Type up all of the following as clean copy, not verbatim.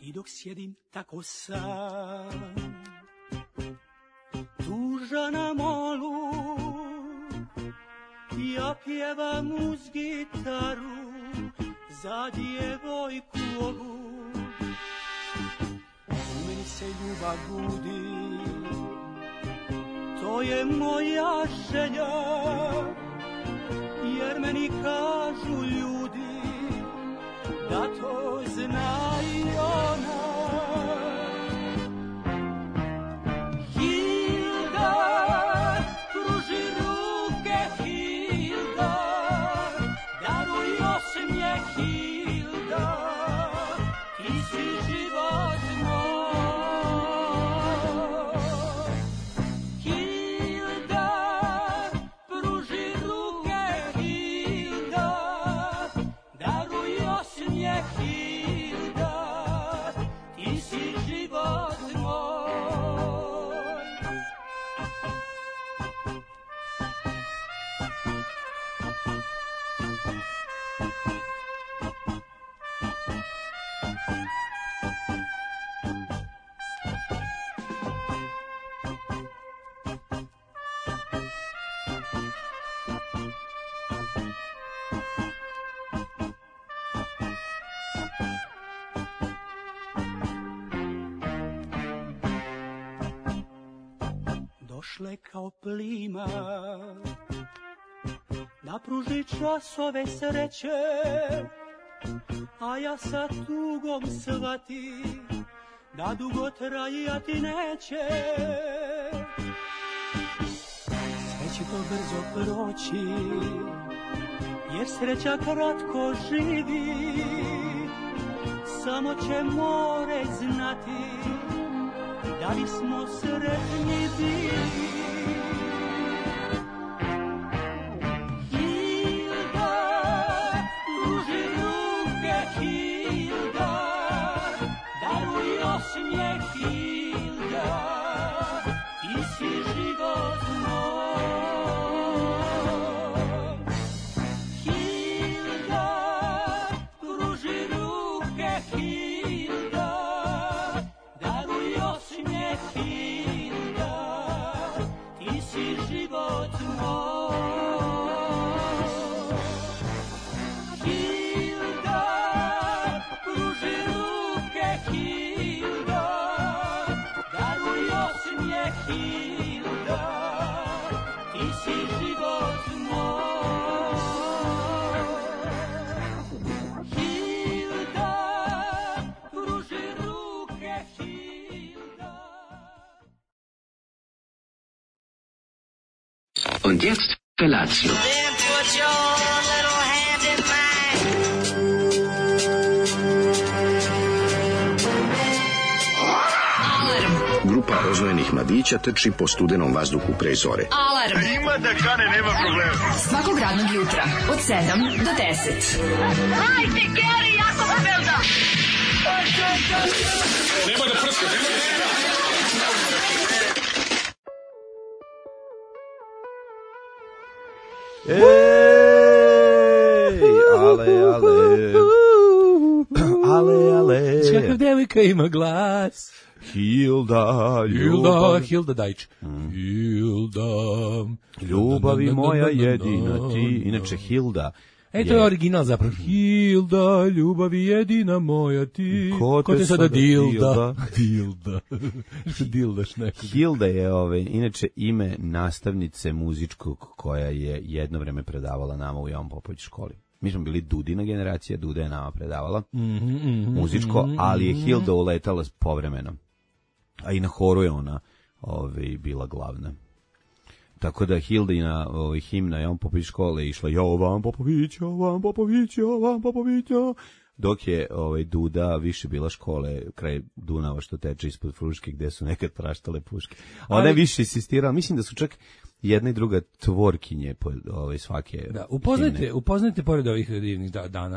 I dok sjedim tako sam, tužan na molu, ja pjevam uz gitaru za djevojku ovu. U meni se ljubav budi, to je moja želja, jer meni kažu ljudi da to zna i ona. Hilda, pruži ruke, Hilda, daruj osmijeh, Hilda, ti si život moj. Hilda, pruži ruke, Hilda, daruj osmijeh, Hilda, ti si život moj. Došle kao plima da pruži časove sreće, a ja sa tugom shvati da dugo trajati neće. Sve će to brzo proći, jer sreća kratko živi, samo će more znati da bismo sretni bili. Hilda, pruži ruke, Hilda, daruj osmijeh, Hilda, ti si život moj. Hilda, pruži ruke, Hilda, daruj osmijeh, Hilda, ti si život moj. Hilda, pruži ruke, Hilda, daruj osmijeh, Hilda, ti si život moj. Hilda, pruži ruke, Hilda. Und jetzt Felatio. Then put your little hand in mine. Grupa rozvojenih mladića trči po studenom vazduhu pre zore. Alarm. Ima da kane, nema problema. Svakog radnog jutra od 7 do 10. Hajde, Geri, jako se velda. Nema da prska, nema da prska. Ale. Kakav devojka ima glas. Hilda Dajč. Hilda. Ljubavi moja jedina ti. Inače Hilda. To je original zapravo. Hilda, ljubavi jedina moja ti. Ko te sada Dilda? Dildaš nekog. Hilda je inače ime nastavnice muzičkog koja je jedno vreme predavala nama u Jovan Popović školi. Mi smo bili Dudina generacija, Duda je nama predavala muzičko, ali je Hilda uletala povremeno. A i na horu je ona bila glavna. Tako da Hildina himna Jovan Popović škole išla Jovan Popović. Dok je Duda više bila škole kraj Dunava što teče ispod Fruške gde su nekad praštale puške. Ona je više insistirala, mislim da su čak jedna i druga tvorkinje svake. Da, upoznajte pored ovih divnih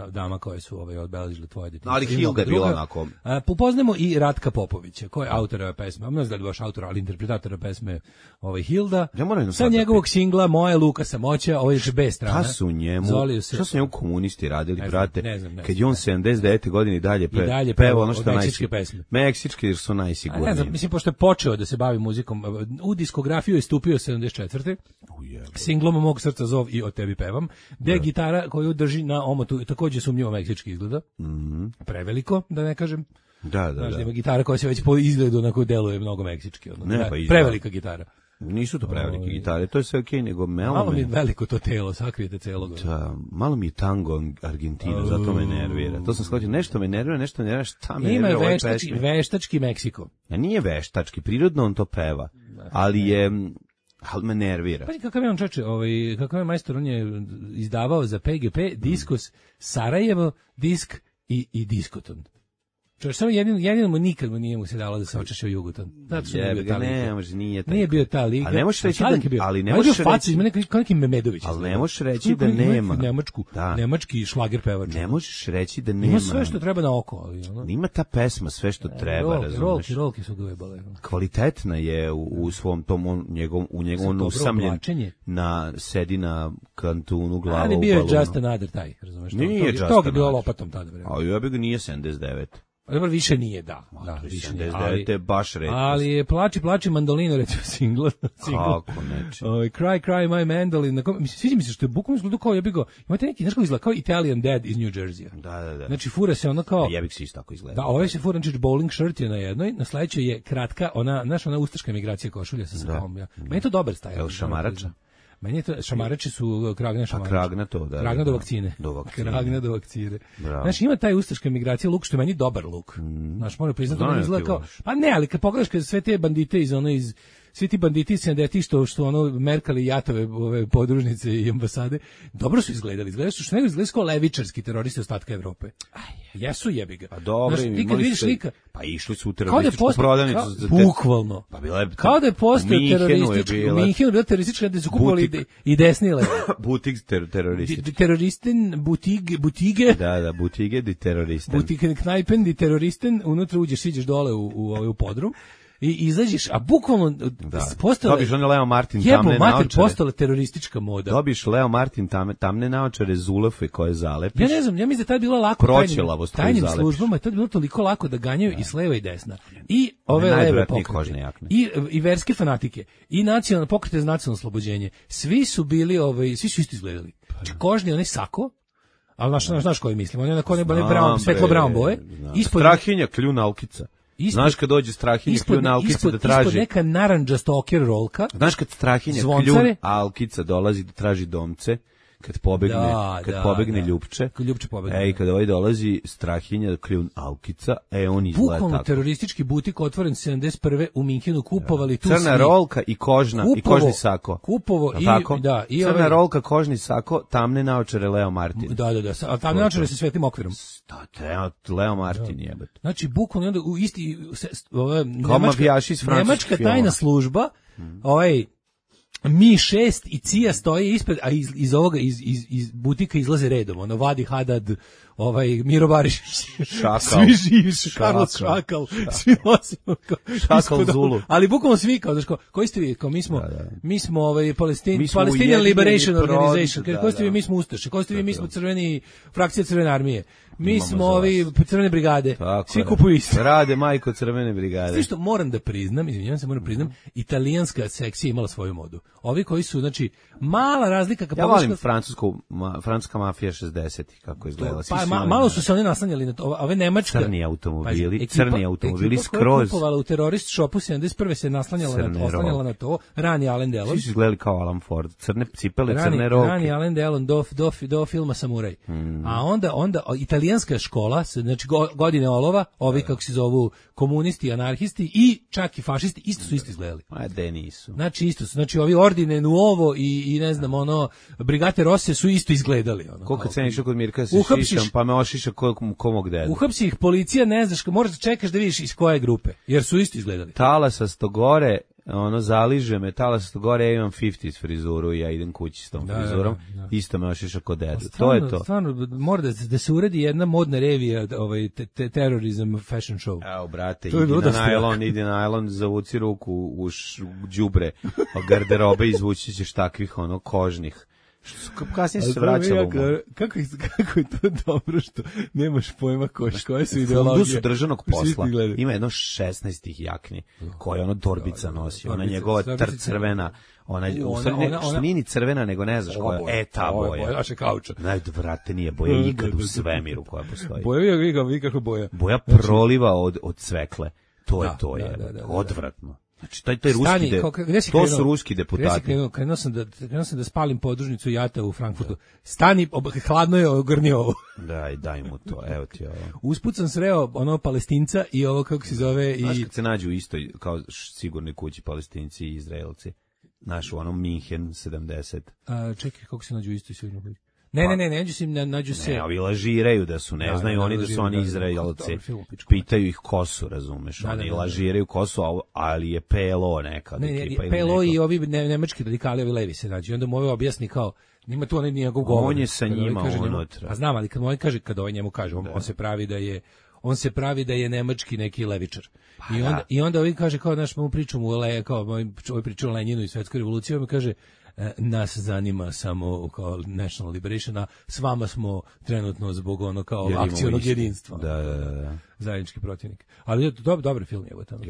dama koje su obeležile tvoje detinjstvo. Ali Hilda je bila onako. Upoznamo i Ratka Popovića, koji je autor ove pesme. Ne znam da je baš autor, ali interpretator pesme Hilda. Sa njegovog singla Moja Luka Samoća, ovo je B strana. Šta su njemu komunisti radili, brate? Ne znam. Kad je on 79. godine i dalje peva ono što meksičke pesme. Meksičke jer su najsigurniji. Ne znam, mislim, pošto je počeo da se bavi muzikom, u diskografiju je stupio 74. Singlom Mog srca zov i O tebi pevam, gde gitara koju drži na omotu takođe sumnjivo meksički izgleda. Preveliko, da ne kažem. Da. Ima gitara koja se već po izgledu onako deluje mnogo meksički. Prevelika gitara. Nisu to prevelike gitare, to je sve okej, nego malo mi je veliko to telo, sakrijete celog. Da, malo mi je tango Argentina, zato me nervira. To sam shvatio, nešto me nervira, šta me nervira. Ima veštački Meksiko. Nije veštački, prirodno on to peva, ali me nervira. Pa kakav je on čoveče, kakav je majstor, on je izdavao za PGP Diskos Sarajevo, Disk i Diskoton. Čovječ, samo jedino mu nikad nije mu se dalo da se očeše u Jugoton. Zato što nije bio ta liga. Ali ne možeš reći kao neki Memedović. Ali ne možeš reći da nema. Nemački šlager pevač. Ne možeš reći da nema. Ima sve što treba na oko. Ima ta pesma sve što treba, razumeš. Rolke su ga ujebale. Kvalitetna je u svom tom njegovom usamljen sedi na kantunu glava u balonu. Ali bio je Just Another taj, razumeš. To ga bilo lopatom tada. A ja bi ga nije 79. Dobro, više nije, više nije. 79 je baš redko. Ali je Plači mandolino, recimo, singla. Kako neće. Cry my mandolin. Sviđa mi se što je bukvalno izgledao kao jebiko. Imate neki, znaš kako izgleda, kao Italian Dad iz New Jersey. Da. Znači, fura se ono kao... Jebik se isto tako izgleda. Da, ovaj se fura, znači, bowling shirt je na jednoj, na sledećoj je kratka, ona ustaška emigracija košulja sa sakom. Meni je to dobar stajl. Evo šamarača. Meni je to, šamarači su Kragna šamarača. Kragna to, da. Kragna do vakcine. Kragna do vakcine. Znači, ima taj ustaška emigracija luk, što je meni dobar luk. Znaš, moram priznati, ono izgleda kao... Pa ne, ali kad pogledaš kad sve te bandite svi ti banditi iz 70-ih što merkali jatove, ove podružnice i ambasade, dobro su izgledali. Izgledali su što nego izgledali kao levičarski teroristi ostatka Evrope. Jesu jebi ga. Pa dobro, pa išli su u terorističku prodavnicu. Bukvalno. Pa bila je, kao da je postao teroristički. U Minhenu je bila teroristička da su kupovali i desnile. Butik teroristički. Teroristen, butige. Da, butige di teroristen. Butiken knajpen di teroristen, unutra siđeš dole u podrum. I izađeš, a bukvalno dobiš one Leo Martin tamne naočare. Postala teroristička moda. Dobiš Leo Martin tamne naočare, zulafe koje zalepiš. Ja ne znam, ja mislim da tad bilo lako tajnim službama, tad bilo toliko lako da ganjaju i s leva i desna. I ove leve pokrete. I verske fanatike. I nacionalne pokrete za nacionalno oslobođenje. Svi su bili, svi su isto izgledali. Kožni, onaj sako, ali znaš koji mislim, on je svetlo brown boje. Strahinja, kljuna alkica. Znaš kad dođe Strahinja kljuna alkica da traži... Ispod neka naranđasta okjer rolka. Znaš kad Strahinja kljuna alkica dolazi da traži domce, kad pobegne Ljupče. Ljupče pobegne. Kad ovaj dolazi Strahinja kljun alkica, on izgleda tako. Bukvalno teroristički butik otvoren 71. u Minhenu, kupovali tu crna rolka i kožni sako. Kupovo i crna rolka, kožni sako, tamne naočare Leo Martin. Da. A tamne naočare sa svetlim okvirom. Leo Martin jebet. Znači bukvalno onda u isti nemačka tajna služba, Mi-6 i CIA stoje ispred, a iz ovoga, iz butika izlaze redom, Vadi Hadad, Miro Barišić, svi živi, Carlos Šakal, svi nosimo Šakal Zulu. Ali bukvalno svi koji ste vi, mi smo Palestinian Liberation Organization, koji ste vi, mi smo Ustaše, koji ste vi, mi smo frakcija Crvene armije, mi smo Crvene brigade, svi kupuju isto. Rade majko Crvene brigade. Sve što moram da priznam, italijanska sekcija imala svoju modu. Ovi koji su, znači, mala razlika. Ja volim francuska mafija 60, kako izgledala. Malo su se oni naslanjali na to, ove nemačka. Crni automobili skroz. Ekipa kupovala u terorist shopu 71. se naslanjala na to, rani Alain Delon. Svi su izgledali kao Alan Ford, crne cipele, crne rolke. Rani Alain Delon do filma Samuraj. A onda italijanska škola, znači godine olova, ovi kako se zovu komunisti, anarhisti i čak i fašisti, isto su izgledali. Nisu. Znači isto su, znači ovi Ordine Nuovo i ne znam, Brigate Rosse su isto izgledali. Koliko ceniš kod Mirka se šišam, pa me ošiša komog deda. Uhapsi ih policija, ne znaš, moraš da čekaš da vidiš iz koje grupe, jer su isto izgledali. Talasasto gore, ono zaliže me, talasto gore, ja imam 50s frizuru i ja idem kući s tom frizurom, isto me ošiša kod dedu. To je to. Stvarno, mora da se uredi jedna modna revija, terorizam fashion show. Evo, brate, idi na najlon, zavuci ruku u đubre garderobe, izvući ćeš takvih ono kožnih. Kasnije se vraćalo. Kako je to dobro što nemaš pojma koje su ideologije. Fundusu državnog posla ima jedno 16 jakni koje ono torbica nosi. Ona njegova crvena, ona što nije ni crvena, nego ne znaš koja je. Ta boja. Naše kauča. Brate, nije boja ikad u svemiru koja postoji. Boja, vidi kako boja. Boja proliva od cvekle. To je to je. Odvratno. Znači, taj ruski to su ruski deputati. Krenuo sam da spalim podružnicu jata u Frankfurtu. Stani, hladno je, ogrni ovo. Daj mu to, evo ti ovo. Usput sam sreo ono Palestinca i ovo, kako se zove... Znaš kad se nađu isto, kao sigurni kući Palestinci i Izraelci? Znaš, u onom Minhen 70. Čekaj, kako se nađu isto i sigurno kući? Ne, nađu se... Ne, ovi lažiraju da su, ne znaju oni da su oni Izraelci. Pitaju ih ko su, razumeš, oni lažiraju ko su, ali je PLO neka. Ne, PLO i ovi nemački radikali, ovi levi se nađu. I onda mu ovaj objasni kao, nima tu onaj njegov govor. On je sa njima unutra. A znam, ali kad mu ovaj kaže, kad ovaj njemu kaže, on se pravi da je nemački neki levičar. I onda ovaj kaže, kao, znaš, mu priču kao, ovaj priču o Lenjinu i svetskoj revoluciji, ovaj kaže, nas zanima samo kao National Liberation, a s vama smo trenutno zbog ono kao akcionog jedinstva. Da. Zajednički protivnik. Ali je dobar film je tamo.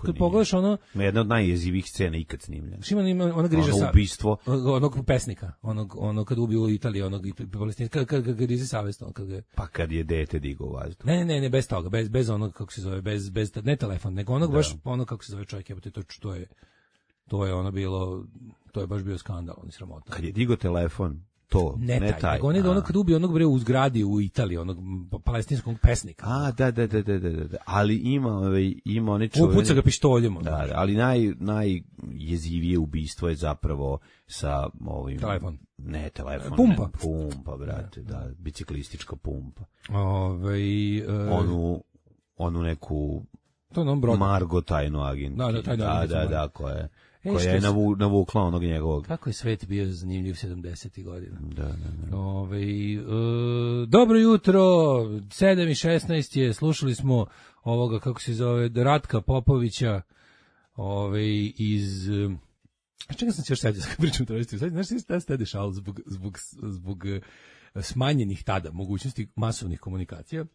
Kad pogledaš ono... Jedna od najjezivih scena ikad snimljena. Ima ona griža sa... ubistvo. Onog pesnika. Ono kad ubio u Italiji, onog palestinca, kad grizi savest. Pa kad je dete digao vazduh. Ne, bez toga. Bez onog, kako se zove, bez ne telefon, nego onog baš ono, kako se zove čovjek, to je ono bilo... To je baš bio skandal, on je sramotno. Kad je digo telefon, to, ne taj. Nego on je ono kad ubio onog bre u zgradi u Italiji, onog palestinskog pesnika. Da. Ali ima onaj čovjek... Upuca ga pištoljem. Da, ali najjezivije ubistvo je zapravo sa ovim... Telefon. Ne, telefon. Pumpa, brate, da, biciklistička pumpa. Onu neku... To je on Margo tajnu agent. Da, koja je navukla onog njegovog. Kako je svet bio zanimljiv 70. godina. Da. Dobro jutro, 7:16 je, slušali smo ovoga, kako se zove, Ratka Popovića, iz... Čega sam se još sad pričam travesti? Znaš šta se dešalo zbog smanjenih tada mogućnosti masovnih komunikacija,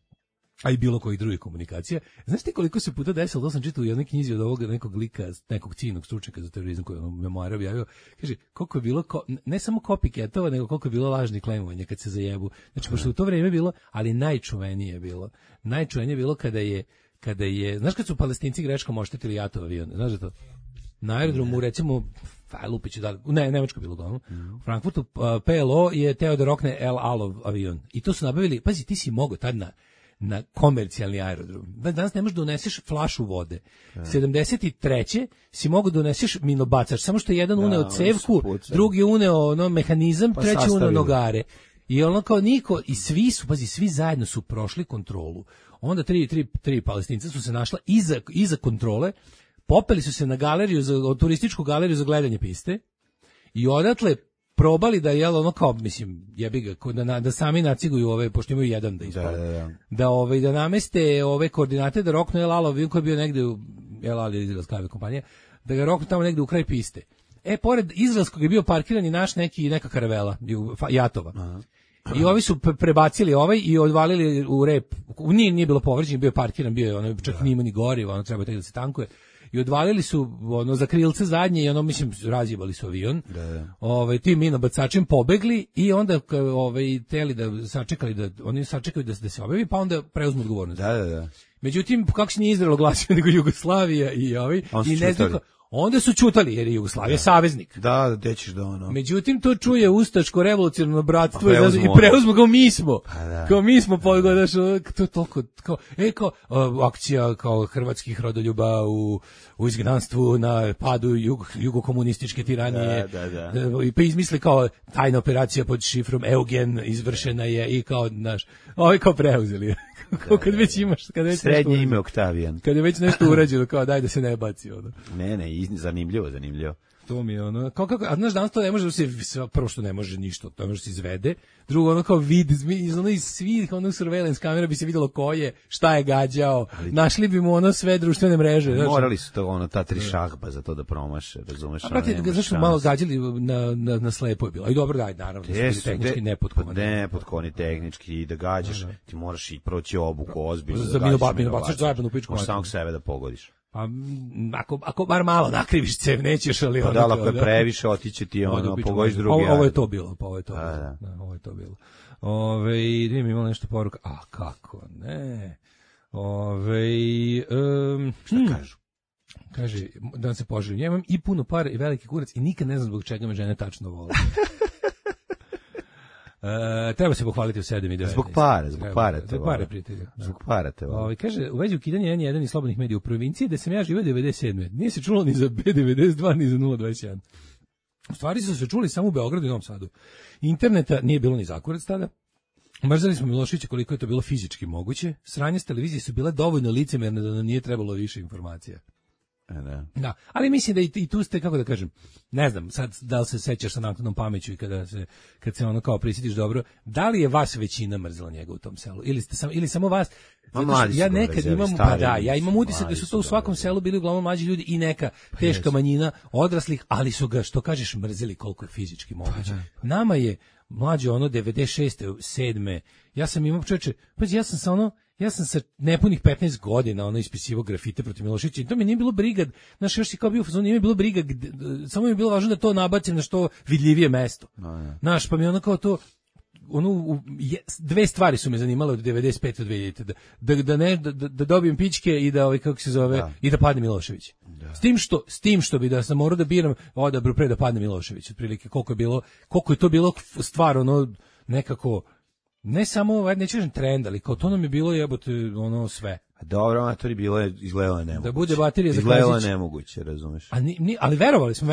a i bilo kojih drugih komunikacija. Znaš ti koliko se puta desilo, to sam čitao u jednoj knjizi od ovoga nekog lika, nekog cijenog stručnjaka za terorizam koji je memoara objavio, kaže, koliko je bilo, ne samo copycatova, nego koliko je bilo lažnih klemovanja kad se zajebu. Znači, pošto u to vrijeme bilo, ali najčuvenije je bilo kada je, znaš kad su Palestinci greškom oštetili Jatov avion, znaš da to? Na aerodromu, recimo, Lupiću, Nemačko bilo uglavnom, u Frankfurtu, PLO je teo da rokne El Alov avion. I to su nabavili, pazi, ti si mogao tad na komercijalni aerodrom. Danas ne možeš da uneseš flašu vode. 73. si mogu da uneseš minobacač, samo što je jedan uneo cevku, drugi uneo mehanizam, treći uneo nogare. I ono kao niko, i svi zajedno su prošli kontrolu. Onda tri Palestinca su se našla iza kontrole, popeli su se na galeriju, turističku galeriju za gledanje piste i odatle probali da jebi ga, da sami naciguju pošto imaju jedan da ispale. Da nameste ove koordinate, da roknu El Al koji je bio negde u El Al je izraelska aviokompanija, da ga roknu tamo negde u kraj piste. Pored izraelskog je bio parkiran i naš neka karavela, Jatova. Aha. I ovi su prebacili i odvalili u rep. Nije bilo povređen, bio je parkiran, bio je čak nije ni gorivo, treba tek da se tankuje. I odvalili su za krilce zadnje i razjebali su avion. Tim minobacačem pobegli i onda teli da sačekali oni sačekaju da se objavi, pa onda preuzmu odgovornost. Da. Međutim, kako se nije Izrael oglasio nego Jugoslavija i onda su ćutali jer je Jugoslavija saveznik. Da, dećeš da ono. Međutim, to čuje ustaško revolucionarno bratstvo i preuzmu kao mi smo. Kao mi smo pogodaš, to je toliko kao akcija kao hrvatskih rodoljuba u izgnanstvu na padu jugokomunističke tiranije. I pa izmisli kao tajna operacija pod šifrom Eugen izvršena je i kao kao preuzeli. Kad već imaš, srednje ime Oktavijan. Kad je već nešto urađeno, kao daj da se ne baci ono. Ne, zanimljivo. To mi je ono, kako, a znaš, danas to ne može da se, prvo što ne može ništa, to ne može da se izvede, drugo ono kao vid, iz svih onog surveillance kamera bi se vidjelo ko je, šta je gađao, našli bi mu ono sve društvene mreže. Morali su to, ono, ta 3 šahba za to da promaše, razumeš? A prati, zašto malo gađali na slepo je bilo, i dobro daj, naravno, tehnički nepotkovani. Nepotkovani tehnički, da gađaš, ti moraš i proći obuku ozbiljno. Za minobacaš zajedno u pičku. Možeš samog sebe da pogodiš. Pa ako bar malo nakriviš cev, nećeš, ali pa da, ako je previše, otiće ti ono, pogodiš drugi. Ovo je to bilo, ovo je to bilo. Imamo nešto poruka. A kako ne? Šta kažu? Kaže, da vam se poželim. Ja imam i puno para i veliki kurac i nikad ne znam zbog čega me žene tačno vole. Treba se pohvaliti u 7 i 9. Zbog para prijatelja. Zbog para te vole. Kaže, u vezi ukidanja N1 i slobodnih medija u provinciji, da sam ja živio 97. Nije se čulo ni za B92, ni za 021. U stvari su se čuli samo u Beogradu i Novom Sadu. Interneta nije bilo ni zakurac tada. Mrzali smo Miloševića koliko je to bilo fizički moguće. Sranje s televizije su bile dovoljno licemerne da nam nije trebalo više informacija. Da, ali mislim da i tu ste, kako da kažem, ne znam, sad da li se sećaš sa naknadnom pameću i kad se ono kao prisjetiš dobro, da li je vas većina mrzela njega u tom selu ili samo vas? Ja nekad imam, ja imam utisak da su to u svakom selu bili uglavnom mlađi ljudi i neka teška manjina odraslih, ali su ga, što kažeš, mrzeli koliko je fizički moguće. Nama je mlađe ono 96. 7. Ja sam imao čoveče, ja sam sa nepunih 15 godina ispisivao grafite protiv Miloševića i to mi nije bilo briga, znaš, još si kao bio u fazonu, nije mi bilo briga, samo mi je bilo važno da to nabacim na što vidljivije mesto. Znaš, pa mi ono kao to, dve stvari su me zanimale od 95 do 2000, da dobijem pičke i da kako se zove, i da padne Milošević. S tim što bi da sam morao da biram odabru pre da padne Milošević, otprilike koliko je to bilo stvar nekako. Ne samo, neću kažem trend, ali kao to nam je bilo jebote sve. Dobro, amatori bilo je izgledalo nemoguće. Da bude baterija za izgledalo nemoguće, razumeš? Ali verovali smo,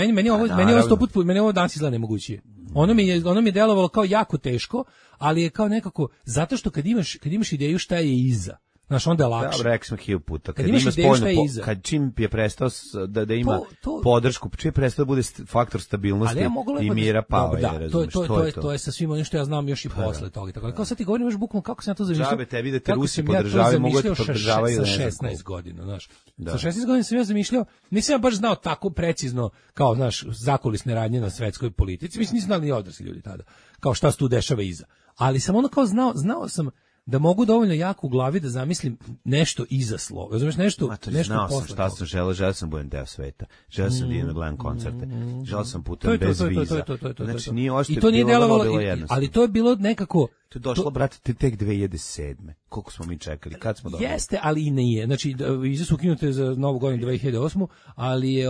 meni ovo danas izgleda nemoguće. Ono mi je delovalo kao jako teško, ali je kao nekako, zato što kad imaš ideju šta je iza, znaš, onda je lakše. Da, rekao sam 1000 puta. Kad ima spoljnu, kad čim je prestao da ima podršku, čim je prestao da bude faktor stabilnosti i mira pao je, razumiješ, to je sa svim onim što ja znam još i posle toga. Tako, kao sad ti govorim još bukvalno kako sam ja to zamišljao. Žabe te vidite, Rusi podržavaju, mogu da podržavaju. Sa 16 godina, znaš. Sa 16 godina sam ja zamišljao, nisam ja baš znao tako precizno, kao, znaš, zakulisne radnje na svetskoj politici, mislim, nisam znali ni odrasli ljudi tada, kao šta se tu dešava iza. Ali sam ono kao znao sam da mogu dovoljno jako u glavi da zamislim nešto iza slova. Razumeš, nešto znao sam šta sam želeo sam budem deo sveta. Želeo sam da idem da gledam koncerte. Želeo sam putem bez viza. Znači nije ošte bilo jednostavno. Ali to je bilo nekako. To je došlo, brate, tek 2007. Koliko smo mi čekali? Kad smo dobili? Jeste, ali i nije. Znači, vize su ukinute za novu godinu 2008. Ali je,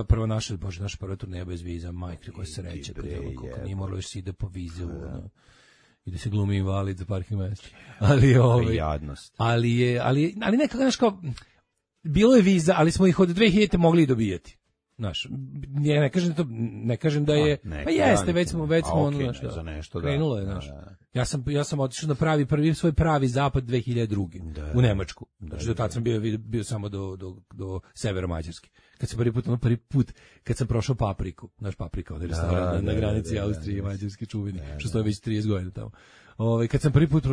prva naša prva turneja bez viza, majke, koja se reće. Koliko nije moralo još se ide po vize i da se glumi invalid za parking mesta. Ali nekako, znaš, kao, bilo je viza, ali smo ih od 2000 mogli i dobijati. Znaš, ne kažem da je, pa jeste, već smo krenulo je, znaš. Ja sam otišao na svoj pravi zapad 2002. U Nemačku. Znači, do tad sam bio samo do severa Mađarske. Kad sam prvi put, kad sam prošao Papriku, naš Paprika, od restorana na granici Austrije i Mađarske čuveni, što stoje već 30 godina tamo. Kad sam prvi put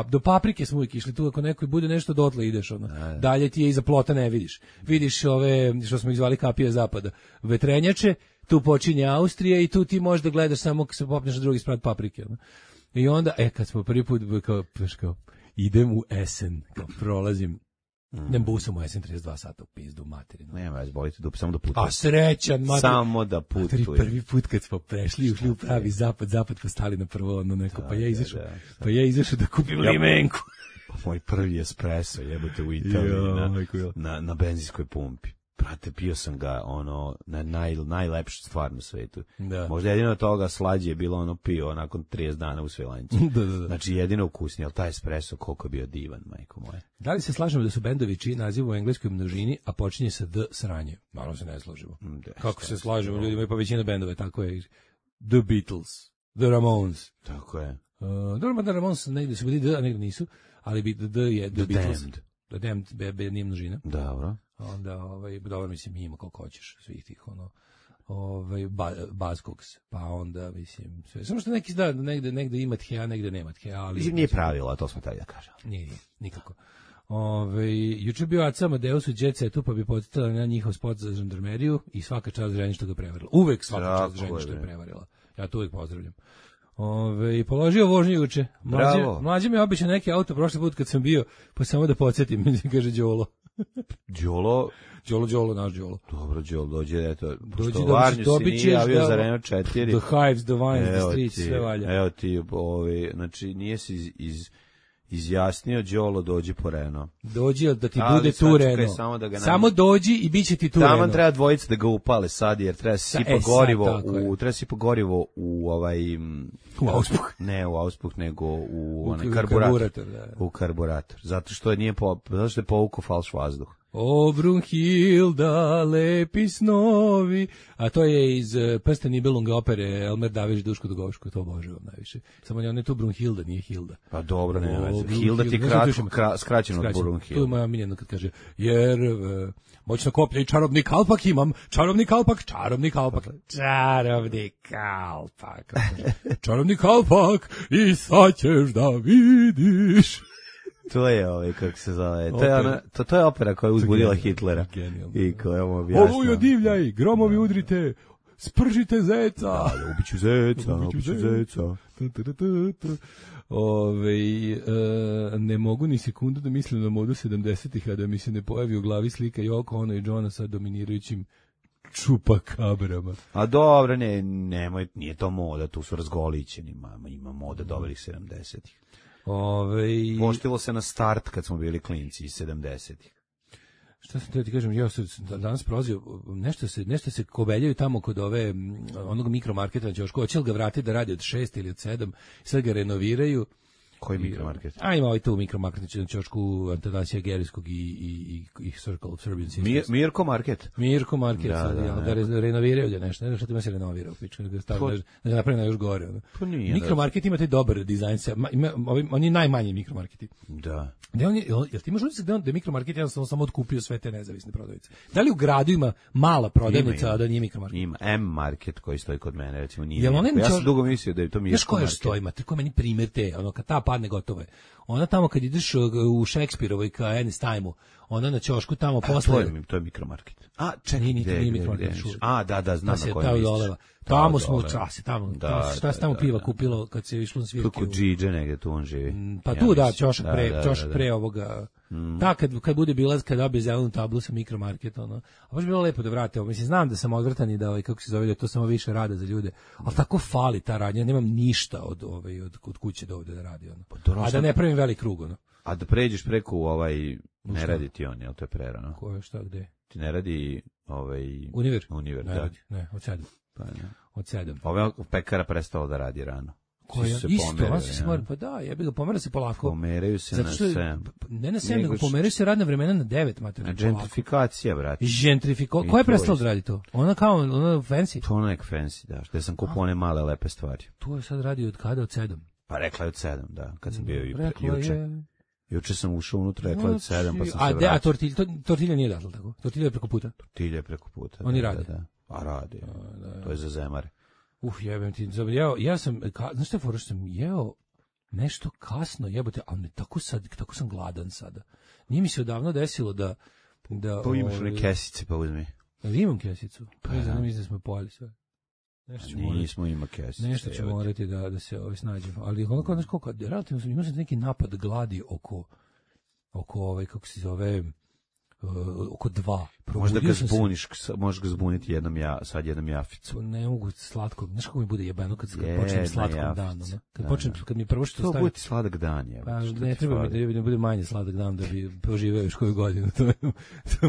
do Paprike smo uvijek išli, tu ako neko bude nešto dotle ideš, dalje ti je iza plota ne vidiš. Vidiš ove, što smo ih zvali kapije zapada, vetrenjače, tu počinje Austrija i tu ti možeš da gledaš samo kad se popneš na drugi sprat Paprike. I onda, kad smo prvi put kao idem u Essen, kao prolazim, idem busom u Essen 32 sata u pizdu materinu. Nema, bolite samo da putuje. A srećan, samo da putuje. Prvi put kad smo prešli, ušli u pravi zapad pa stali na prvo neko, pa ja izašao da kupim limenku. Moj prvi espresso, jebote, u Italiji, na benzinskoj pumpi. Brate, pio sam ga, na najlepšu stvar na svetu. Da. Možda jedino od toga slađe je bilo pio nakon 30 dana u Svilajncu. Da. Znači, jedino ukusnije, ali taj espresso koliko je bio divan, majko moje. Da li se slažemo da su bendovi čiji naziv u engleskoj množini, a počinje sa D sranje? Naravno se ne slažemo. Kako se slažemo, ljudi imaju pa većina bendova, tako je. The Beatles, The Ramones. Tako je. Dobro, da Ramones negdje su bili D, a negdje nisu, ali D je The Beatles. Damned. da nemam bebe, nije množina. Dobro. Onda, dobro, mislim, ima koliko hoćeš svih tih, Buzzcocks, pa onda, mislim, sve. Samo što neki da, negde ima tjeja, negde nema tjeja, ali... Mislim, nije pravilo, to smo taj da kažem. Nije, nikako. Juče bio Aca Amadeus u Jet Setu, pa bi podsjetila na njihov spot za žandarmeriju i svaka čast ženi što ga prevarila. Uvek svaka čast ženi što je prevarila. Ja to uvek pozdravljam. Položio vožnju juče. Mlađe mi je običao neki auto prošli put kad sam bio, pa samo da podsjetim, kaže Đolo. Đolo, naš Đolo. Dobro, Đolo, dođe, eto, pošto Varnju si nije javio za Renault 4. The Hives, the Vines, the Streets, sve valja. Evo ti, znači, nije si izjasnio, Đolo, dođi po Renault. Dođi da ti bude tu Renault. Samo dođi i bit će ti tu Renault. Tamo treba dvojica da ga upale sad, jer treba sipa gorivo u Auspuh. Ne u Auspuh, nego u karburator. U karburator. Zato što je povukao falš vazduh. O Brunhilda, lepi snovi. A to je iz Prsten Nibelunga opere Elmer Davić, Duško Dugovško, to obožavam najviše. Samo on je tu Brunhilda, nije Hilda. Pa dobro, ne. Hilda ti skraćeno od Brunhilda. Tu je moja miljena kad kaže, jer moćno koplje i čarobni kalpak imam, čarobni kalpak. Čarobni kalpak i sad ćeš da vidiš. To je kako se zove. To je opera koja je uzbudila Hitlera. I koja mu objasnila. Olujo divljaj, gromovi udrite, spržite zeca. Da, ubiću zeca. Ne mogu ni sekundu da mislim na modu 70-ih, a da mi se ne pojavi u glavi slika Yoko Ono i Johna sa dominirajućim čupakabrama. A dobro, nemoj, nije to moda, tu su razgolićeni, ima moda dobrih 70-ih. Poštilo se na start kad smo bili klinci iz 70-ih. Šta sam te ti kažem, ja sam danas prolazio, nešto se kobeljaju tamo kod onog mikromarketa na Ćošku, hoće li ga vratiti da radi od 6 ili od 7, sad ga renoviraju. Koji mikromarket? Ima tu mikromarket na Ćošku, Antanasija Gerijskog i Circle of Serbian Sisters. Mirko Market? Mirko Market, da renoviraju da nešto, ne znam šta ima se renovira, da napravi na još gore. Mikromarket ima taj dobar dizajn, oni najmanji mikromarketi. Da. Jel ti imaš utisak da je mikromarket jednostavno samo otkupio sve te nezavisne prodavnice? Da li u gradu ima mala prodavnica, a da nije mikromarket? Ima M-market koji stoji kod mene, recimo nije. Ja sam dugo mislio da je to Mirko Market. Znaš koja stoji, ko meni primjer te, kad ta padne gotovo je. Ona tamo kad ideš u Šekspirovoj ka Ernest Time-u, ona na Ćošku tamo posle... To je mikromarket. A, čekaj, nije mikromarket. Da, znam na kojem misliš. Tamo smo u časi, šta se tamo piva kupilo kad se išlo na svirke? Kod Džidže negdje tu on živi. Pa tu da, Ćošak pre ovoga... Da, kad bude bilaz, kad dobije zelenu tablu sa mikromarket, a baš bilo lepo da vrate. Mislim, znam da sam odvrtan i da, kako se zove, da je to samo više rada za ljude, ali tako fali ta radnja, nemam ništa od kuće do ovde da radi, a da ne pravim velik krug, A da pređeš preko ne radi ti on, jel to je prerano? Ko je, šta, gde? Ti ne radi Univer? Univer, ne da. Radi, ne, od 7. Pa ne. Od 7. Ova pekara prestala da radi rano. Koja? Isto, pa da, pomera se polako. Pomeraju se na 7. Ne na 7, nego pomeraju se radna vremena na 9, mater. Gentrifikacija, brate. Ko je prestala da radi to? Ona fancy? To ona nek fancy, da. Što sam kupao one male lepe stvari. To je sad radi od kada? Od 7? Pa rekla je od 7, da. Kad sam bio juče. Juče sam ušao unutra, rekla je od 7, pa sam se vratio. A tortilja nije dato, tako? Tortilja je preko puta? Tortilja je preko puta. Oni rade? A radi. To je za zemare. Jebem ti, ja sam, znaš šta je fora, što sam jeo nešto kasno, jebote, ali tako sam gladan sada. Nije mi se odavno desilo da pa imaš one kesice, pa uzmi. Imam kesicu, pa mislim da smo pojeli sve. Nismo ima kesice. Nešto ću morati da se snađemo, ali onako, znaš koliko, relativno imao sam neki napad gladi oko kako se zove, oko 2. Možda ga zbuniš, možeš ga zbuniti jednom jaficu. Ne mogu slatko, znaš kako mi bude jebeno kad počnem slatkom danu, kad mi prvo što stavim... To bude sladak dan, je. Pa ne treba mi da bude manje sladak dan da bi poživeo još koju godinu, to je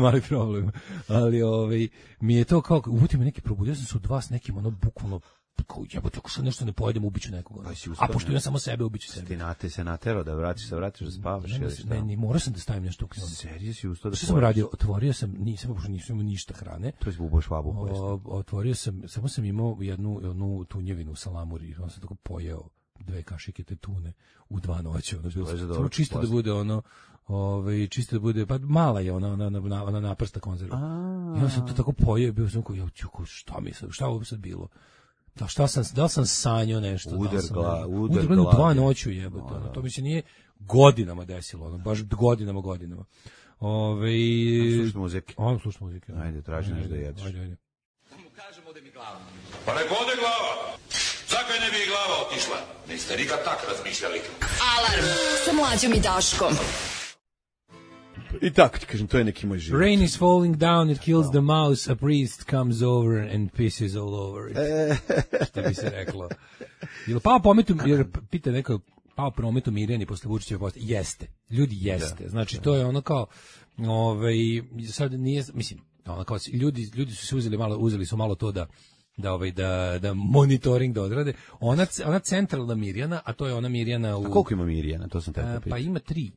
mali problem. Ali mi je to kao, uvuti me neki probudio sam se od 2 s nekim, bukvalno, kao jebote, ako sad nešto ne pojedem, ubiću nekog. A pošto ja samo sebe, ubiću sebe. Ti se naterao da vratiš da spavaš ili šta? Ne, morao sam da stavim nešto u knjigu. Serije si ustao da što sam radio? Otvorio sam, nisam imao ništa hrane. To je zbubo švabu pojesti. Otvorio sam, samo sam imao jednu tunjevinu u salamuri, on sam tako pojeo. 2 kašike te tune u 2 noći, samo čisto da bude ono, čisto da bude, pa mala je ona naprsta konzerva. Ja sam to tako pojeo, bio sam kao, šta ovo sad bilo? Da li sam sanjao nešto? Udar glava. 2 noću jebote. To mi se nije godinama desilo, baš godinama. Slušaj muzike. Slušaj muzike. Ajde, traži nešto da jedeš. Ajde. Mu kažem ode mi glava. Pa nek ode glava. Zakaj ne bi i glava otišla? Niste nikad tak razmišljali. Alarm sa Mlađom i Daškom. I tako ti kažem, to je neki moj život. Rain is falling down, it kills the mouse, a priest comes over and pisses all over it. Što bi se reklo. Jel pao pometu, jer pita neko, pao prometu Mirjani posle Vučićeve postaje? Jeste. Ljudi jeste. Znači, to je ono kao, sad nije, mislim, ono kao, ljudi su se uzeli su malo to da monitoring da odrade. Ona centralna Mirjana, a to je ona Mirjana u... A koliko ima Mirjana? To sam te pitao. Pa ima 3.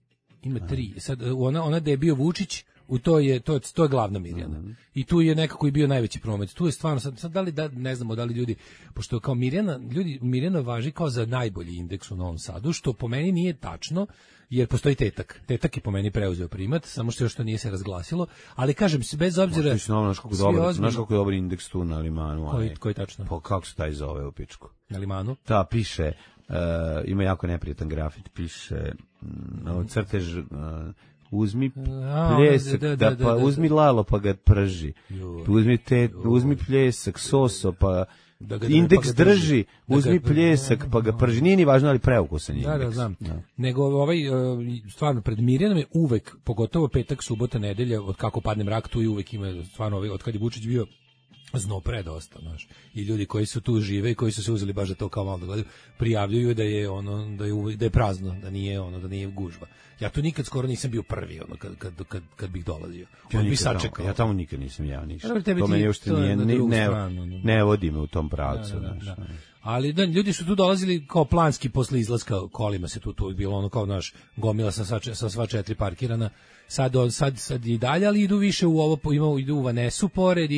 Ima 3. Sad ona da je bio Vučić, to je glavna Mirjana. I tu je nekako i bio najveći promet. Tu je stvarno sad ne znamo da li ljudi, pošto kao Mirjana važi kao za najbolji indeks u Novom Sadu, što po meni nije tačno, jer postoji Tetak. Tetak je po meni preuzeo primat, samo što još to nije se razglasilo, ali kažem se bez obzira. Znaš kako je dobar indeks tu na Limanu. Koji tačno? Pa kako se taj zove u pičku? Na Limanu? Da, piše, ima jako neprijatan grafit, piše crtež, uzmi pljesak, uzmi lalo pa ga prži, uzmi pljesak, soso pa indeks drži, uzmi pljesak pa ga prži, nije ni važno ali preukusan indeks. Da, znam. Nego stvarno pred Mirjanom je uvek, pogotovo petak, subota, nedelja, od kako padne mrak, tu i uvek ima stvarno od kad je Vučić bio zno predosta, znaš. I ljudi koji su tu žive i koji su se uzeli baš za to kao malo da gledaju, prijavljuju da je prazno, da nije gužva. Ja tu nikad skoro nisam bio prvi, kad bih dolazio. Ja tamo nikad nisam ništa. To meni uopšte ne vodi me u tom pravcu, znaš. Ali ljudi su tu dolazili kao planski posle izlaska kolima, se tu bilo ono kao naš gomila sa sva 4 parkirana. Sad i dalje, ali idu više u ovo, idu u Vanesu pored,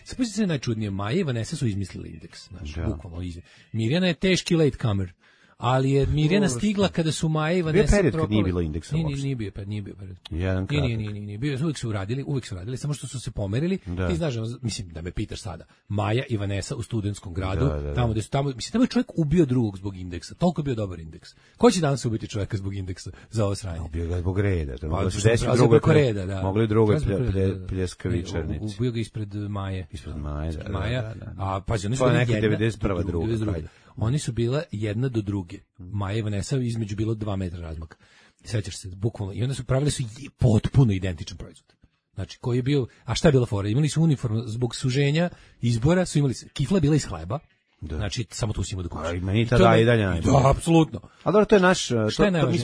sad se najčudnije, Maja i Vanesa su izmislili indeks, znači, bukvalno. Mirjana je teški latecomer, ali je Mirjana stigla kada su Maja i Vanesa propali. Bio period kad nije bilo indeksa uopšte. Nije bio period. Jedan kratak. Nije. Uvijek su radili, samo što su se pomerili. Ti znaš, mislim, da me pitaš sada, Maja i Vanesa u Studentskom gradu, tamo je čovjek ubio drugog zbog indeksa, toliko je bio dobar indeks. Ko će danas ubiti čovjeka zbog indeksa za ovo sranje? Ubio ga zbog reda. Mogli drugo pljeskavičarnici. Ubio ga ispred Maje. Maja. A pazi, oni su neka 91. druga. Oni su bila jedna do druge. Maja i Vanesa između bilo 2 metra razmaka. Sećaš se, bukvalno. I onda su pravili potpuno identičan proizvod. Znači, koji je bio, a šta je bila fora? Imali su uniformu zbog suženja izbora, su imali kifla bila iz hleba. Da. Znači, samo tu si imao da kući. A meni tada i dalje najbolje. Da, apsolutno. A dobro, to je naš,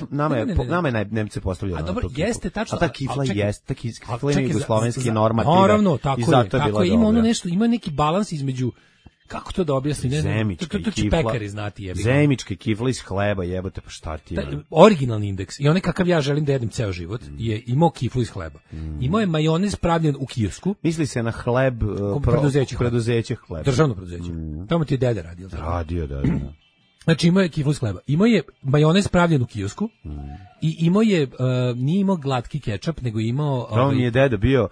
nama je Nemce postavljeno. A dobro, jeste tačno. A ta kifla jeste, ta kifla je jugoslovenski normativ. Naravno, tako je, ima ono nešto, ima neki balans između. Kako to da objasni? To će pekari znati, jebi. Zemičke kifle iz hleba, jebote, pa šta ti je? Originalni indeks, i onaj kakav ja želim da jedem ceo život, je imao kiflu iz hleba. Imao je majonez pravljen u kiosku. Misli se na hleb, preduzeće hleba. Državno preduzeće. Tamo ti je deda radio. Radio, da. Znači imao je kiflu iz hleba. Imao je majonez pravljen u kiosku i imao je, nije imao glatki kečap, nego imao... Pravo mi je deda bio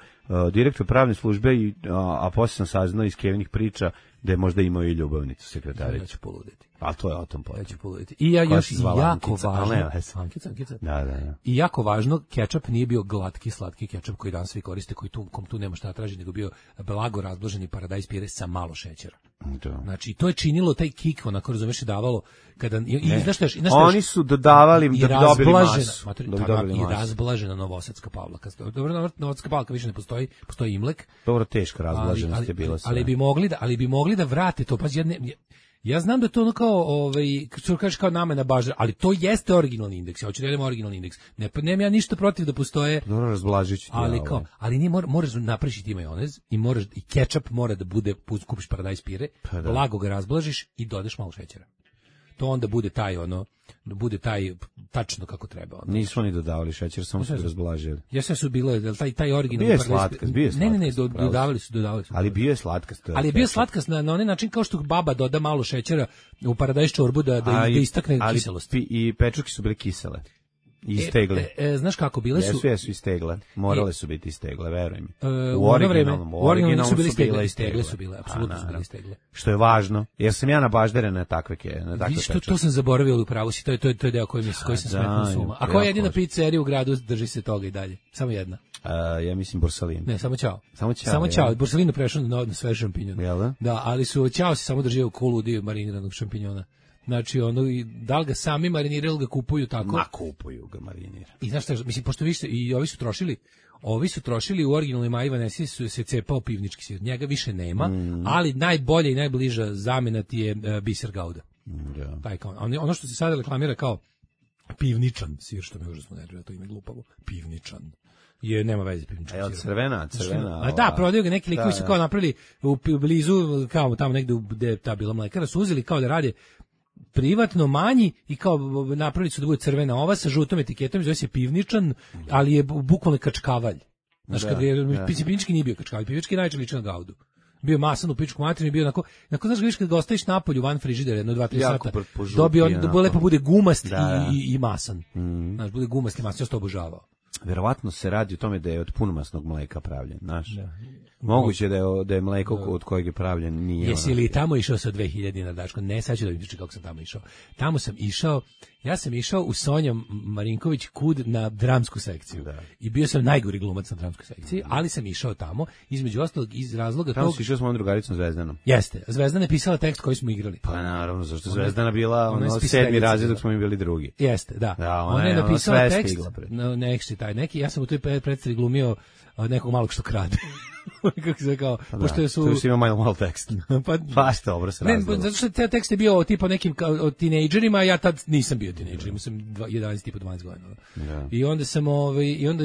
direktor pravne službe, a poslije sam saznao iz Kevinih priča da je možda imao i ljubavnicu sekretaricu. Ja ću poluditi. A to je o tom potom. Ja ću poluditi. I ja još jako važno... Ankica. Da. I jako važno, kečap nije bio glatki, slatki kečap koji danas svi koriste, koji kom tu nema šta traži, nego bio blago razblaženi paradajz pire sa malo šećera. Da. Znači, to je činilo taj kik, onako, razumeš, je davalo, kada... Oni su dodavali da bi dobili masu. I razblažena novosadska pavlaka. Dobro, novosadska pavlaka više ne postoji, postoji Imlek. Dobro, teška razblaženost je bila sve. Ali bi mogli da vrate to, pa ja znam da to ono kao, što kažeš kao nama na bažar, ali to jeste originalni indeks. Ja hoću da idem originalni indeks. Nemam ja ništa protiv da postoje. Dobro, razblažić. Ali nije, moraš napraviš ti majonez i kečap mora da bude, kupiš paradajz pire, blago ga razblažiš i dodaš malo šećera. to onda bude taj bude taj tačno kako treba. Nisu oni dodavali šećer, samo su razblažili. Jeste su bile taj originalni. Bio je slatkast, Ne, dodavali su. Ali bio je slatkast. Ali je bio slatkast na onaj način kao što baba doda malo šećera u paradajz čorbu da istakne kiselost. I pečurke su bile kisele. Istegle. Znaš kako bile su? Jesu istegle. Morale su biti istegle, veruj mi. U originalnom su bile istegle. Su bile, apsolutno su bile istegle. Što je važno, jer sam ja nabažderen na takve pečurke. To sam zaboravio u pravu si, to je deo koji sam smetnuo s uma. A koja je jedina pizzerija u gradu drži se toga i dalje? Samo jedna. Ja mislim Borsalin. Ne, samo Ćao. Borsalinu prešao na sve šampinjone. Jel da? Da, ali su Ćao se samo držio kolu dio mariniranog šampinjona. Znači, da li ga sami mariniraju ili ga kupuju tako? Kupuju ga marinira. I znaš šta, mislim, pošto više, i ovi su trošili u originalnoj Maji Vanesi se cepao pivnički sir. Njega više nema, ali najbolja i najbliža zamena ti je biser Gauda. Taj kao, ono što se sada reklamira kao pivničan sir, što me užasno nervira, to ime glupavo. Pivničan. Nema veze pivničkog sira. Crvena. A da, prodaju ga neki likovi su kao napravili u blizu, kao tamo negde gde je ta bila mlekara, su uzeli kao da rade privatno manji i kao napravili su da bude crvena ova sa žutom etiketom, zove se pivničan, ali je bukvalno kačkavalj. Znaš, kad je pivnički nije bio kačkavalj, pivnički najčešće liči na Gaudu. Bio masan u pičku materinu, bio onako znaš ga viš kad ga ostaviš napolju van frižidera jedno 2-3 sata, dobio on da lepo bude gumast i masan. Znaš, bude gumast i masan, ja to obožavao. Verovatno se radi o tome da je od punomasnog mleka pravljen, znaš. Moguće da je mleko od kojeg je pravljen nije. Jesi li tamo išao sa 2000 na Dačko? Ne, sad ću da mi pričam kako sam tamo išao. Ja sam išao u Sonja Marinković kud na dramsku sekciju. Da. I bio sam najgori glumac na dramskoj sekciji, ali sam išao tamo, između ostalog iz razloga tamo si išao s mojom drugaricom Zvezdanom. Jeste, Zvezdana je pisala tekst koji smo igrali. Pa naravno, zašto Zvezdana bila sedmi razred dok smo mi bili drugi. Jeste, da. Ona je napisala tekst, neki, ja sam u toj predstavi glumio nekog malog što krade. Kako se kao, pošto su tu ima malo tekst. Pa što dobro se razgleda. Ne, zato što taj tekst je bio tipa nekim kao tinejdžerima, ja tad nisam bio tinejdžer, imao sam 11 tipa 12 godina. I onda sam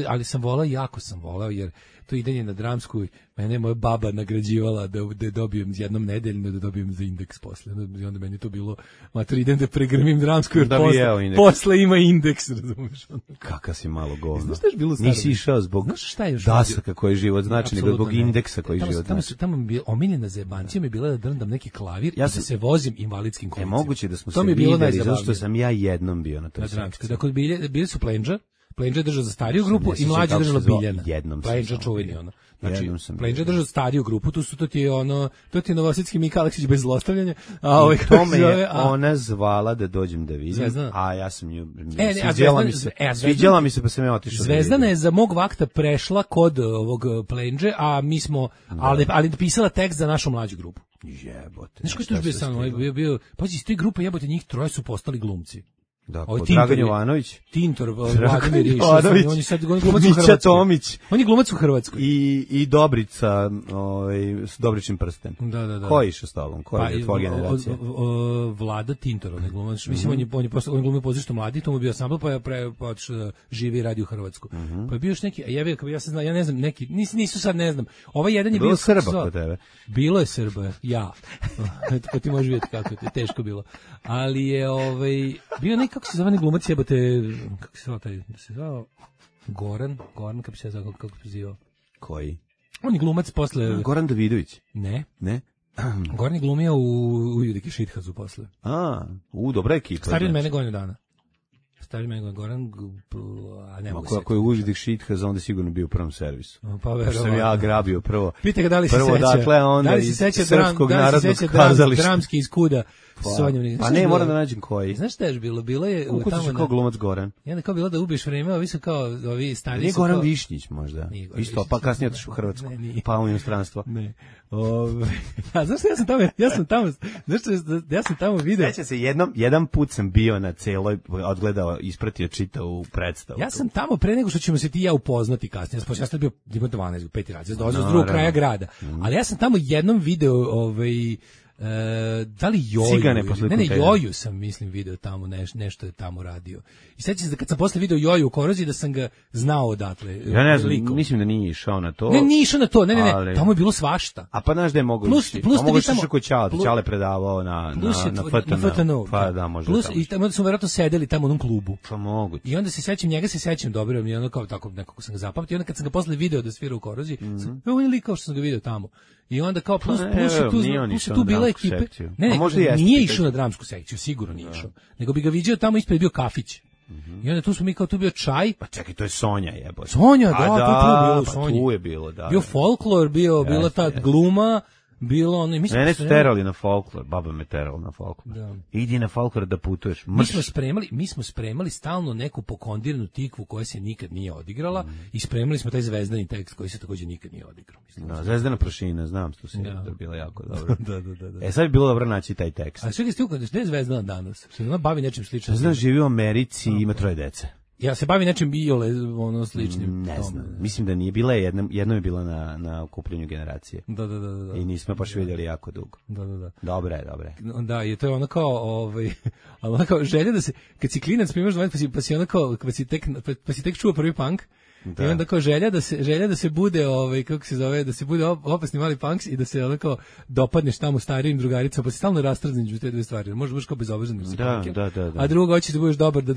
ali sam volao, jako sam volao, jer to idenje na dramsku, mene je moja baba nagrađivala da dobijem jednom nedeljno, da dobijem za indeks posle. I onda meni to bilo, mater, idem da pregrmim dramsku, jer posle ima indeks, razumiješ? Kaka si malo govno. Znaš šta je bilo staro? Nisi išao zbog dasaka koji je život znači, nego zbog indeksa koji život znači. Tamo mi je omiljena zajebancija mi je bila da drndam neki klavir i da se vozim invalidskim kolicima. Moguće da smo se videli, zato što sam ja jednom bio na toj sekciji. Dakle, bili su Plenđa je držao za stariju grupu i mlađa držala Biljana. Plenđa čuveni ono. Znači, Plenđa držao stariju grupu, to ti je Novosadski Mika Aleksić bez zlostavljanja. To me je ona zvala da dođem da vidim, a ja sam nju sviđala mi se pa sam ja otišao. Zvezdana je za mog vakta prešla kod ovog Plenđe, a mi smo, ali pisala tekst za našu mlađu grupu. Jebote. Znaš koji to bio sam, bio, pazi, iz te grupe jebote njih troje su postali glumci. Da, Dragan Jovanović, Tintor, Vladimir Išović, on je sad glumac u Hrvatskoj. Tomić. On je glumac u Hrvatskoj. I Dobrica, s Dobričnim prsten. Da. Ko je išao s tobom? Ko je tvoja generacija? Vlada Tintor, on je glumac. Mislim, on je glumio pozorište Mladi, to mu je bio ansambl, pa otišao da živi i radi u Hrvatskoj. Pa je bio još neki, ja ne znam, neki, nisu sad, ne znam. Ovaj jedan je bio Srba kod tebe. Bilo je Srba, ja. Ko ti možeš vidjeti kako je teško bilo. Ali je bio neki, kako se zove glumac jebote, kako se zvao Goran, kako se zvao, kako se zvao? Koji? On je glumac posle... Goran Davidović? Ne. Goran je glumio u Judiki Šithazu posle. Dobra ekipa. Stariji od mene godinu dana. Goran, a ne mogu se. Ako je Užidik Šithaz, onda sigurno bio u prvom servisu. Pa verovatno. Sam ja grabio prvo. Pita ga da li se seća. Dakle, onda iz Srpskog narodnog kazališta. Dramski iz Kuda. Pa ne, moram da nađem koji. Znaš šta je bilo? Bilo je tamo tamo kao glumac Goran. I onda kao bilo da ubiješ vreme, ovi su kao ovi stari. Nije Goran Višnjić možda. Isto, pa kasnije otišao u Hrvatsku. Pa u inostranstvo. Ne. A znaš šta ja sam tamo video. Seća se jedan put sam bio na celoj, odgledao, ispratio, čitao u predstavu. Ja sam tamo pre nego što ćemo se ti ja upoznati kasnije. Ja sam bio 12, 5 razred, dolazio s drugog kraja grada. Ali ja sam tamo jednom video Da li Joju? Cigane posle Ne, kontejnera. Joju sam, mislim, video tamo, nešto je tamo radio. I sećam se da kad sam posle video Joju u Koroziji, da sam ga znao odatle. Ja ne znam, likom. mislim da nije išao na to. Ne, nije išao na to, ne, ali- tamo je bilo svašta. A pa znaš da je mogo Plus- ići. plus A da mogo vi ići tamo- kod Ćale, plus- Ćale predavao na Na FTN. Pa da, možda Plus, tamo. i tamo su verovatno sedeli tamo u onom klubu. Pa moguće. I onda njega se sećam dobro, mi je ono kao tako nekako sam ga zapamtio. I onda kad sam ga posle video da svira u Koroziji, on je likao što sam ga video tamo. I onda kao plus nije on je išao tu na bila dramsku ekipe. sekciju. Ne, A možda jeste, nije pitaj. išao na dramsku sekciju, sigurno nije išao. Nego bi ga viđao tamo ispred je bio kafić. I onda tu smo mi kao tu bio čaj. Pa čekaj, to je Sonja jebote. Sonja, A to je tu bilo u pa Sonji. tu je bilo, da. Bio folklor, bila ta Jeste. gluma, bilo ono, i mi smo Mene su spremali- terali na folklor, baba me terala na folklor. Da. Idi na folklor da putuješ. Mi smo spremali stalno neku pokondirnu tikvu koja se nikad nije odigrala i spremali smo taj zvezdani tekst koji se takođe nikad nije odigrao. Mislim. Da, Zvezdana Prošina, znam što si, Da. to je bilo jako dobro. Da. E sad bi bilo dobro naći taj tekst. A čekaj, gde je Zvezdana danas? Se ona bavi nečim sličnim? Zvezdan živi u Americi i ima 3 dece. Ja se bavi nečim iole ono sličnim. Ne tome. znam, mislim da nije bila jednom je bila na okupljenju generacije. Da. I nismo baš vidjeli jako dugo. Da. Dobre je. Da, i to je ono kao, ali ono kao želja da se, kad si klinac primaš 20, pa si ono kao, pa si tek čuo prvi punk, Da. i onda kao želja da se bude, kako se zove, da se bude opasni mali punks i da se ono kao dopadneš tamo starijim drugaricama, pa si stalno rastrzni među te dve stvari. Možeš baš kao bezobrazan da si punker, Da. a drugo hoćeš da budeš dobar da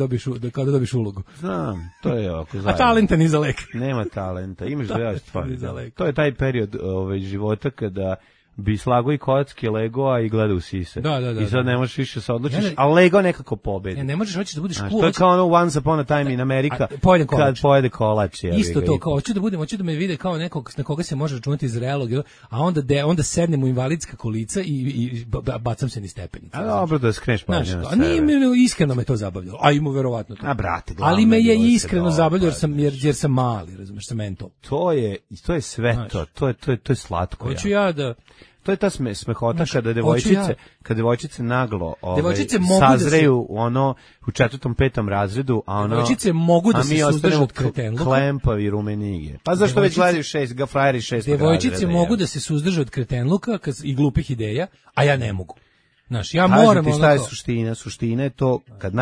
dobiješ ulogu. Znam, to je oko A zajedno. talenta ni za lek. Nema talenta, imaš da Talenta stvari. ni za lek. To je taj period života kada bi slago i kocke Legoa i gleda u sise. Da. I sad ne možeš više se odlučiš, Ne. a Lego nekako pobedi. Ne možeš, hoćeš da budeš Znaš, cool. to je kao ono Once Upon a Time in America, Pojedem kolač. kad pojede kolač. Isto to, kao hoću da me vide kao nekog na koga se može računati zrelog, a onda sednem u invalidska kolica i bacam se niz stepenice. A dobro da skreneš pažnju na A sebe. nije me iskreno me to zabavljalo. A ima verovatno to. A brate, glavno ali me je bilo se iskreno dobro, zabavljalo znaš. jer sam mali, razumeš, sam mental. To je sve Znaš. to je slatko. Hoću ja da To je ta smehota Znaš, kada devojčice naglo Devojčice mogu da sazreju ono u 4., 5. razredu, a ono devojčice mogu da se suzdrže ostanemo od kretenluka. klempavi rumenige. Pa zašto već gledaju frajeri 6. Devojčice mogu da se suzdrže od kretenluka i glupih ideja, a ja ne mogu. Znaš, ja Kažem moram ti šta je ono kao- suština? Suština je to kad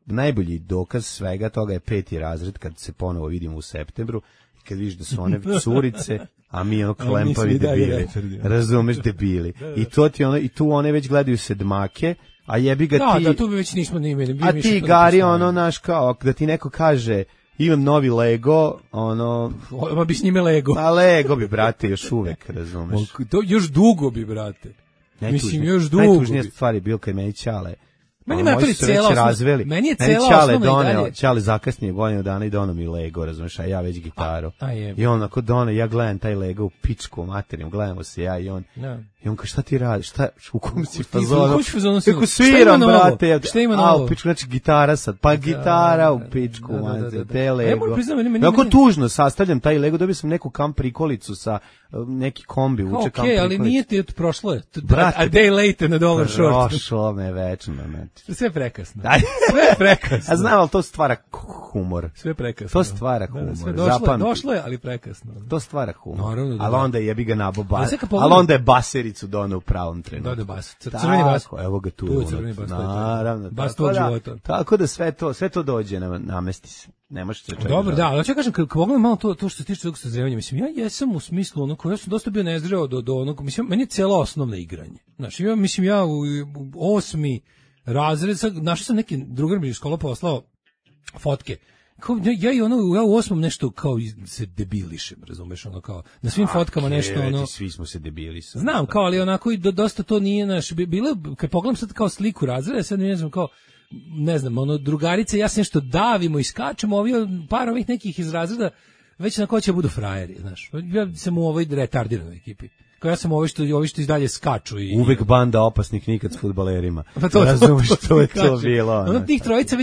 najbolji dokaz svega toga je 5. razred, kad se ponovo vidimo u septembru, kad vidiš da su one curice, a mi ono klempavi svi dalje debili. retardi. Razumeš, debili. I to ti ono, i tu one već gledaju sedmake, a jebi ga ti... Da, tu bi već nismo ni imali. A ti Gari, ono, naš kao, da ti neko kaže, imam novi Lego, ono... Ma bi s njime Lego. A Lego bi, brate, još uvek, razumeš. To još dugo bi, brate. Mislim, još dugo Najtužnija bi. stvar je bilo kad meni Ćale... Meni Moji je su cela već osnova- razveli. meni je cela Ćale osnova i doneo, dalje- Ćale zakasnije godinu dana i doneo mi Lego, razumeš, a ja već gitaru. A je. I on ako doneo, ja gledam taj Lego u pičku materijem, gledamo se ja i on. Da. I on kaže, šta ti radiš, u kom si U fazonu? kom si fazonu si? Kako Šta ima sviram, novo? brate. Šta ima A, novo? u pičku, znači gitara sad, pa gitara u pičku, da. te A ja Lego. moram priznati, meni- Jako meni- tužno sastavljam taj Lego, dobio sam neku kamp prikolicu sa neki kombi, uče kamp Okej, ali prikolicu. nije ti prošlo je. Brate, A day later na dolar short. Prošlo me večno, znači. Sve prekasno. Aj. Sve prekasno. A znam, ali to stvara humor. Sve prekasno. To stvara Da, humor. sve Zapamti. došlo je, ali prekasno. To stvara humor. Naravno da ali da. onda jebi ga nabo Ali bas. sad kad Ali pogledam- onda je basericu doneo u pravom trenutku. Da, bas. Crveni bas. Tako, evo ga tu. Tu je ono, crveni bas, to je to. Naravno. Bas tako tvog da- života. Tako da sve to dođe, namesti se. Ne možeš se čekati. Dobro, da, ali ću kažem, kad pogledam malo to što se tiče tog sazrevanja, mislim, ja jesam u smislu ono, ja sam dosta bio nezreo do onog, mislim, meni je cela osnovna igranje. Znači, ja u 8. razred, našao sam neki drugar mi iz škola poslao fotke. Kao, ja u 8. nešto kao se debilišem, razumeš, ono kao, na svim fotkama nešto, ono... Svi smo se debili. Znam, kao, ali onako i dosta to nije naš, bilo, kad pogledam sad kao sliku razreda, sad ne znam, kao, ne znam, ono, drugarice, ja se nešto davimo i skačemo, par ovih nekih iz razreda, već na ko će budu frajeri, znaš. Ja sam u ovoj retardiranoj ekipi. Kao ja sam ovi što izdalje skaču i... Uvek banda opasnih nikad s fudbalerima. Pa to razumeš, to je to kažem. bilo. Ono, njih trojica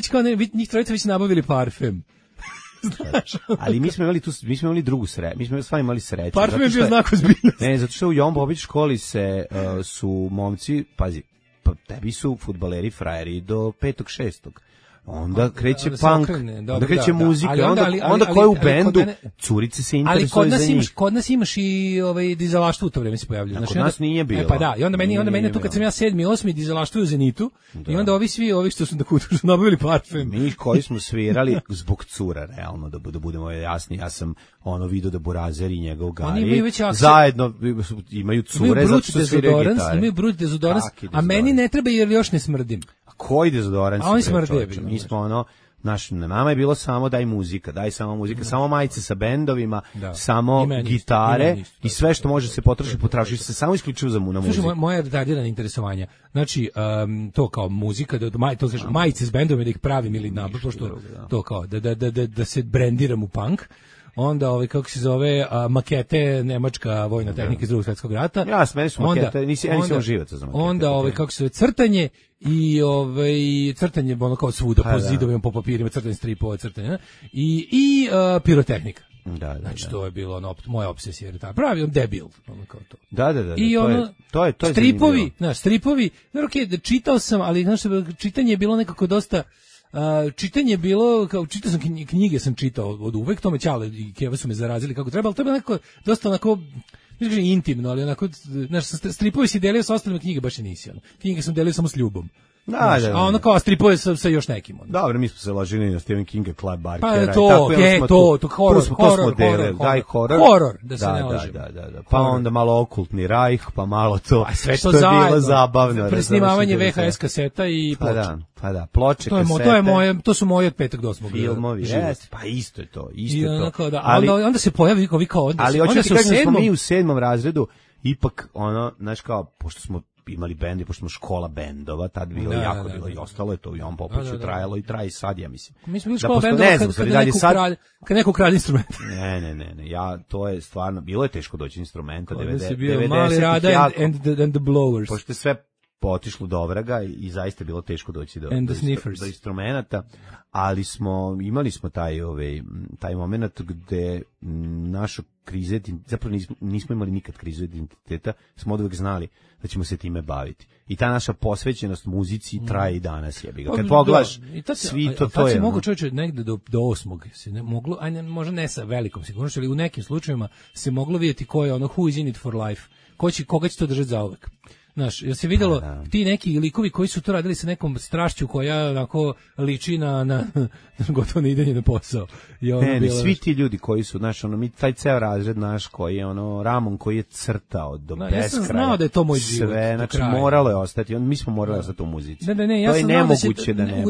već nabavili parfem. Znaš, Ali mi smo imali drugu sreću. Mi smo stvarno imali sreću. parfem je zato bio što znak ozbiljnosti. Ne, zato što u Jovan Bobić školi su momci, pazi, pa tebi su fudbaleri frajeri do 5. 6. onda kreće se punk, okrene, dobro, onda kreće da, muzika, ali onda ko je u bendu, curice se ali interesuju za njih. kod nas imaš i dizelaštvo u to vreme se pojavljuje. Kod nas nije bilo. Pa da, i onda meni tu kad sam ja 7. 8. dizelaštvo u Zenitu, i onda ovi što su nabavili parfem. Mi koji smo svirali zbog cura, realno, da budemo jasni, ja sam video da Burazer i njegov Gari zajedno imaju cure zato što sviraju gitare. Imaju brut dezodorans, a meni ne treba jer još ne smrdim. A koji dezodorans? A oni smrde. Mi smo nama je bilo samo daj samo muzika, samo majice sa bendovima, samo gitare i sve što može se potroši se samo isključivo za na muziku. Slušaj, moje retardirana interesovanja. Znači, to kao muzika, to kaže majice s bendovima da ih pravim ili pošto to kao da se brendiram u punk. Onda kako se zove makete nemačka vojna tehnika iz Drugog svjetskog rata. Ja meni su makete, nisam živac za makete. Onda kako se zove crtanje i crtanje kao svuda po zidovima, po papirima, crtanje stripova, crtanje i pirotehnika. Da. Znači to je bilo moja obsesija, jer pravi debil, kao to. Da. I to je stripovi, da čitao sam, ali znaš, čitanje je bilo nekako dosta. Čitanje je bilo, kao čitao sam knjige, sam čitao od uvek, to me Ćale i Keva su me zarazili kako treba, ali to je bilo nekako, dosta onako, ne kažem intimno, ali onako, znaš, stripovi si delio sa ostalima, knjige baš i nisi, knjige sam delio samo s ljubom. Da. A ono kao stripove sa još nekim. Dobro, mi smo se ložili na Stephen Kinga, Clive Barkera. Pa to, horor, da se ne lažemo. Da. Pa onda malo okultni Rajh, pa malo to, sve što je bilo zabavno. Presnimavanje VHS kaseta i ploče. Pa da, ploče, kasete. To su moje od 5. do 8. filmovi, pa isto je to. Onda se pojavi kao odnos. Ali hoću ti kažem da smo mi u 7. razredu, ipak znaš kao, pošto smo imali bend i pošto smo škola bendova, tad bilo bilo i ostalo je to i on Popoviću trajalo i traje i sad, ja mislim. Mi smo bili škola bendova kad neko kralj instrument. Ne, to je stvarno, bilo je teško doći instrumenta, 90. bio Mali Rada and the Blowers. Pošto je sve potišlo do vraga i zaista je bilo teško doći do instrumenta, ali imali smo taj moment gde naša kriza, zapravo nismo imali nikad krizu identiteta, smo oduvek znali da ćemo se time baviti. I ta naša posvećenost muzici traje i danas, jebi ga. Kad pogledaš, svi to je. Tad se mogu čovječe negde do 8. se ne moglo, možda ne sa velikom sigurnošću, ali u nekim slučajevima se moglo vidjeti ko je who is in it for life, koga će to držati zauvek. Znaš, jel se vidjelo ti neki likovi koji su to radili sa nekom strašću koja onako liči na gotovo na idenje na posao. Svi ti ljudi koji su, znaš, mi taj ceo razred naš koji je Ramon koji je crtao do beskraja. Ja sam znao da je to moj život. Sve, znači moralo je ostati, mi smo morali ostati u muzici. Ne, ja sam znao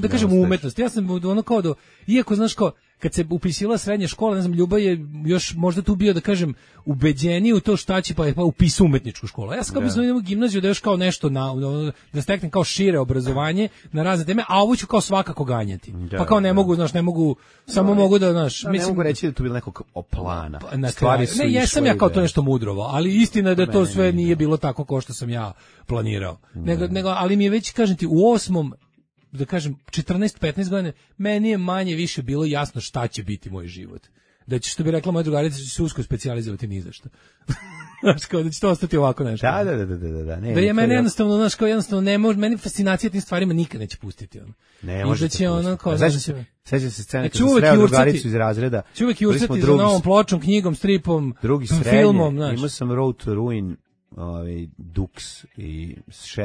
da kažem u umetnosti. Ja sam kao iako znaš kao, kad se upisivala srednja škola, ne znam, Ljuba je još možda tu bio, da kažem, ubeđeniji u to šta će, pa upisao umetničku školu. Ja sam kao bi u gimnaziju da još kao nešto, da steknem kao šire obrazovanje na razne teme, a ovo ću kao svakako ganjati. Pa kao ne mogu, samo mogu da, znaš, mislim... Ne mogu reći da tu bilo nekog plana. Ne, jesam ja kao to nešto mudrovo, ali istina je da to sve nije bilo tako kao što sam ja planirao. Ali mi je već, kažem ti, u 8. da kažem, 14-15 godina, meni je manje više bilo jasno šta će biti moj život. Da će, što bi rekla moja drugarica, će se usko specijalizovati ni za što. Znaš, kao da će to ostati ovako nešto. Da. Da je meni jednostavno, znaš, kao jednostavno ne može, meni fascinacija tim stvarima nikad neće pustiti. Ne može da će ono, kao, seća se scene kad sam sreo drugaricu iz razreda. Će uvek jurcati za novom pločom, knjigom, stripom, filmom, znaš. Imao sam Road to Ruin, Dux i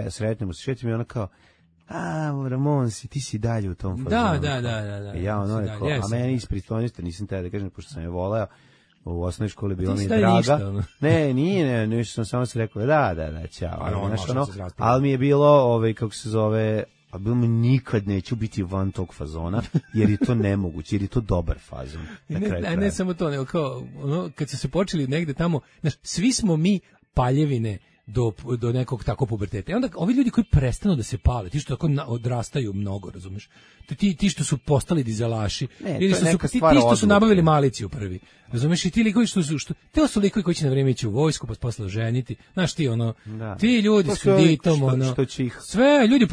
sretnemo se, šetim i ona kao, Ramon, ti si dalje u tom fazonu. Da. Ja rekao, a meni ispred toniste, nisam te da kažem, pošto sam je voleo, u osnovnoj školi bila mi draga. Ne, sam samo se rekao, da, ćao. Ali mi je bilo, kako se zove, a bilo mi nikad neću biti van tog fazona, jer je to nemoguće, jer je to dobar fazon. Ne samo to, nego kao, kad su se počeli negde tamo, znaš, svi smo mi paljevine do nekog tako puberteta. I onda ovi ljudi koji prestanu da se pale, ti što tako odrastaju mnogo, razumeš? Ti što su postali dizelaši, ili ti što su nabavili maliciju prvi. Razumeš? I ti likovi te su likovi koji će na vrijeme ići u vojsku, pa posle ženiti. Znaš ti ti ljudi s kreditom, sve ljudi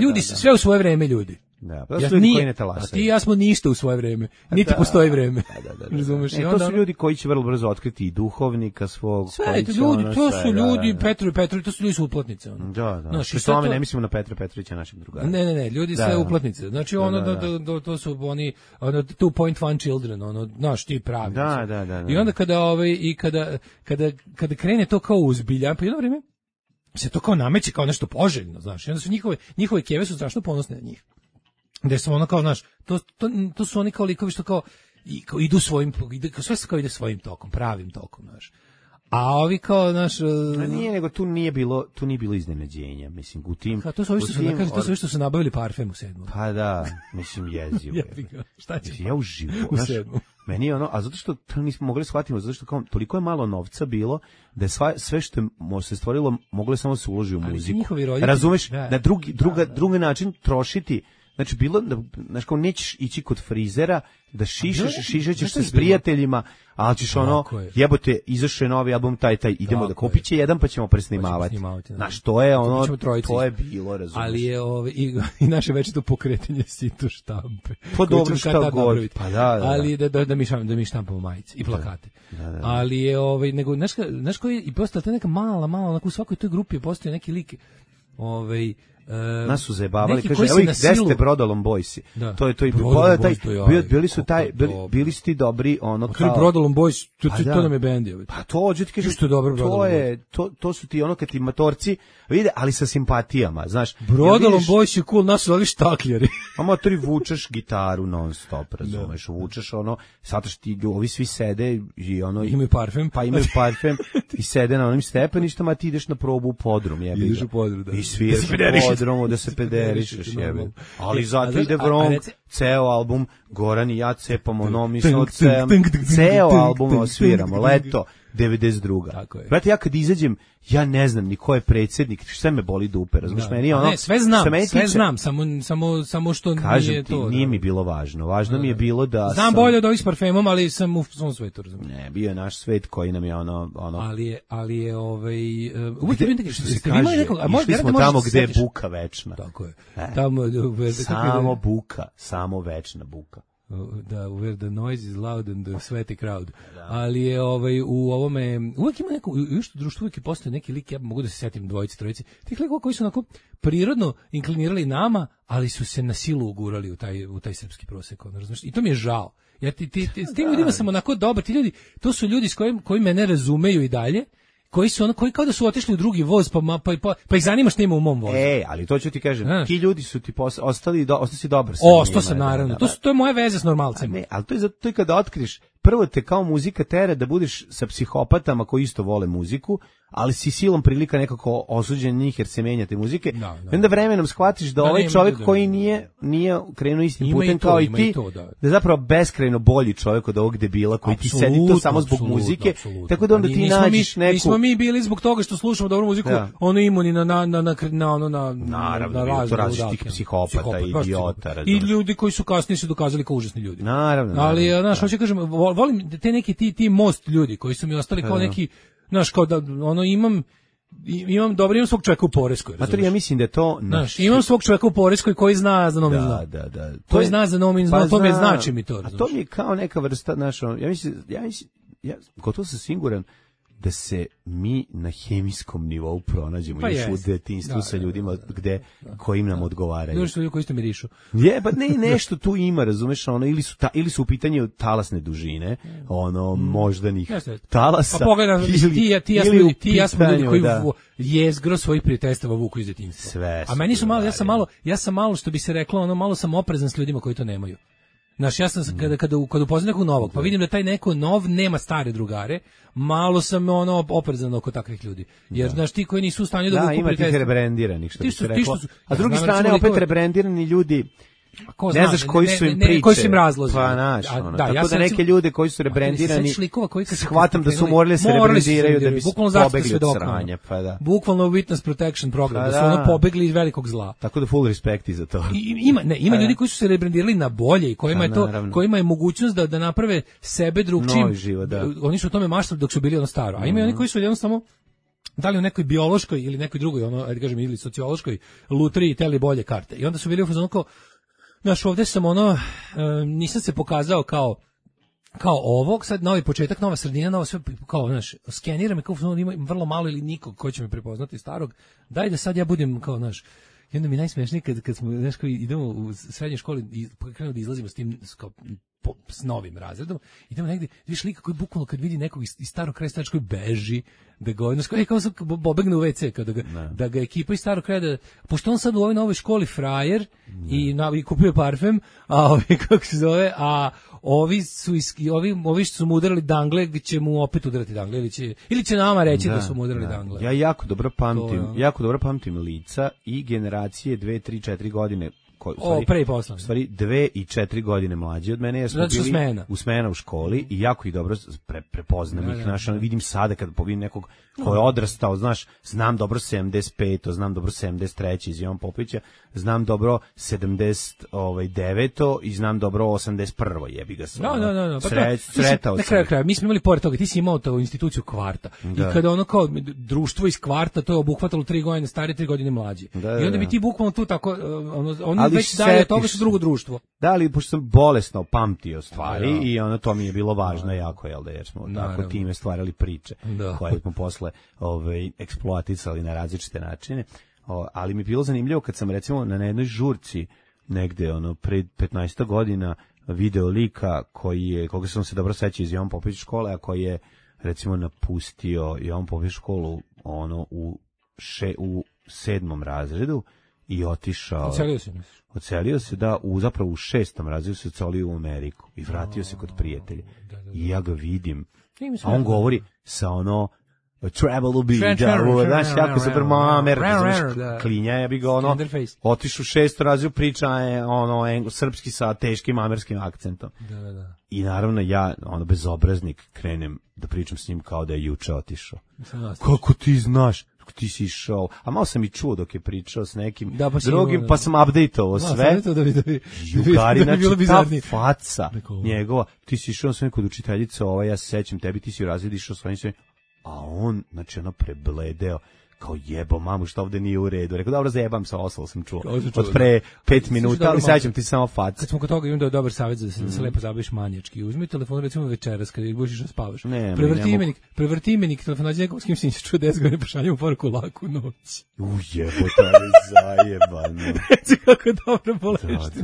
ljudi sve u svoje vrijeme ljudi. Da, pa su ljudi koji ne talasaju. A ti i ja smo ništa u svoje vreme. Niti postoji vreme. Da. Razumeš? To su ljudi koji će vrlo brzo otkriti i duhovnika svog. Sve, to su ljudi, Petru, to su ljudi su uplatnice. Da. Pri tome ne mislimo na Petra Petrovića, našeg drugara. Ne, ljudi sve uplatnice. Znači to su oni two point one children, znaš, ti pravi. Da. I onda kada krene to kao uzbilja, pa jedno vrijeme se to kao nameće kao nešto poželjno, znaš. I onda su njihove keve su strašno ponosne na njih. Gde su ono kao, znaš, to su oni kao likovi što kao idu svojim, sve se kao ide svojim tokom, pravim tokom, znaš. A ovi kao, znaš... Nije, nego tu nije bilo iznenađenja, mislim, u tim... To su ovi što su nabavili parfem u 7. Pa da, mislim, jezivo. Šta će? Ja uživo, u znaš, 7. meni je a zato što to nismo mogli shvatiti, zato što kao, toliko je malo novca bilo, da je sve što se stvorilo, moglo je samo se uloži u muziku. Razumeš, na drugi način trošiti. Znači, znaš, kao nećeš ići kod frizera da šišećeš se s prijateljima, ali ćeš jebote, izašao je novi album, taj, idemo da kupit će jedan pa ćemo presnimavati. Znaš, to je to je bilo, razumiješ. Ali je i naše večito pokretanje sito štampe. Pa dobro, šta god. Pa da. Ali da mi štampamo majice i plakate. Da. Ali je, nego, znaš koji je, i postala ta neka mala, onako u svakoj toj grupi je postoje neki lik, nas su zajebavali, kaže, evo ih 10 Brodolom Boysi. To je to i bili su ti dobri, kao... Brodolom Boys, to nam je bend. Pa to, ti kažeš, to su ti kad ti matorci vide, ali sa simpatijama, znaš. Brodolom Boys je cool, nas su ali štakljari. A motori vučeš gitaru non stop, razumeš, vučeš sad ti ovi svi sede i imaju parfem. Pa imaju parfem i sede na onim stepeništama, ti ideš na probu u podrum, jebi ga. Ideš u podrum, da. I sviraš podromu da se pederišeš, jebe. Ali zato ide Vrong, ceo album, Goran i ja cepamo, mislimo ceo album osviramo, leto, 92. Brate, ja kad izađem, ja ne znam ni ko je predsjednik, sve me boli dupe, razumiješ, meni je sve znam, samo što nije to. Nije mi bilo važno, važno mi je bilo da... Znam bolje od ovih s parfemom, ali sam u svom svetu, razumiješ. Ne, bio je naš svet koji nam je Ali je uvijek je bilo što se kaže, išli smo tamo gde je buka večna. Tako je. Samo buka, samo večna buka. Da, where the noise is loud and the sweaty crowd. Ali je u ovome, uvijek ima neko, još društvo uvijek postoje neki lik, ja mogu da se setim dvojici, trojici, tih likova koji su onako prirodno inklinirali nama, ali su se na silu ugurali u taj srpski prosek, razumiješ? I to mi je žao. Ja s tim ljudima sam onako dobar, ti ljudi, to su ljudi s koji mene razumeju i dalje, koji su koji kao da su otišli u drugi voz, pa ih zanima šta ima u mom vozu. Ali to ću ti kažem, ti ljudi su ti ostali si dobar sa njima. Ostao sam, naravno. To je moja veza s normalcima. Ne, ali to je zato to kada otkriješ, prvo te kao muzika tera da budeš sa psihopatama koji isto vole muziku, ali si silom prilika nekako osuđen njih jer se menjate muzike. I onda vremenom shvatiš da ovaj čovjek koji nije krenuo istim putem kao i ti, da je zapravo beskrajno bolji čovjek od ovog debila koji ti sedi to samo zbog muzike. Tako da onda ti nađeš neku... Nismo mi bili zbog toga što slušamo dobru muziku, ono imuni na različitih psihopata, idiota. I ljudi koji su kasnije se dokazali kao užasni ljudi. Naravno. Ali, znaš, hoću kažem, volim te neki ti most ljudi koji su mi ostali kao neki, znaš, kao da imam svog čovjeka u Poreskoj. Ja mislim da je to... Znaš, imam svog čovjeka u Poreskoj koji zna za Nomin zna. Da. Koji zna za Nomin zna, to mi znači mi to. A to mi je kao neka vrsta, znaš, ja gotovo sam siguran da se mi na hemijskom nivou pronađemo još u detinjstvu sa ljudima kojim nam odgovaraju. Ljudi su ljudi koji isto mirišu. Nešto tu ima, razumeš, ili su u pitanju talasne dužine, moždanih talasa. Pa pogledaj, ti ja smo ljudi koji jezgro svojih prijateljstava vuku iz detinjstva. Sve. A meni su ja sam malo, što bi se reklo, malo sam oprezan s ljudima koji to nemaju. Znaš, ja sam kada upoznam nekog novog, pa vidim da taj neko nov nema stare drugare, malo sam oprezan oko takvih ljudi. Jer, znaš, ti koji nisu u stanju da vuku ima tih rebrandiranih, što bi se reklo. A s druge strane, opet rebrandirani ljudi, ne znaš koji su im priče. Koji su im razlozi. Pa naš, tako da neke ljude koji su rebrandirani, shvatam da su morali se rebrandiraju da bi pobegli od sranja. Bukvalno witness protection program, da su pobegli iz velikog zla. Tako da full respect i za to. Ima ljudi koji su se rebrandirali na bolje i kojima je mogućnost da naprave sebe drugčijim. Oni su o tome maštali dok su bili staro. A ima i oni koji su jednostavno da li u nekoj biološkoj ili nekoj drugoj, ajde kažem, ili sociološkoj lutriji teli bolje karte. I onda su bili u fazonu kao, Znaš, ovde sam nisam se pokazao kao ovog, sad novi početak, nova sredina, novo sve, kao, znaš, skenira me, kao ima vrlo malo ili nikog ko će me prepoznati starog, daj da sad ja budem, kao, znaš, i onda mi najsmešnije kad smo, znaš, kao idemo u srednjoj školi i krenemo da izlazimo s tim, s novim razredom, idemo negdje, vidiš lika koji bukvalno kad vidi nekog iz starog kraja koji beži, da ga odnos, kao sam pobegne u WC, da ga ekipa iz starog kraja, pošto on sad u ovoj novoj školi frajer i kupio parfem, a kako se zove, a ovi što su mu udarali dangle, će mu opet udarati dangle, ili će nama reći da su mu udarali dangle. Ja jako dobro pamtim lica i generacije 2, 3, 4 godine pre i posle. U stvari 2 i 4 godine mlađi od mene, jer smo bili smena u školi i jako ih dobro prepoznam ih. Znaš, vidim sada kad vidim nekog ko je odrastao, znaš, znam dobro 75, znam dobro 73 iz Jovan Popovića, znam dobro 79 i znam dobro 81, jebi ga se. Sretao sam. Na kraju, mi smo imali pored toga, ti si imao tu instituciju kvarta. I kada ono kao društvo iz kvarta, to je obuhvatalo 3 godine stari, 3 godine mlađi. I onda bi ti bukvalno tu tako, ono već dalje toga su drugo društvo. Da, ali pošto sam bolesno pamtio stvari i ono to mi je bilo važno jako, jel da, jer smo tako time stvarali priče koje smo posle eksploatisali na različite načine. Ali mi je bilo zanimljivo kad sam recimo na jednoj žurci negde pred 15 godina video lika koga sam se dobro sećao iz Jovan Popović škole, a koji je recimo napustio Jovan Popović školu u 7. razredu i otišao. Ocelio se zapravo u 6. razredu se ocelio u Ameriku i vratio se kod prijatelja. I ja ga vidim. A on govori sa travel will be, znaš, jako se Amerika, znaš, klinja, ja bi ga otišu u 6. razredu, priča je srpski sa teškim američkim akcentom. I naravno ja, bezobraznik, krenem da pričam s njim kao da je juče otišao. Kako ti znaš? Ti si išao, a malo sam i čuo dok je pričao s nekim drugim, pa sam update-ovao sve. Jugari, znači ta faca njegova, ti si išao s nekog učiteljica, ja se sećam tebi, ti si u razredu išao s ovim sve, a on, znači prebledeo, kao jebo mamu, što ovde nije u redu. Rekao, dobro, zajebam se, ostalo sam čuo. Od pre 5 minuta, ali sećam ti samo faca. Kad smo kod toga, imam da je dobar savjet da se lepo zabaviš manjački. Uzmi telefon, recimo večeras, kada budeš išao spavaš. Prevrti imenik telefon, nađi nekog s kim si neće čuo 10 godina, pošaljem u poruku laku noć. Jebo, to je zajebano. Reci kako je dobro bolešti.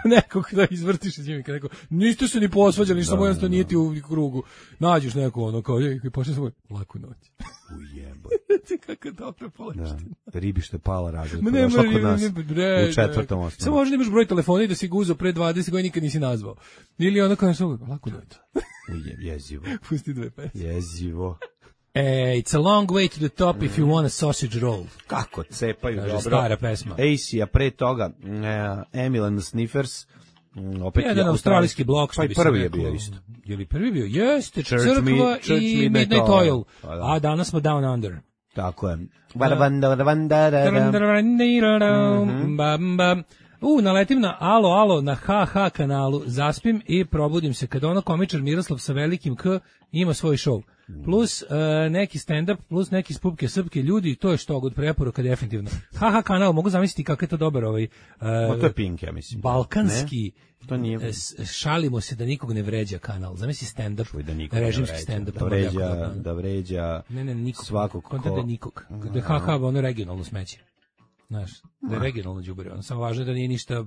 Nekog da izvrtiš iz njega, neko, niste se ni posvađali, ništa samo jednostavno nije ti u krugu. Nađeš neko, kao, pošaljem svoj laku noć. Ujebo. Reci kako je dobro bolešti. Ribi što je pala razred. Došla kod nas u 4. osnovu. Samo možda imaš broj telefona i da si ga uzeo pre 20 godina nikad nisi nazvao. Ili ono kao lako noć. Jezivo. Pusti 2 pesme. Jezivo. It's a long way to the top if you want a sausage roll. Kako cepaju, dobro. Stara pesma. AC, a pre toga Emil and the Sniffers. Opet jedan australijski blok, pa i prvi je bio isto. Je li prvi bio? Jeste, Crkva i Midnight Oil. A danas smo Down Under. Tako je. Naletim na alo na HH kanalu, zaspim i probudim se kada komičar Miroslav sa velikim K ima svoj show. Plus neki stand-up, plus neki spupke srpke ljudi, to je što god preporuka definitivno. HH kanal, mogu zamisliti kako je to dobar to je Pink, ja mislim. Balkanski, to nije. Šalimo se da nikog ne vređa kanal. Zamisli stand-up, režimski stand-up. Da vređa svakog ko... Da nikog. Da je HH regionalno smeće. Znaš, da je regionalno đubre. Samo važno da nije ništa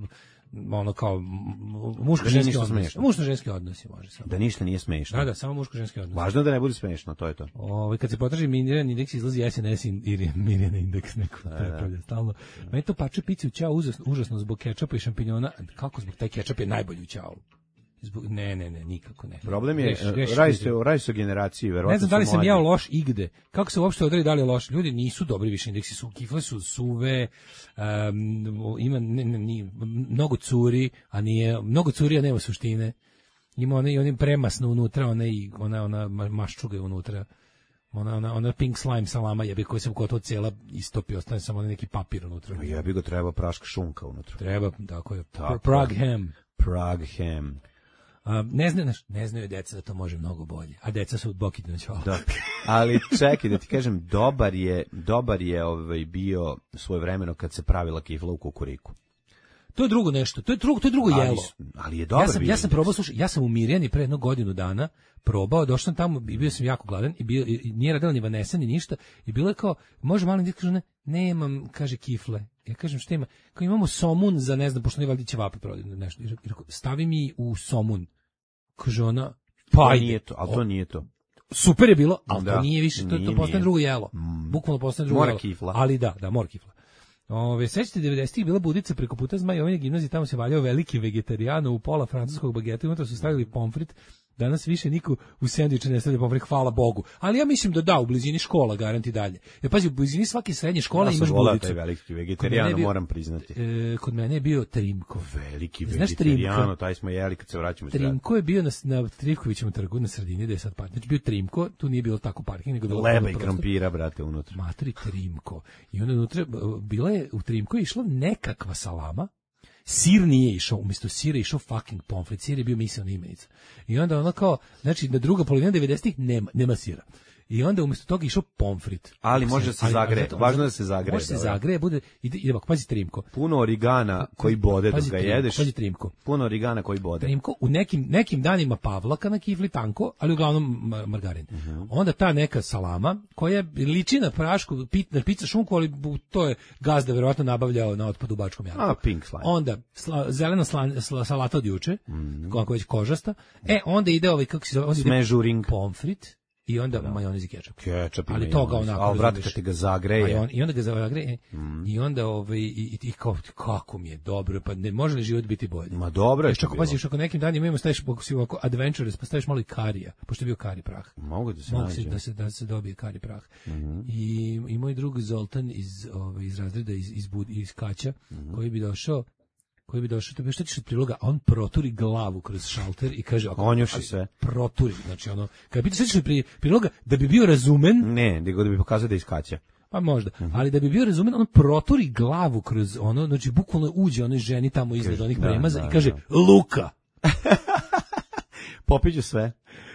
kao muško-ženski odnosi. Muško-ženski odnosi može samo. Da ništa nije smešno. Da, samo muško-ženski odnosi. Važno da ne bude smešno, to je to. Kad se potraži Mirjana indeks, izlazi SNS ili Mirjana indeks, neko prepravlja stalno. Meni to pače pici u ćao užasno zbog kečapa i šampinjona. Kako zbog taj kečap je najbolji u ćao? Ne, nikako ne. Problem je, radi se o generaciji, verovatno. Ne znam da li sam ja loš igde. Kako se uopšte odredi da li je loš? Ljudi nisu dobri više indeksi, kifle su suve, ima mnogo curi, a nema suštine. Ima oni premasno unutra, ona maščuga unutra. Ona pink slime salama jebi koji se gotovo cijela istopi, ostane samo neki papir unutra. Jebi ga, treba praška šunka unutra. Treba, tako je. Prague ham. Ne znaju deca da to može mnogo bolje, a deca su od Bokita na čola. Da. Ali čekaj da ti kažem, dobar je bio svojevremeno kad se pravila kifla u kukuriku. To je drugo nešto. To je drugo jelo. Ali je dobar. Ja sam probao, slušaj, ja sam u Mirjani pre jednog godinu dana probao, došao sam tamo i bio sam jako gladan i nije radila ni Vanessa ni ništa i bilo je kao, može malo kaže ne, nemam, kaže kifle. Ja kažem šta ima? Kao imamo somun za ne znam, pošto ne valjda ćevape prodati nešto. I rekao, stavi mi u somun. Kaže ona, pa nije to, ali to nije to. Super je bilo, ali to nije više, to postane drugo jelo. Bukvalno postane drugo jelo. Kifla. Ali da, mora kifla. Sećate 90-ih bila budica preko puta Zmajovine gimnazije, tamo se valjao veliki vegetarijano u pola francuskog bageta, unutra su stavili pomfrit. Danas više niko u sendviče ne stavlja pomfrit, hvala Bogu. Ali ja mislim da u blizini škola garanti dalje. Jer pazi, u blizini svake srednje škole imaš budicu. Taj veliki vegetarijano, moram priznati. Kod mene je bio Trimko. Veliki vegetarijano, taj smo jeli kad se vraćamo. Trimko je bio na Trivkovićevom trgu na sredini, gde je sad parking. Znači bio Trimko, tu nije bilo tako parking, nego bilo leba i krompira, brate, unutra. Matri Trimko. I onda unutra bila je u Trimko išla nekakva salama. Sir nije išao, umjesto sira išao fucking pomfrit, sir je bio misaona imenica. I onda ono kao, znači na druga polovina 90-ih nema sira. I onda umjesto toga išao pomfrit. Ali može se zagreje, važno da se zagreje. Može se zagreje, bude, ide pazi Trimko. Puno origana koji bode dok ga jedeš. Pazi Trimko. Puno origana koji bode. Trimko, u nekim danima pavlaka na kifli tanko, ali uglavnom margarin. Onda ta neka salama, koja liči na prašku, na pizza šunku, ali to je gazda verovatno nabavljao na otpadu u Bačkom Jarku. Pink slime. Onda zelena salata od juče, kako već kožasta. Onda ide ovaj, kako se zove, smežuring. Pomfrit. I onda majonez i kečap. Ali toga onako. Ali vrat kad ti ga zagreje. I onda ga zagreje. I onda i kako mi je dobro, pa ne može li život biti bolji? Ma dobro je. Još ako paziš, ako nekim danima imamo staviš ovako adventures, pa staviš malo i karija, pošto je bio kari prah. Mogu da se nađe. Da se dobije kari prah. I moj drug Zoltan iz razreda iz Kaća, koji bi došao, to bi šta ćeš od priloga, a on proturi glavu kroz šalter i kaže, onjuši sve. Proturi, znači ono, kada pitaš šta ćeš od priloga, da bi bio razumen. Ne, nego da bi pokazao da iskaća. Pa možda, ali da bi bio razumen, on proturi glavu kroz ono, znači bukvalno uđe onoj ženi tamo iznad onih premaza i kaže, Luka! Popiđu sve.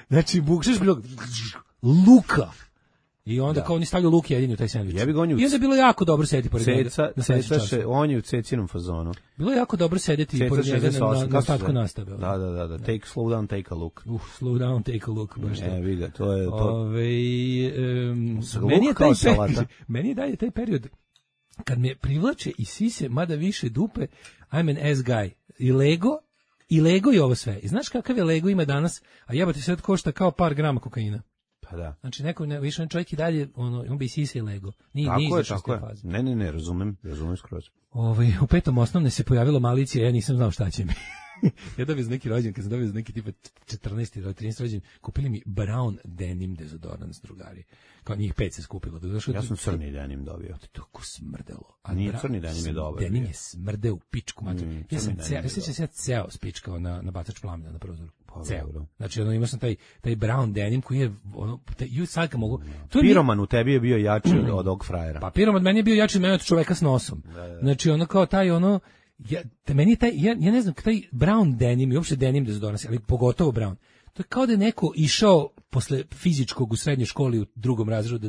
Znači, bukšeš prilog, Luka! I onda kao oni stavljaju luk jedini u taj sendvič. I onda je bilo jako dobro sedeti pored njega. On je u cecinom fazonu. Bilo je jako dobro sedeti pored njega na ostatku nastave. Da. Slow down, take a look. Slow down, take a look. Vidi, to je to. Meni je dalje taj period kad me privlače i sise, mada više dupe, I'm an ass guy. I Lego i ovo sve. I znaš kakav je Lego ima danas? A jebate sad košta kao par grama kokaina. Pa da. Znači neko više on čovjek i dalje on bi sisao Lego. Tako je. Ne, razumem skroz. U petom osnovne se pojavila malicija, ja nisam znao šta će mi. Ja dobio za neki rođen, kad sam dobio za neki tipa 14 ili 13 rođen, kupili mi brown denim dezodorans, drugari. Kao njih 5 se skupilo. Ja sam crni denim dobio. To tako smrdelo. Nije crni denim je dobar. Denim je smrdeo u pičku. Ja sam se ceo spičkao na bacač plamena na prozoru. Ceo. Znači, imao sam taj brown denim koji je, sad kad mogu... Piroman u tebi je bio jači od ovog frajera. Pa piroman meni je bio jači od mene od čoveka s nosom. Znači, kao taj meni je taj, ja ne znam, taj brown denim i uopšte denim dezodorans, ali pogotovo brown, to je kao da je neko išao posle fizičkog u srednjoj školi u drugom razredu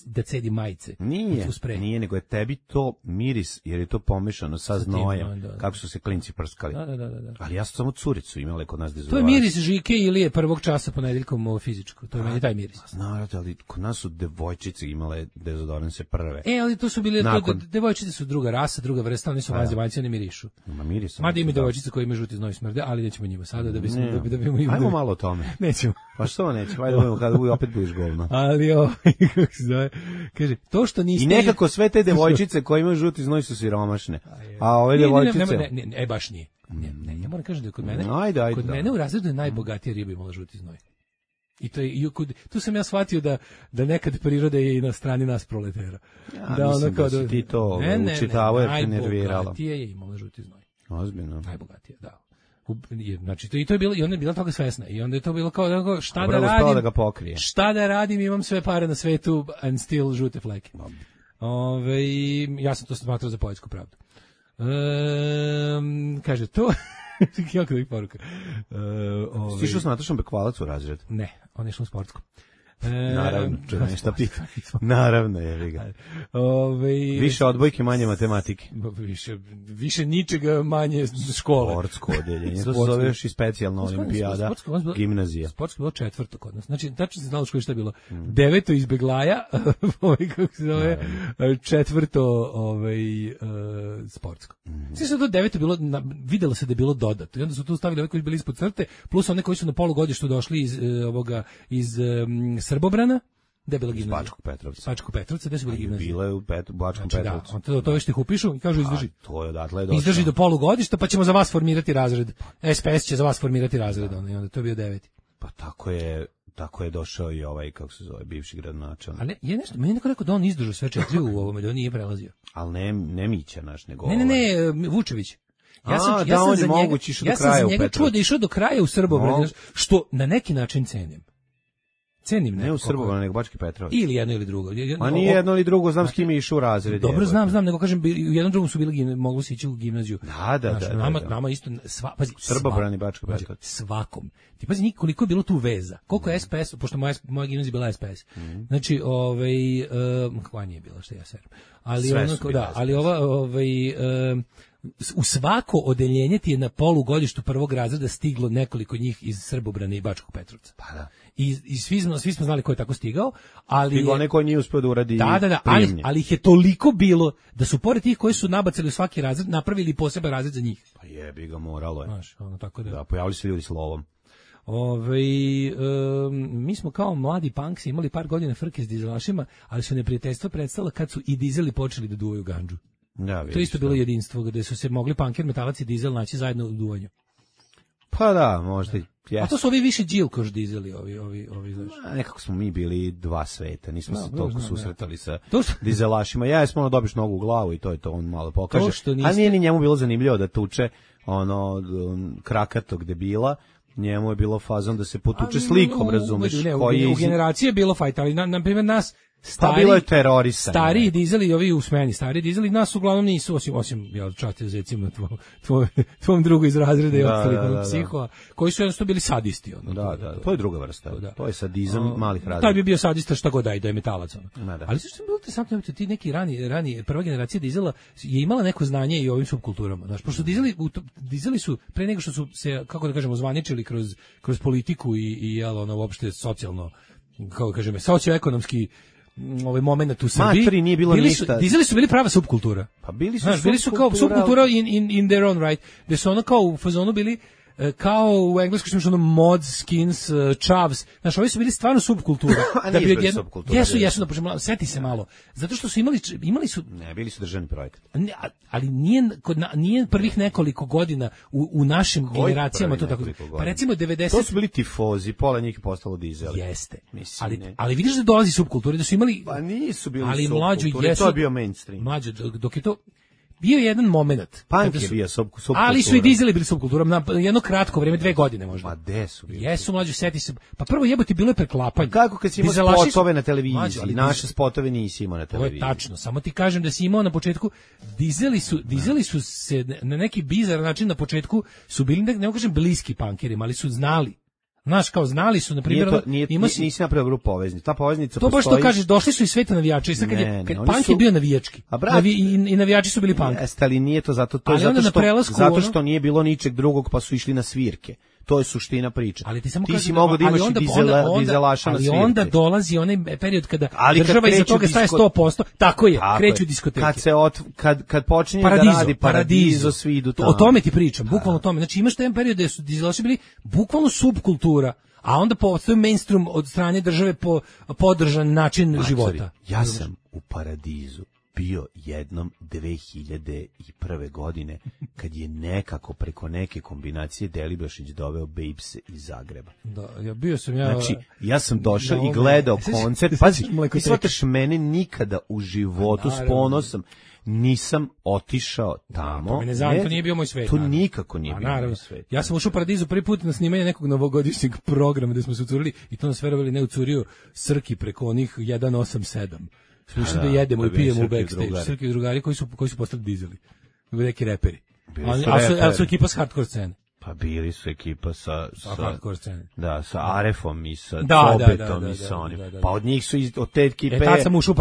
da cedi majice. Nije, nego je tebi to miris, jer je to pomešano sa znojem, kako su se klinci prskali. Da. Ali ja sam samo curicu imala kod nas dezodorans. To je miris Žike ili prvog časa ponedeljkom ovo fizičko, to je meni taj miris. Znate, ali kod nas su devojčice imale dezodoranse prve. Ali to su bile, devojčice su druga rasa, druga vrsta, oni su vanzemaljci, oni mirišu. Mada ima devojčice koje ima žuti znoj smrde, ali nećemo njima sada da ajmo malo o tome. Nećemo. Pa što nećemo? Ajde budemo kada opet budeš govno. Ali kako se zove, kaže, to što niste... I nekako sve te devojčice koje imaju žuti znoj su siromašne. A ove devojčice... Ne, baš nije. Ne, ja moram kažem da kod mene... Kod mene u razredu je najbogatija riba imala žuti znoj. I to je, tu sam ja shvatio da nekad priroda je i na strani nas proletera. Ja, mislim da si ti to učitavao jer te nervirala. Najbogatija je imala žuti znoj. Ozbiljno. Najbogatija, da. Znači to je bilo, i ona je bila toga svesna i onda je to bilo kao šta da radim, da ga pokrije. Šta da radim, imam sve pare na svetu and still žute fleke. Ja sam to smatrao za poetsku pravdu. Kaže to jako da ih poruka. Stišao sam Natašom Bekvalac u razred? Ne, on je išao u sportsku. Naravno, čujem šta pita. Naravno, je ga. Više odbojke, manje matematike. Više ničega, manje škole. Sportsko odeljenje. To se zove još i specijalna olimpijada, gimnazija. Sportsko bilo 4. kod nas. Znači, tačno se znalo što je bilo. 9. iz Beglaja, kako se zove, 4. Sportsko. Sve se do 9. bilo, videlo se da je bilo dodato. I onda su tu stavili ove koji bili ispod crte, plus one koji su na polugodištu došli iz Srbobrana, da je bila gimnazija. Bačkog Petrovca, da su bili gimnazije. Bila je u Bačkom Petrovcu. Da, to već ti upišu i kažu izdrži. To je odatle je došlo. Izdrži do polugodišta, pa ćemo za vas formirati razred. SPS će za vas formirati razred, i onda to je bio 9. Pa tako je došao i ovaj, kako se zove, bivši gradonačelnik. Ali je nešto, meni neko rekao da on izdržao sve 4 u ovome, da on nije prelazio. Ali ne Mića naš, nego Ne, Vučević. Ja sam za njega čuo da je išao do kraja u Srbobranu, što na neki način cenim. Ne u Srbobranu, nego Bački Petrovac. Ili jedno ili drugo. A nije jedno ili drugo, znam s kim je išao u razred. Dobro, znam, nego kažem, u jednom drugom su bili, mogli se ići u gimnaziju. Da. Nama isto, pazi, Srbobran i Bački Petrovac. Svakom. Ti pazi, koliko je bilo tu veza. Koliko je SPS, pošto moja gimnazija bila SPS. Znači, koja nije bila, što ja serim. Ali u svako odeljenje ti je na polugodištu prvog razreda stiglo nekoliko njih iz Srbobrana i Bačkog Petrovca. Pa da. I svi smo znali ko je tako stigao, ali stigao neko nije uspeo da uradi. Da, ali ih je toliko bilo da su pored tih koji su nabacali u svaki razred napravili poseban razred za njih. Pa jebi ga, moralo je. Znaš, tako da. Da, pojavili se ljudi s lovom. Mi smo kao mladi punksi imali par godina frke s dizelašima, ali su neprijateljstva prestala kad su i dizeli počeli da duvaju gandžu. Ja, to je isto bilo jedinstvo, gde su se mogli punker, metalac i dizel naći zajedno u duvanju. Pa da, možda. A to su ovi više džilkoš dizeli, ovi znači. Nekako smo mi bili dva sveta, nismo se toliko susretali sa dizelašima. Ja jesmo dobiš nogu u glavu i to je to, on malo pokaže. A nije ni njemu bilo zanimljivo da tuče krakatog debila. Njemu je bilo fazon da se potuče slikom, razumeš? U generaciji je bilo fajta, ali na primjer nas bilo je terorista. Stariji dizeli i ovi u smeni, stariji dizeli nas uglavnom nisu, osim ja častio recimo tvom drugu iz razreda i ostalih psihova, koji su jednostavno bili sadisti. Da, to je druga vrsta. To je sadizam malih razreda. Taj bi bio sadista šta god da je metalac. Ali što je bilo interesantno, ti neki rani prva generacija dizela je imala neko znanje i o ovim subkulturama. Znaš, pošto dizeli su pre nego što su se, kako da kažemo, zvaničili kroz politiku i uopšte socijalno, kako da kažemo, socioekonomski ovaj momenat u Srbiji. Matri nije bilo ništa. Dizeli su bili prava subkultura. Pa bili su kao subkultura in their own right. Gde su ono kao u fazonu bili kao u engleskom što je mods, skins, chavs. Znaš, ovi su bili stvarno subkultura. Da bi odjedno. Jesu, da počnemo, seti se malo. Zato što su imali su... Ne, bili su državni projekat. Ali nije prvih nekoliko godina u našim generacijama to tako. Pa recimo 90... To su bili tifozi, pola njih je postalo dizeli. Jeste. Ali vidiš da dolazi subkultura, da su imali... Pa nisu bili subkulture, to je bio mainstream. Mlađo, dok je to... Bio je jedan moment. Punk je bio subkultura. Ali su i dizeli bili subkulturom na jedno kratko vrijeme, 2 godine možda. Ma gde su bili? Jesu, mlađi, seti se. Pa prvo jebote bilo je preklapanje. Kako kad si imao spotove na televiziji, ali naše spotove nisi imao na televiziji. To je tačno, samo ti kažem da si imao na početku, dizeli su se na neki bizar način na početku, su bili, ne kažem bliski punkerima, ali su znali. Znaš, kao znali su, na primjer, nisi napravio grupu poveznicu. Ta poveznica to baš to kažeš, došli su i sveta navijača. I sad kad punk je bio navijački. I navijači su bili punk. Jeste, ali nije to zato što nije bilo ničeg drugog, pa su išli na svirke. To je suština priče. Ali ti samo si mogao da imaš dizelaša na svirke. Ali onda dolazi onaj period kada država iza toga staje 100%. Tako je, kreću diskoteke. Kad počinje da radi Paradizo, svi idu tamo. O tome ti pričam, bukvalno o tome. Znači imaš taj period da su dizelaši bili bukvalno subkultura, a onda postoji mainstream od strane države podržan način života. Ja sam u Paradizu bio jednom 2001. godine kad je nekako preko neke kombinacije Delibašić doveo Babes iz Zagreba. Da, ja bio sam Znači, ja sam došao i gledao koncert. Pazi, ti shvataš, mene nikada u životu s ponosom nisam otišao tamo. To nije bio moj svet. To nikako nije bio moj svet. Ja sam ušao u Paradizu prvi put na snimanje nekog novogodišnjeg programa gde smo se ucurili i to nas verovali ne ucurio Srki preko onih 187. Slušam da jedemo i pijemo u backstage. Srki drugari koji su postali dizeli. Neki reperi. Ali su ekipa s hardcore scene. Pa bili su ekipa sa hardcore scene. Da, sa Arefom i sa Cobetom i sa onim. Pa od njih su od te ekipe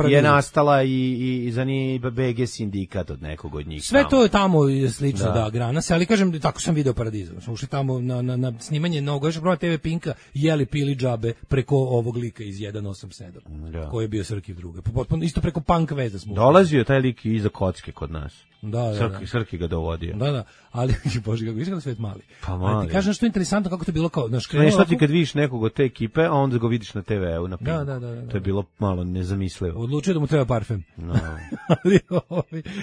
je nastala i za njih BG sindikat od nekog od njih. Sve to je tamo slično, da, grana se, ali kažem, tako sam video Paradizu. Smo ušli tamo na snimanje novog, još prvo TV Pinka, jeli pili džabe preko ovog lika iz 187, koji je bio Srki druga. Potpuno, isto preko punk veza smo. Dolazio taj lik iza kocke kod nas. Da. Srki ga dovodio. Da, ali bože kako vidiš svet mali. Pa mali. Ti kažeš što je interesantno kako to je bilo kao naš krenuo. Nešto ti kad vidiš nekog od te ekipe, a onda ga vidiš na TV-u na Pinku. Da. To je bilo malo nezamislivo. Odlučio da mu treba parfem. No. Ali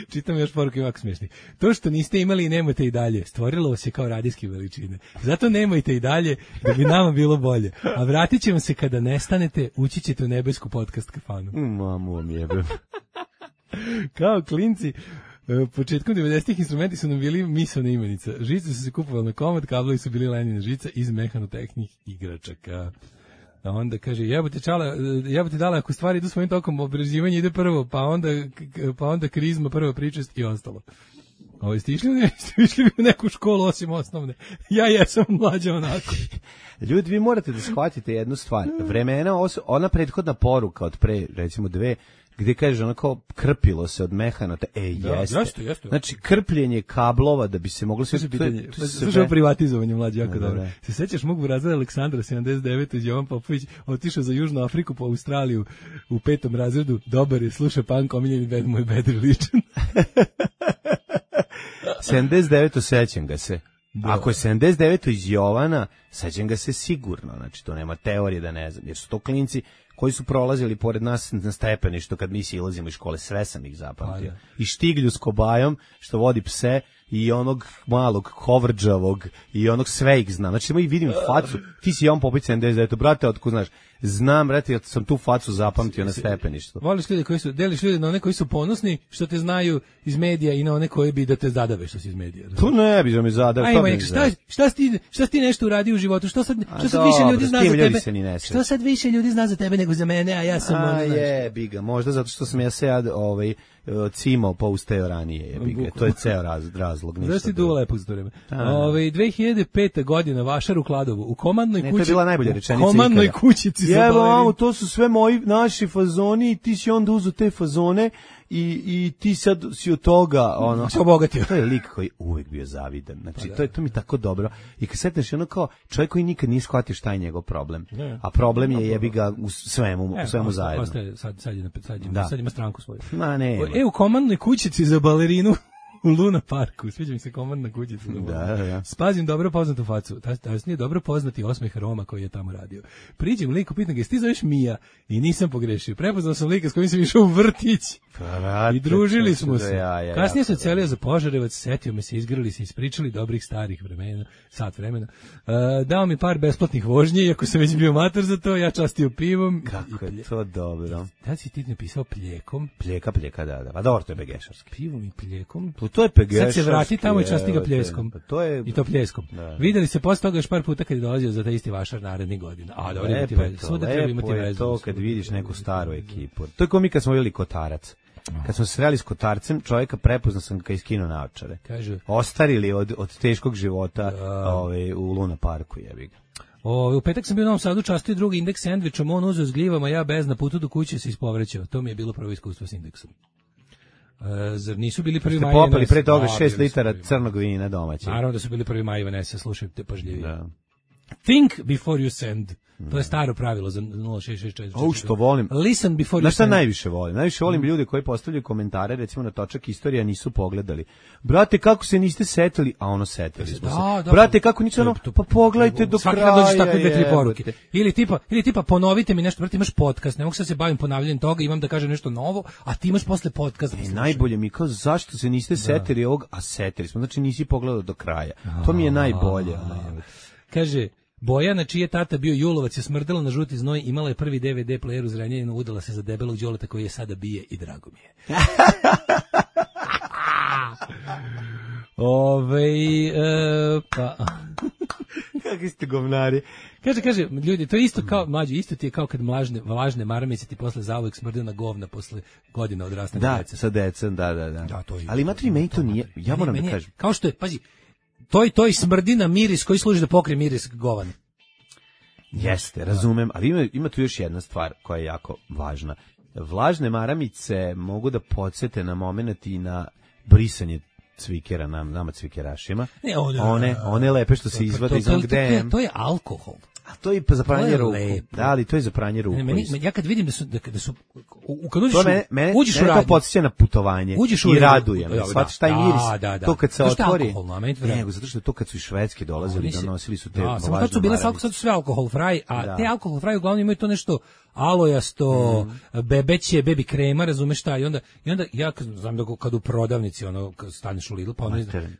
čitam još poruke ovako smiješni. To što niste imali i nemate i dalje, stvorilo vas je kao radijske veličine. Zato nemojte i dalje da bi nama bilo bolje. A vratit ćemo se kada nestanete, ući ćete u nebesku podcast kafanu. Mamu vam jebem. Kao klinci, početkom 90-ih instrumenti su nam bili misaona imenica. Žice su se kupovali na komad, kablovi su bili lenjene žica iz mehanotehnih igračaka. A onda kaže, jebote dala, ako stvari idu svojim tokom, obraživanje ide prvo, pa onda krizma, prva pričest i ostalo. Ste išli bi u neku školu osim osnovne? Ja jesam mlađa onako. Ljudi, vi morate da shvatite jednu stvar. Vremena, ona prethodna poruka od pre, recimo 2, gdje kaže onako krpilo se od mehanota, jeste. Znači krpljenje kablova da bi se moglo sve slušao privatizovanje mlađe jako dobro. Se sećaš mog razreda Aleksandra 79 Jovan Popović otišao za Južnu Afriku po Australiju u 5. razredu, dobar je, sluša punk, omiljeni bed moj bedri ličan. 79 sećam ga se. Da. Ako je 79 iz Jovana, sećam ga se sigurno, znači to nema teorije da ne znam, jer su to klinci koji su prolazili pored nas na stepeništu kad mi silazimo iz škole, sve sam ih zapamtio. I Štiglju s Kobajom, što vodi pse, i onog malog hovrđavog, i onog sve ih znam. Znači, ih vidim facu, ti si Jovan Popović 79, brate, otko znaš, znam, brate, ja sam tu facu zapamtio na stepeništu. Voliš ljude koji su, deliš ljude na one koji su ponosni, što te znaju iz medija i na one koji bi da te zadave što si iz medija. Tu ne bi da me zadave. Šta si ti nešto uradio u životu? Što sad više ljudi zna za tebe? Što sad više ljudi zna za tebe nego za mene, a ja sam biga, možda zato što sam ja se cimao pa ustao ranije, biga. To je ceo razlog. Znaš ti duo lepog za to vreme. 2005. godina, Vašar u Kladovu, u komandnoj kući. To je bila najbolja rečenica. U komandnoj kućici za balerin. To su sve moji naši fazoni i ti si onda uzu te fazone i ti sad si od toga se obogatio. To je lik koji uvek bio zavidan. Znači to mi tako dobro. I kad setneš ono kao čovjek koji nikad nije shvatio šta je njegov problem. A problem je jebi ga u svemu zajedno. Sad ima stranku svoju. U komandnoj kućici za balerinu u Luna Parku, sviđa mi se komandna kućica. Da. Spazim dobro poznatu facu. Tasnije dobro poznati osmeh Roma koji je tamo radio. Priđem liku, pitam ga, ti zoveš Mija? I nisam pogrešio. Prepoznao sam lika s kojim sam išao u vrtić. I družili smo se. Kasnije se celio za Požarevac, setio me se, izgrali se, ispričali dobrih starih vremena, sat vremena. Dao mi par besplatnih vožnji, iako sam već bio mator za to, ja častio pivom. Kako je to dobro. Da si ti napisao pljekom? Pljeka, da. Pa dobro, to je begešarski. Pivom i pljekom? To je pegešarski. Sad se vrati tamo i časti ga pljeskom. I to pljeskom. Videli se posle toga još par puta kad je dolazio za taj isti Vašar narednih godina. A dobro, imati vezu. Svuda treba imati vezu. To kad vidiš neku staru ekipu. To je kao mi kad smo vidjeli Kotarac. Kad smo se sreli s Kotarcem, čovjeka prepoznao sam ga iskinuo naočare. Ostarili od teškog života u Luna Parku, jebi ga. U petak sam bio u Novom Sadu, častio drugi indeks sendvičom, on uzeo s gljivama, ja bez, na putu do kuće se ispovrećao. To mi je bilo prvo iskustvo s indeksom. Zar nisu bili prvi maj? Popali pre toga 6 litara crnog vina domaće. Naravno da su bili prvi maj Vanessa, slušajte pažljivije. Da. Think before you send. To je staro pravilo za 0664. Što volim. Listen before you send. Šta najviše volim? Najviše volim ljude koji postavljaju komentare, recimo na točak istorija, nisu pogledali. Brate, kako se niste setili? A ono setili smo se. Brate, kako nisu ono? Pa pogledajte do kraja. Svaki dođeš takve 2-3 poruke. Ili tipa ponovite mi nešto, brate, imaš podcast, ne mogu sad se bavim ponavljanjem toga, imam da kažem nešto novo, a ti imaš posle podcast. Najbolje mi kao zašto se niste setili ovog, a setili smo. Znači nisi pogledao do kraja. To mi je najbolje. Kaže Bojana, čiji je tata bio Julovac, je smrdela na žuti znoj, imala je prvi DVD player u Zrenjaninu, udala se za debelog đoleta koji je sada bije i drago mi je. Kakvi ste govnari. Kaže, ljudi, to je isto kao, mlađi, isto ti je kao kad vlažne maramice ti posle zauvek smrde na govna posle godina odrastanja djece. Da, sa decom, da. Ali imate li meni to nije, ja moram da kažem. Kao što je, pazi, to i smrdi na miris koji služi da pokrije miris govana. Jeste, razumem, ali ima tu još jedna stvar koja je jako važna. Vlažne maramice mogu da podsjete na moment i na brisanje cvikera, nama cvikerašima. Ne, one lepe što se izvade iz onog DM. To je alkohol. A to je za pranje ruku. Da, ali to je za pranje ruku. Ja kad vidim da su kad uđeš u radnju, to podsjeća na putovanje i raduje me. Shvatiš taj miris. To kad se otvori. Nego, zato što to kad su iz Švedske dolazili, donosili su te vlažne maramice. Sad su sve alkohol fraj, a te alkohol fraj uglavnom imaju to nešto alojasto, bebeće, bebi krema, razumeš šta, i onda ja znam da kad u prodavnici staneš u Lidl,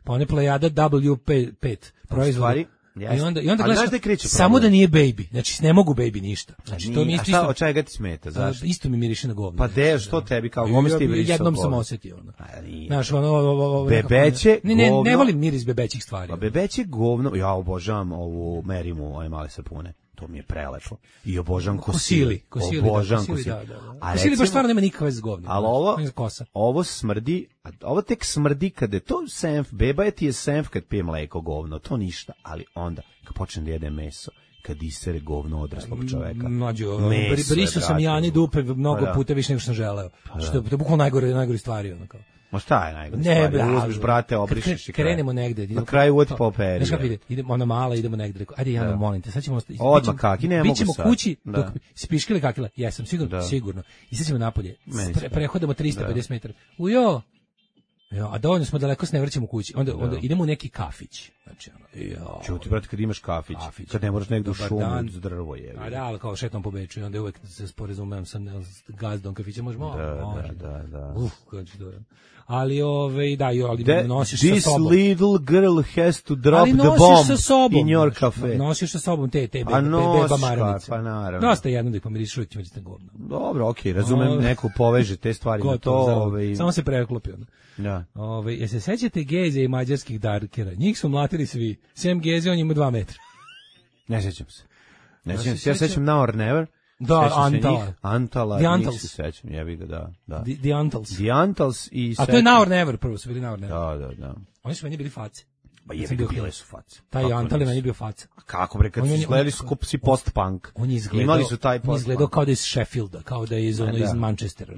pa one plejada W5 proizvodi. I onda gledaš samo da nije baby. Znači ne mogu baby ništa. Znači to mi isto. A od čega ti smeta? Zašto? Isto mi miriše na govno. Pa što tebi kao gomisti brisao? Jednom sam osetio ono. Znaš, bebeće govno. Ne volim miris bebećih stvari. Pa bebeće govno, ja obožavam ovu Merimu, ove male sapune. To mi je prelepo. I obožavam kosili. Obožavam kosili. Kosili baš stvarno nema nikakve veze s govnom. Ali ovo smrdi, ovo tek smrdi kada je to senf, beba ti je senf kad pije mleko govno, to ništa. Ali onda, kad počne da jede meso, kad isere govno odraslog čoveka. Brisao sam Jani dupe mnogo puta više nego što sam želeo. Što je bukvalno najgore stvari. Ma šta je najgore stvari? Uzmeš, brate, obrišeš i krenemo negde. Na kraju uvati po peri. Znaš kako ide? Idemo ona mala, idemo negde. Rekao, ajde, Jana, molim te, sad ćemo... Odmah kaki, ne mogu sad. Bićemo kući, dok spiškile kakila. Jesam, sigurno. I sad ćemo napolje. Prehodamo 350 metara. Ujo! A dovoljno smo daleko, se ne vraćamo kući. Onda idemo u neki kafić. Znači, čuti, brate, kad imaš kafić, kad ne moraš negdje u šumu, uz drvo je. A da, ali kao šetom po Beču i onda uvek se sporazumem sa gazdom kafića, možemo? Da. Kako to je. Ali nosiš sa sobom. This little girl has to drop the bomb in your cafe. Nosiš sa sobom te beba maramice. Pa naravno. Dosta jedno da ih pomiriš, uvijek ćemo reći govno. Dobro, okej, razumem, neko poveže te stvari na to. Samo se preklopi. Da. Se sećate Geze i mađarskih darkera? Njih su mlatili svi. Sem Geze, on ima 2 metra. Ne sećam se. Ja sećam Now or Never. Da, Antala. The Antals. Se sećam, jebi ga, da. The Antals. The Antals i... A to je Now or Never, prvo su bili Now or Never. Da. Oni su meni bili face. Pa jebi ga, bile su face. Taj Antal je meni bio faca. A kako bre, kad su izgledali su si post-punk. Imali su taj post-punk. Izgledao kao da je iz Sheffielda, kao da je iz Manchestera.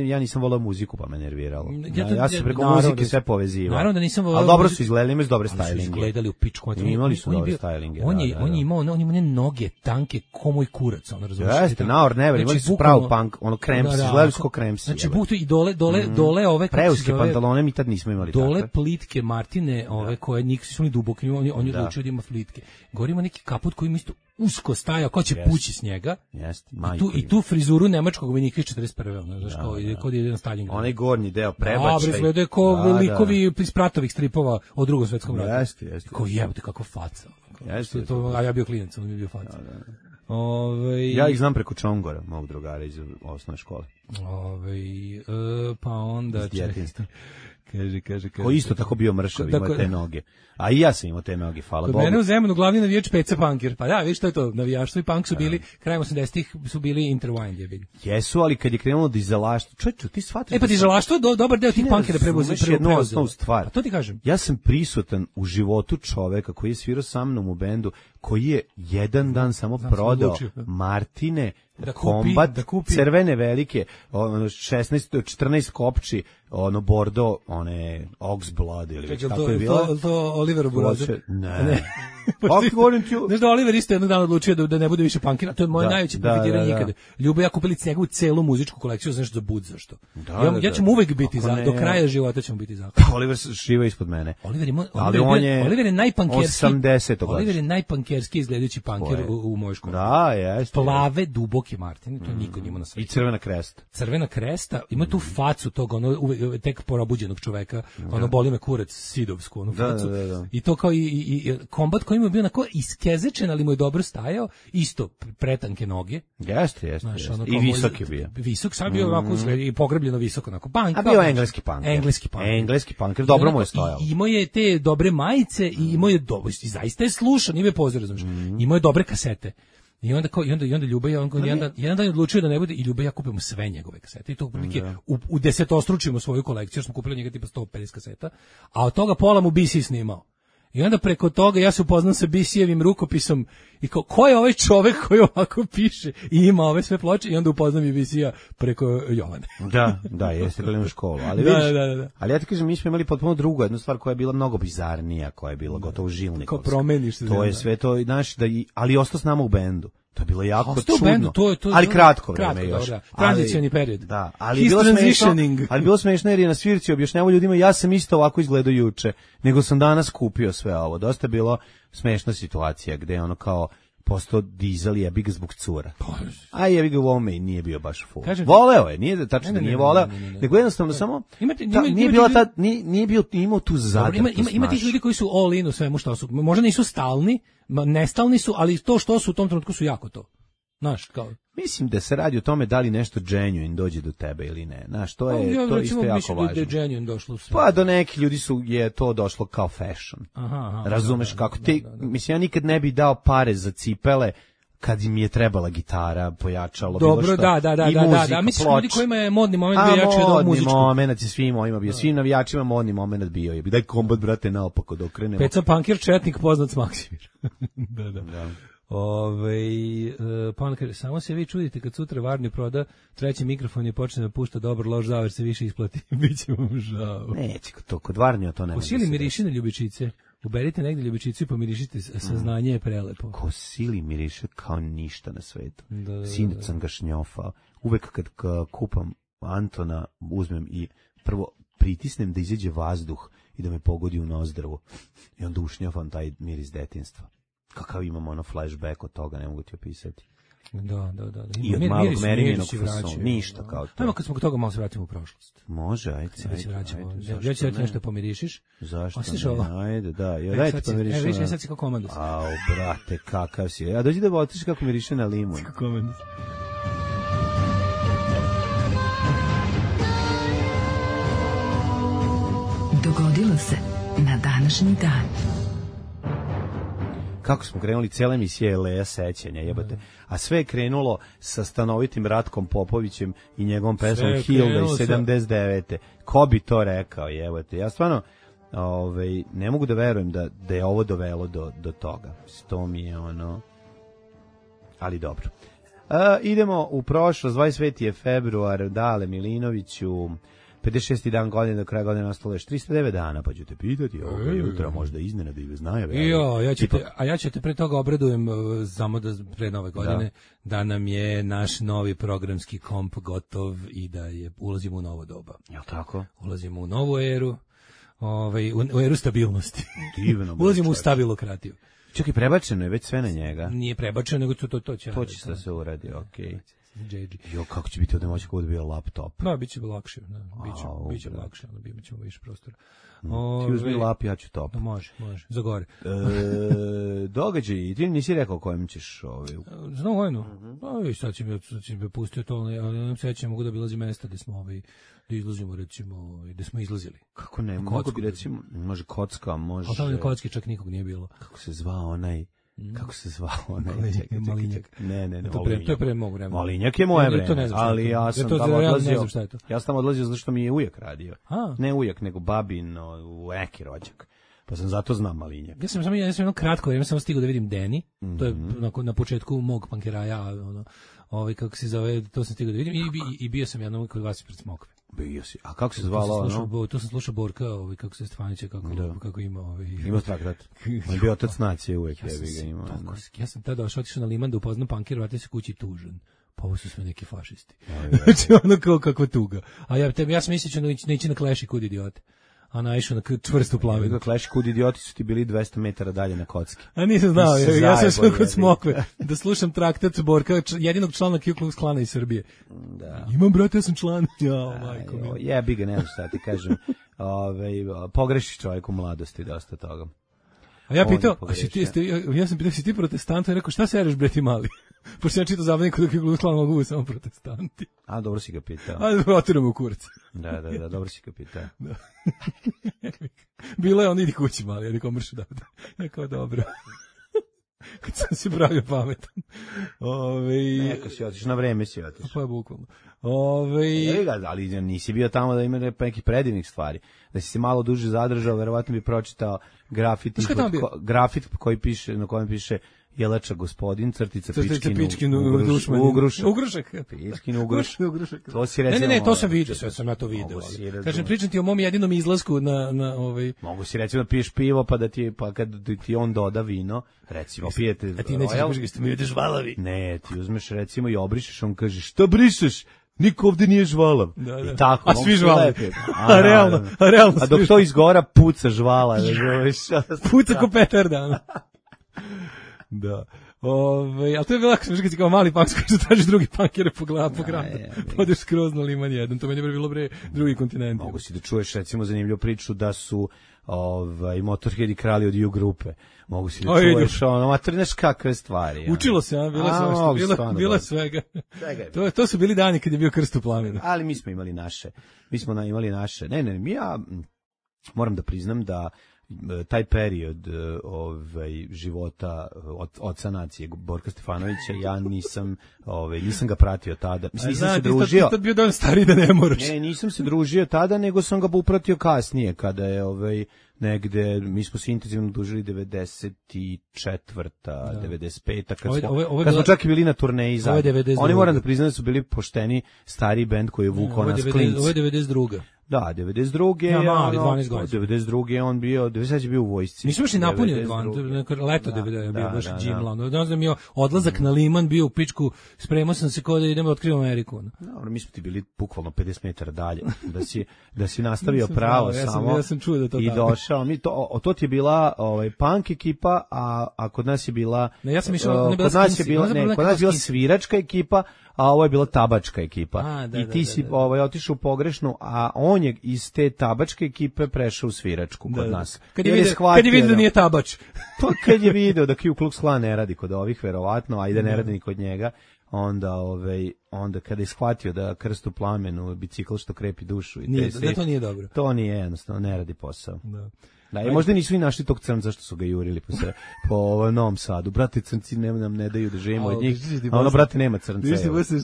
Ja nisam volao muziku, pa me nerviralo. Ja sam preko muzike sve povezivao. Naravno da nisam volao. Ali dobro su izgledali, imali su dobre stylinge. Su izgledali u pičku. Imali su dobre stylinge. On je imao noge tanke ko moj kurac, ono razumiješ. Jeste, Now or Never, imali su prav punk, ono kremsi, izgledali su kao kremsi. Znači, buktu i dole ove... Preuske pantalone mi tad nismo imali takve. Dole plitke Martine, ove koje nisu ni duboki, on je odlučio da ima flitke. Govorimo neki kaput koji mi isto usko staja, ko će pući s njega. I tu frizuru nemačkog vojnika iz 41. Znaš, kao da ide na Stalingrad. Onaj gornji deo prebačaj. Izgleda kao likovi iz Pratovih stripova o Drugom svetskom ratu. Jeste. Kao jebate, kako faca. A ja bio klinac, on mi bio faca. Ja ih znam preko Čongora, mog drugara iz osnovne škole. Pa onda... Kaže. Ko isto tako bio mršav, imao te noge. A i ja sam imao te noge, hvala Bogu. Kod mene u Zemunu glavni navijač PC Punker. Pa da, vidiš što je to, navijaštvo i punk su bili, krajem 80-ih su bili intertwined, je vidim. Jesu, ali kad je krenulo dizelaštvo, čovječe, ti shvataš... Pa dizelaštvo, dobar deo tih punkera preuzeo. Jednu osnovnu stvar. A to ti kažem. Ja sam prisutan u životu čoveka koji je svirao sa mnom u bendu, koji je jedan dan samo prodao Martine, kombat, crvene velike, 14 kopči, bordo, one Oxblood ili tako je bilo. To Oliver Burazer? Ne. Govorim ti... Znaš da Oliver isto jednog dana odlučio da ne bude više punkira, to je moje najveće profitiranje ikada. Ljubo ja kupili njegovu celu muzičku kolekciju, znaš, za bud zašto. Ja ćemo uvek biti za, do kraja života ćemo biti za. Oliver šiva ispod mene. Oliver je najpunkerski. 80. Oliver je najpunkerski izgledajući punker u mojoj školi. Da, jeste. Plave, duboke Martine, to niko njima na svetu. I crvena kresta. Crvena kresta, ima tu facu tog, tek probuđenog čoveka, boli me kurac, sidovsku, facu. I to kao i kombat koji mu je bio onako iskezečen, ali mu je dobro stajao, isto pretanke noge. Jeste. I visok je bio. Visok, sad bio ovako i pogrebljeno visoko, onako. A bio engleski punk. Dobro mu je stojao. Imao je te dobre majice i imao je dobro, zaista je slušan, ima je pozor, znaš. Imao je dobre kasete. I onda Ljuba jedan dan je odlučio da ne bude i Ljuba ja kupimo sve njegove kasete i to prilike u desetostručimo svoju kolekciju, jer smo kupili njega tipa 150 kaseta, a od toga pola mu BC snimao. I onda preko toga ja se upoznam sa BC-evim rukopisom i kao, ko je ovaj čovek koji ovako piše i ima ove sve ploče i onda upoznam i BC-a preko Jovane. Da, jeste gledali u školu. Ali, da, vidiš, da. Ali ja ti kažem, mi smo imali potpuno drugu jednu stvar koja je bila mnogo bizarnija, koja je bila gotovo žilnikovska. Kao promeniš se. To je sve to, znaš, ali ostao s nama u bendu. To je bilo jako čudno, bendu, ali kratko vreme još. Tranzicioni period. Da, ali bilo smešno jer je na svirci objašnjavao ljudima, ja sam isto ovako izgledao juče, nego sam danas kupio sve ovo. Dosta je bilo smešna situacija gde je ono kao postao dizel jebi ga zbog cura. A jebi ga u ovome i nije bio baš full. Voleo je, nije tačno da nije voleo, nego jednostavno samo nije bio imao tu zadrtost. Ima tih ljudi koji su all in u svemu što su, možda nisu stalni, nestalni su, ali to što su u tom trenutku su jako to. Znaš, kao... Mislim da se radi o tome da li nešto genuine dođe do tebe ili ne. Znaš, to je to isto jako važno. Da je genuine došlo sve. Pa do nekih ljudi je to došlo kao fashion. Razumeš kako ti, mislim, ja nikad ne bi dao pare za cipele kad im je trebala gitara, pojačalo, bilo što. Dobro, da. Mislim, ljudi kojima je modni moment bio jači od muzičkog. Modni moment je svim ovima bio. Svim navijačima modni moment bio je. Daj kombat, brate, naopako da okrenemo. Peca Punkir, četnik, poznat s Maksimir. Da. Pa on kaže, samo se vi čudite kad sutra Varni proda treći mikrofon i počne da pušta dobar loš zaver se više isplati. Biće vam žao. Neće, to kod Varnija to nema. Kosili miriši na ljubičice. Uberite negdje ljubičicu i pomirišite, saznanje je prelepo. Kosili miriše kao ništa na svetu. Sinac sam ga šnjofao. Uvek kad kupam Antona, uzmem i prvo pritisnem da izađe vazduh i da me pogodi u nozdrvu. I onda ušnjofam taj miris detinjstva. Kakav imam ono flashback od toga, ne mogu ti opisati. Da. I od malog merijenog fason, ništa kao to. Ajmo kad smo kod toga malo se vratimo u prošlost. Može, ajde. Ja ću nešto pomirišiš. Zašto ne? Ajde, da. Dajte pomiriši. Evo viš, sad si kao komandus. Au, brate, kakav si. Ja dođi da otiš kako miriše na limun. Kako komandus. Dogodilo se na današnji dan. Kako smo krenuli, cijela emisija je Leja sećanja, jebate. A sve je krenulo sa stanovitim Ratkom Popovićem i njegovom pesmom Hilda iz 79. Ko bi to rekao, jebate. Ja stvarno ne mogu da verujem da je ovo dovelo do toga. To mi je ono... Ali dobro. Idemo u prošlost, 25. je februar, Dale Milinoviću, 56. dan godine, do kraja godine ostalo još 309 dana, pa ću te pitati, jutra možda iznenada ili bez najave. Ja ću te pre toga obradujem, samo da pre nove godine, da nam je naš novi programski komp gotov i da ulazimo u novo doba. Jel' tako? Ulazimo u novu eru, u eru stabilnosti. Divno. Ulazimo u stabilokratiju. Čekaj, prebačeno je već sve na njega. Nije prebačeno, nego to će. To će da se uradi, okej. Jo, kako će biti ovdje moći kako da bio laptop? Da, bit će lakše. Biće lakše, ali bit ćemo više prostora. Ti uzmi lap, ja ću top. Može, za gore. Događaj, ti nisi rekao kojem ćeš Znam vojnu. Sad će me pustio to, ali nam sećam, mogu da bilazi mesta gde smo da izlazimo, recimo, gde smo izlazili. Kako ne, mogu bi recimo, može Kocka, može... A tamo Kocki čak nikog nije bilo. Kako se zvao onaj... Malinjak. Ne, to je pre mog vremena. Malinjak je moje vreme, ali ja sam tamo odlazio. Ja sam tamo odlazio zato što mi je ujak radio. Ne ujak, nego babin u neki rođak. Pa sam zato znam Malinjak. Ja sam jedno kratko vreme samo stigao da vidim Deni. To je na početku mog pankeraja, kako se zove, to sam stigao da vidim i bio sam jednom kod vas pred Smokve. Bio si. A kako se zvalo to sam slušao Borka, kako se Stefanića, kako ima ima traktat. On je bio otac nacije uvek, jebi ga ima. Ja sam tada otišao na Liman da upoznam pankir, vratio se kući tužan. Pa ovo su sve neki fašisti. Znači ono kao kakva tuga. A ja sam mislio da ići na Clash i kud idiote. A naišao na čvrstu plavinu. Clash kud idioti su ti bili 200 metara dalje na kocki. A nisam znao, ja sam sve kod Smokve da slušam traktat Borka, jedinog člana Ku Klux Klana iz Srbije. Da. Imam, brate, ja sam član. Majko mi. Jebi ga, nema šta ti kažem. Pogreši čovjek u mladosti dosta toga. A ja pitao, ja sam pitao, si ti protestant? I rekao, šta se ereš, bre, ti mali? Pošto ja čitao zabavnik kod Ku Klux Klana mogu samo protestanti. A, dobro si ga pitao. A, otiramo u kurac. Da, dobro si ga pitao. Da. Bilo je on, idi kući mali, ja nikom mršu da. Ja kao, dobro. kad sam se pravio pametan. Neka si otiš, na vreme si otiš. Pa je bukvalno. Ali nisi bio tamo da ima nekih predivnih stvari. Da si se malo duže zadržao, verovatno bi pročitao grafit koji piše, na kojem piše Jelača gospodin, crtica Pičkin Ugrušak. Pičkin Ugrušak. To si recimo... Ne, to sam vidio, sve sam ja to vidio. Kažem, pričam ti o mom jedinom izlasku na ovaj... Mogu si recimo da piješ pivo, pa kad ti on doda vino, recimo pijete... A ti nećeš da ste mi ideš žvalavi. Ne, ti uzmeš recimo i obrišeš, on kaže, šta brišeš? Niko ovde nije žvalav. Da. I tako, a svi žvalavi. Realno. A dok to izgora, puca žvala. Puca ko petarda. Da. Ali to je bilo kad si kao mali punk, što tražiš drugi punkere po gradu. Podeš skroz na liman jedan. To meni je bilo drugi kontinent. Mogu si da čuješ recimo zanimljivu priču da su Motorheadi krali od U grupe. Mogu si da čuješ znaš kakve stvari. Učilo se, bilo svega. To su bili dani kad je bio Krst u plamenu. Ali mi smo imali naše. Ja moram da priznam da taj period života oca nacije Borka Stefanovića ja nisam ga pratio tada. Nisam se družio. Tad bio dovoljno stariji da ne moraš. Ne, nisam se družio tada, nego sam ga upratio kasnije kada je negde, mi smo se intenzivno dužili 94. 95. Kad smo čak i bili na turneji zajedno. Oni moram da priznam da su bili pošteni stari bend koji je vukao nas klinci. Ovo je 92. Da, 92. Ja mali, 12 godina. 92. on bio, 90 je bio u vojsci. Nismo još ni napunili leto 90 je bio baš džimla. Ne znam, je odlazak na liman bio u pičku, spremao sam se kao da idemo da otkrivamo Ameriku. Dobro, mi smo ti bili bukvalno 50 metara dalje. Da si nastavio pravo samo. Ja sam čuo da to i došao. To ti je bila punk ekipa, a kod nas je bila kod nas je bila sviračka ekipa, a ovo je bila tabačka ekipa. I ti si otišao u pogrešnu, a on je iz te tabačke ekipe prešao u sviračku kod nas. Kad je vidio da nije tabač. Pa kad je video da Ku Klux Klan ne radi kod ovih, verovatno, a i da ne radi ni kod njega, onda kada je shvatio da Krst u plamenu, bicikl što krepi dušu. To nije dobro. To nije jednostavno, ne radi posao. Da, i možda nisu i našli tog crnca zašto su ga jurili po Novom Sadu. Brate, crnci nam ne daju da živimo od njih. A brate, nema crnca.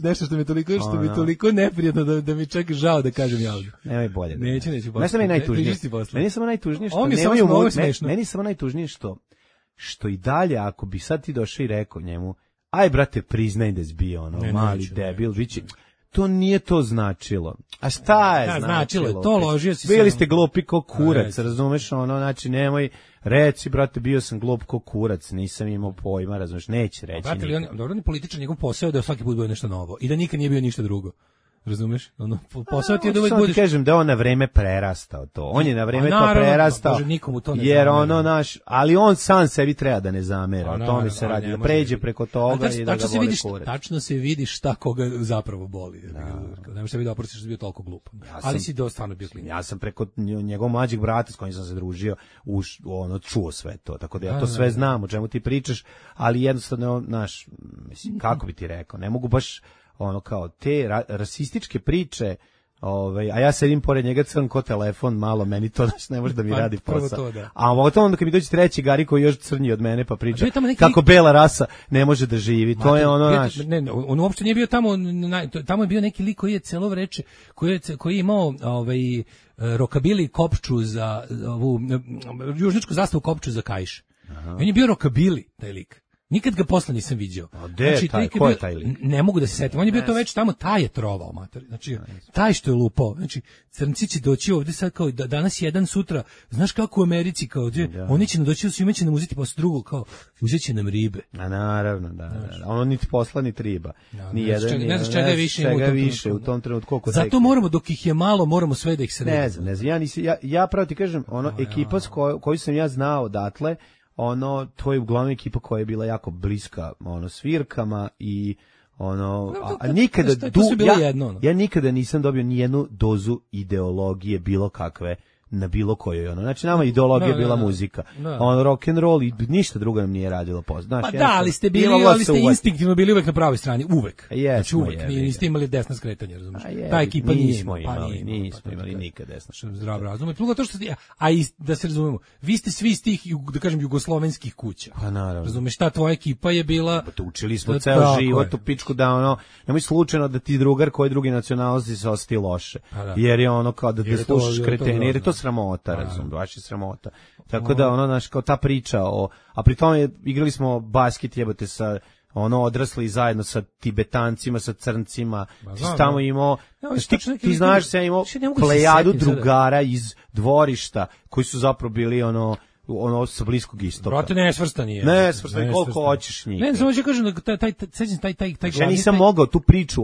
Nešto što mi je toliko neprijatno da mi čak žao da kažem javno. Nemoj bolje. Neću. Ne sam najtužnije. Meni samo najtužnije što meni samo najtužnije što i dalje, ako bi sad ti došao i rekao njemu, aj brate, priznaj da si bio mali debil, biće. To nije to značilo. A šta je značilo? To ložio si. Bili ste glupi ko kurac, razumeš, znači nemoj reci, brate, bio sam glup ko kurac, nisam imao pojma, razumeš, neće reći. Brate, dobro, ni političar, njegov posao da svaki put bude nešto novo i da nikad nije bio ništa drugo. Razumeš? Posao ti je da uvek budeš... kažem da on na vreme prerastao to. On je na vreme to prerastao. Bože, nikomu to ne jer ali on sam sebi treba da ne zamera. O tome se radi, da pređe preko toga i da ga boli kurac. Tačno se vidi šta koga zapravo boli. Ne možeš sebi da oprostiš da si bio toliko glup. Ali si stvarno bio klinac. Ja sam preko njegovog mlađeg brata s kojim sam se družio, čuo sve to. Tako da ja to sve znam o čemu ti pričaš, ali jednostavno, mislim, kako bi ti rekao, ne mogu baš kao te rasističke priče, a ja sedim pored njega crn ko telefon, malo meni to ne može da mi radi posao. A onda kad mi dođe treći Gari koji je još crnji od mene pa priča kako bela rasa ne može da živi, to je on uopšte nije bio tamo je bio neki lik koji je celo vreče, koji je imao rokabili kopču za ovu južničku zastavu kopču za kaiš. On je bio rokabili, taj lik. Nikad ga posle nisam viđao. Ko je taj lik? Ne mogu da se setim. On je bio to već tamo, taj je trovao, mater. Znači, taj što je lupao. Znači, crnci će doći ovde sad kao danas jedan, sutra. Znaš kako u Americi, kao oni će nam doći, svima će nam uzeti posle drugog, kao uzet će nam ribe. A naravno, da. Ono niti posla, niti riba. Ne znaš čega je više u tom trenutku. Zato moramo, dok ih je malo, moramo sve da ih sredimo. Ne znam. Ja pravo ti kažem, ekipa koju sam ja znao odatle, to je uglavnom ekipa koja je bila jako bliska svirkama i ja nikada nisam dobio ni jednu dozu ideologije bilo kakve na bilo kojoj ono. Znači nama ideologija bila muzika. On rock and roll i ništa drugo nam nije radilo poznat. Pa da, ali ste bili, ali ste instinktivno bili uvek na pravoj strani, uvek. Znači uvek, niste imali desna skretanja, razumiješ? Ta ekipa nismo imali nikad desna. Zdrav razum. Drugo to što a i da se razumemo, vi ste svi iz tih, da kažem, jugoslovenskih kuća. Pa naravno. Razumeš, ta tvoja ekipa je bila... Pa učili smo ceo život u pičku da ono, nemoj slučajno da ti drugar koji drugi nacionalnosti se osjeti loše. Jer je ono kao da slušaš kreteni, jer je to sramota, razum, baš je sramota. Tako da ono, znaš, kao ta priča a pri tome igrali smo basket, jebote, sa ono odrasli zajedno sa Tibetancima, sa crncima, ti si tamo imao, ti znaš se imao plejadu drugara iz dvorišta koji su zapravo bili ono sa Bliskog istoka. Brate, nesvrstani je. Nesvrstani, koliko hoćeš njih. Ne, samo ću kažem da taj ja nisam mogao tu priču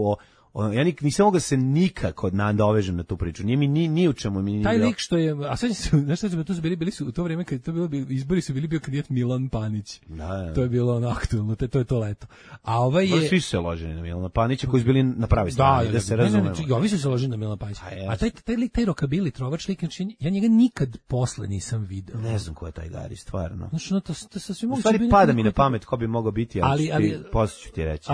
ja nisam mogao se nikako nadovežem na tu priču. Nije mi ni u čemu mi nije. Taj lik što je, a sad se, znaš šta su bili su u to vrijeme kad to bilo izbori su bio kandidat Milan Panić. Da. To je bilo ono aktuelno, to je to leto. A ovaj je svi su se ložili na Milana Panića koji su bili na pravi strani, da se razumemo. Da, ovi su se ložili na Milana Panića. A taj lik, taj rokabili trovač lik, ja njega nikad posle nisam video. Ne znam ko je taj Gari, stvarno. Znači, no, to sasvim moguće. Stvari pada mi na pamet ko bi mogao biti, ali posle ću ti reći.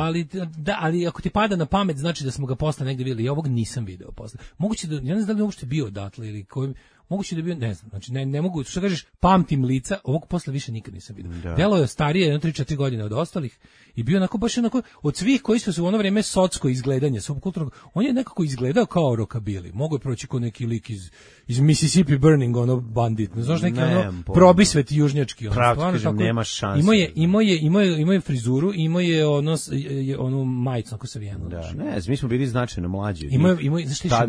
Ali ako ti pada na pamet, znači da smo ga posle negde videli. Ja ovog nisam video posle. Moguće da, ja ne znam da li je uopšte bio odatle ili koji, moguće da je bio, ne znam. Znači ne mogu, što kažeš, pamtim lica, ovog posle više nikad nisam video. Delo je starije, 3-4 godine od ostalih i bio onako baš onako od svih koji su u ono vreme socsko izgledanje, subkulturnog, on je nekako izgledao kao rokabili. Mogu je proći kao neki lik iz Mississippi Burning, ono bandit, ne znaš, neki ono probisvet južnjački, ono stvarno tako. Nema šanse. Imao je frizuru, imao je onu majicu onako savijenu. Da, ne, mi smo bili značajno mlađi.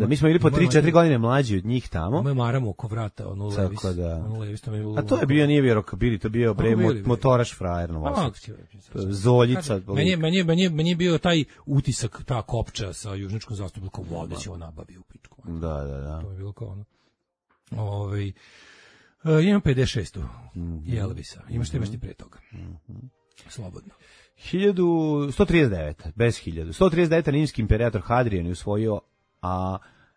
Mi smo bili po 3-4 godine mlađi od njih tamo. Imao je maramu oko vrata, ono Levis. A to je bio, nije bio rokabili, to bio motoraš frajer, Zoljica. Meni je bio taj utisak, ta kopča sa južničkom zastavom, kao voda će ovo nabavi u pičku. Da. To je bilo kao ono. Imam 56. I Elvisa. Imaš te ti pre toga. Slobodno. 1139, bez 1000. 139. rimski imperator Hadrian je usvojio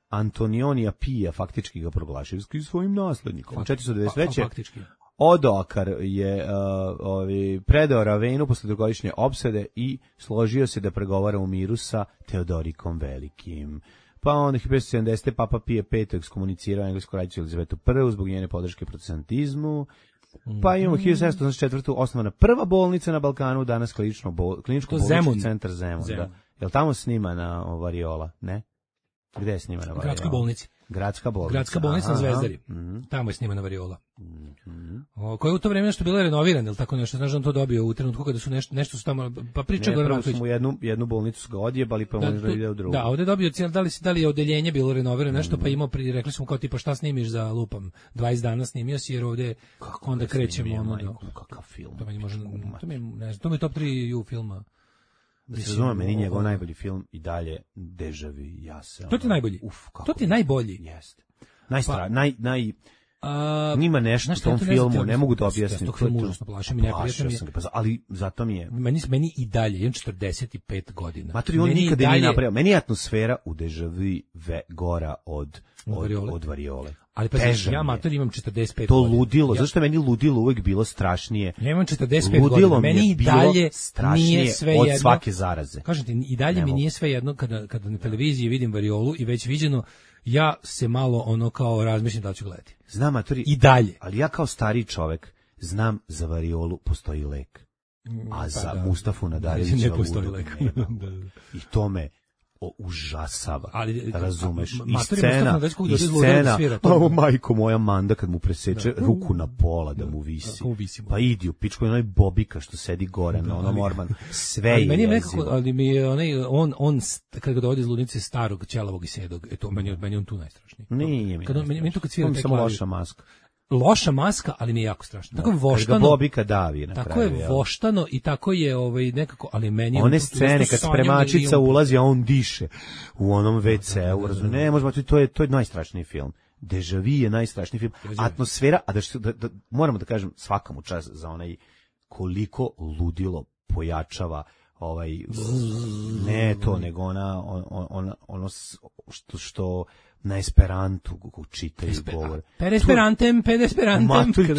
Antonionija Pija, faktički ga proglašio svojim naslednikom. 493. Faktički. Odoakar je predao Ravenu posle dugogodišnje opsade i složio se da pregovara u miru sa Teodorikom Velikim. Pa onda 1570. Papa Pije V ekskomunicirao englesku kraljicu Elizabetu I zbog njene podrške protestantizmu. Pa imamo 1784. osnovana prva bolnica na Balkanu, danas kliničko-bolnički centar Zemun. Da. Jel tamo snimana variola? Ne? Gde je snimana variola? Gradskoj bolnici. Gradska bolnica na Zvezdari. Tamo je snimana variola. Koja je u to vreme nešto bila renovirana, ili tako nešto, znaš da on to dobio u trenutku kada su nešto su tamo, pa priča Goran Marković. Ne, prvo smo jednu bolnicu su ga odjebali, pa možda ide u drugu. Da, ovde je dobio, da li je odeljenje bilo renovirano nešto, pa imao, rekli smo kao tipa šta snimiš za lupam, 20 dana snimio si, jer ovde onda krećemo. Kakav film. To mi je top 3 filma. Da se razume, meni njegov najbolji film i dalje Deja Vu, ja se... To ti je najbolji? To ti je najbolji? Jeste. Nima nešto u tom filmu, ne mogu da objasnim. Tog filmu užasno plašim i neprijatno mi je. Ali zato mi je... Meni i dalje, imam 45 godina. Maturi, on nikada nije napravio. Meni je atmosfera u Deja Vu gora od variole. Ali pa ja mator imam 45 to godina. Ludilo, zašto je meni ludilo uvek bilo strašnije? Ja imam 45 godina, meni i dalje nije sve jedno. Od svake zaraze. Kažem ti, i dalje mi nije sve jedno kada na televiziji vidim variolu i već viđeno, ja se malo ono kao razmišljam da ću gledati. Znam, matori, i dalje. Ali ja kao stariji čovek znam za variolu postoji lek. A za Mustafu Nadarevića ne postoji lek. I to me užasava, ali razumeš, i scena, ovo majko moja Manda kad mu preseče ruku na pola da mu visi, pa idi u pičku, onaj Bobika što sedi gore na onom ormanu, sve je jezivo. Ali mi je on kad ga dovodi iz ludnice starog, ćelavog i sedog, meni je on tu najstrašniji. Nije mi najstrašniji. Samo loša maska. Loša maska, ali mi je jako strašno. Tako je voštano. Bobika davi na kraju. Tako je voštano i tako je nekako, ali meni one scene kad spremačica ulazi, a on diše u onom WC-u, razumiješ? Ne, možemo, to je najstrašniji film. Deja Vu je najstrašniji film. Atmosfera, a da moramo da kažem svakom čast za onaj koliko ludilo pojačava ne to, nego ono što na esperantu čitaju govore. Per esperantem. To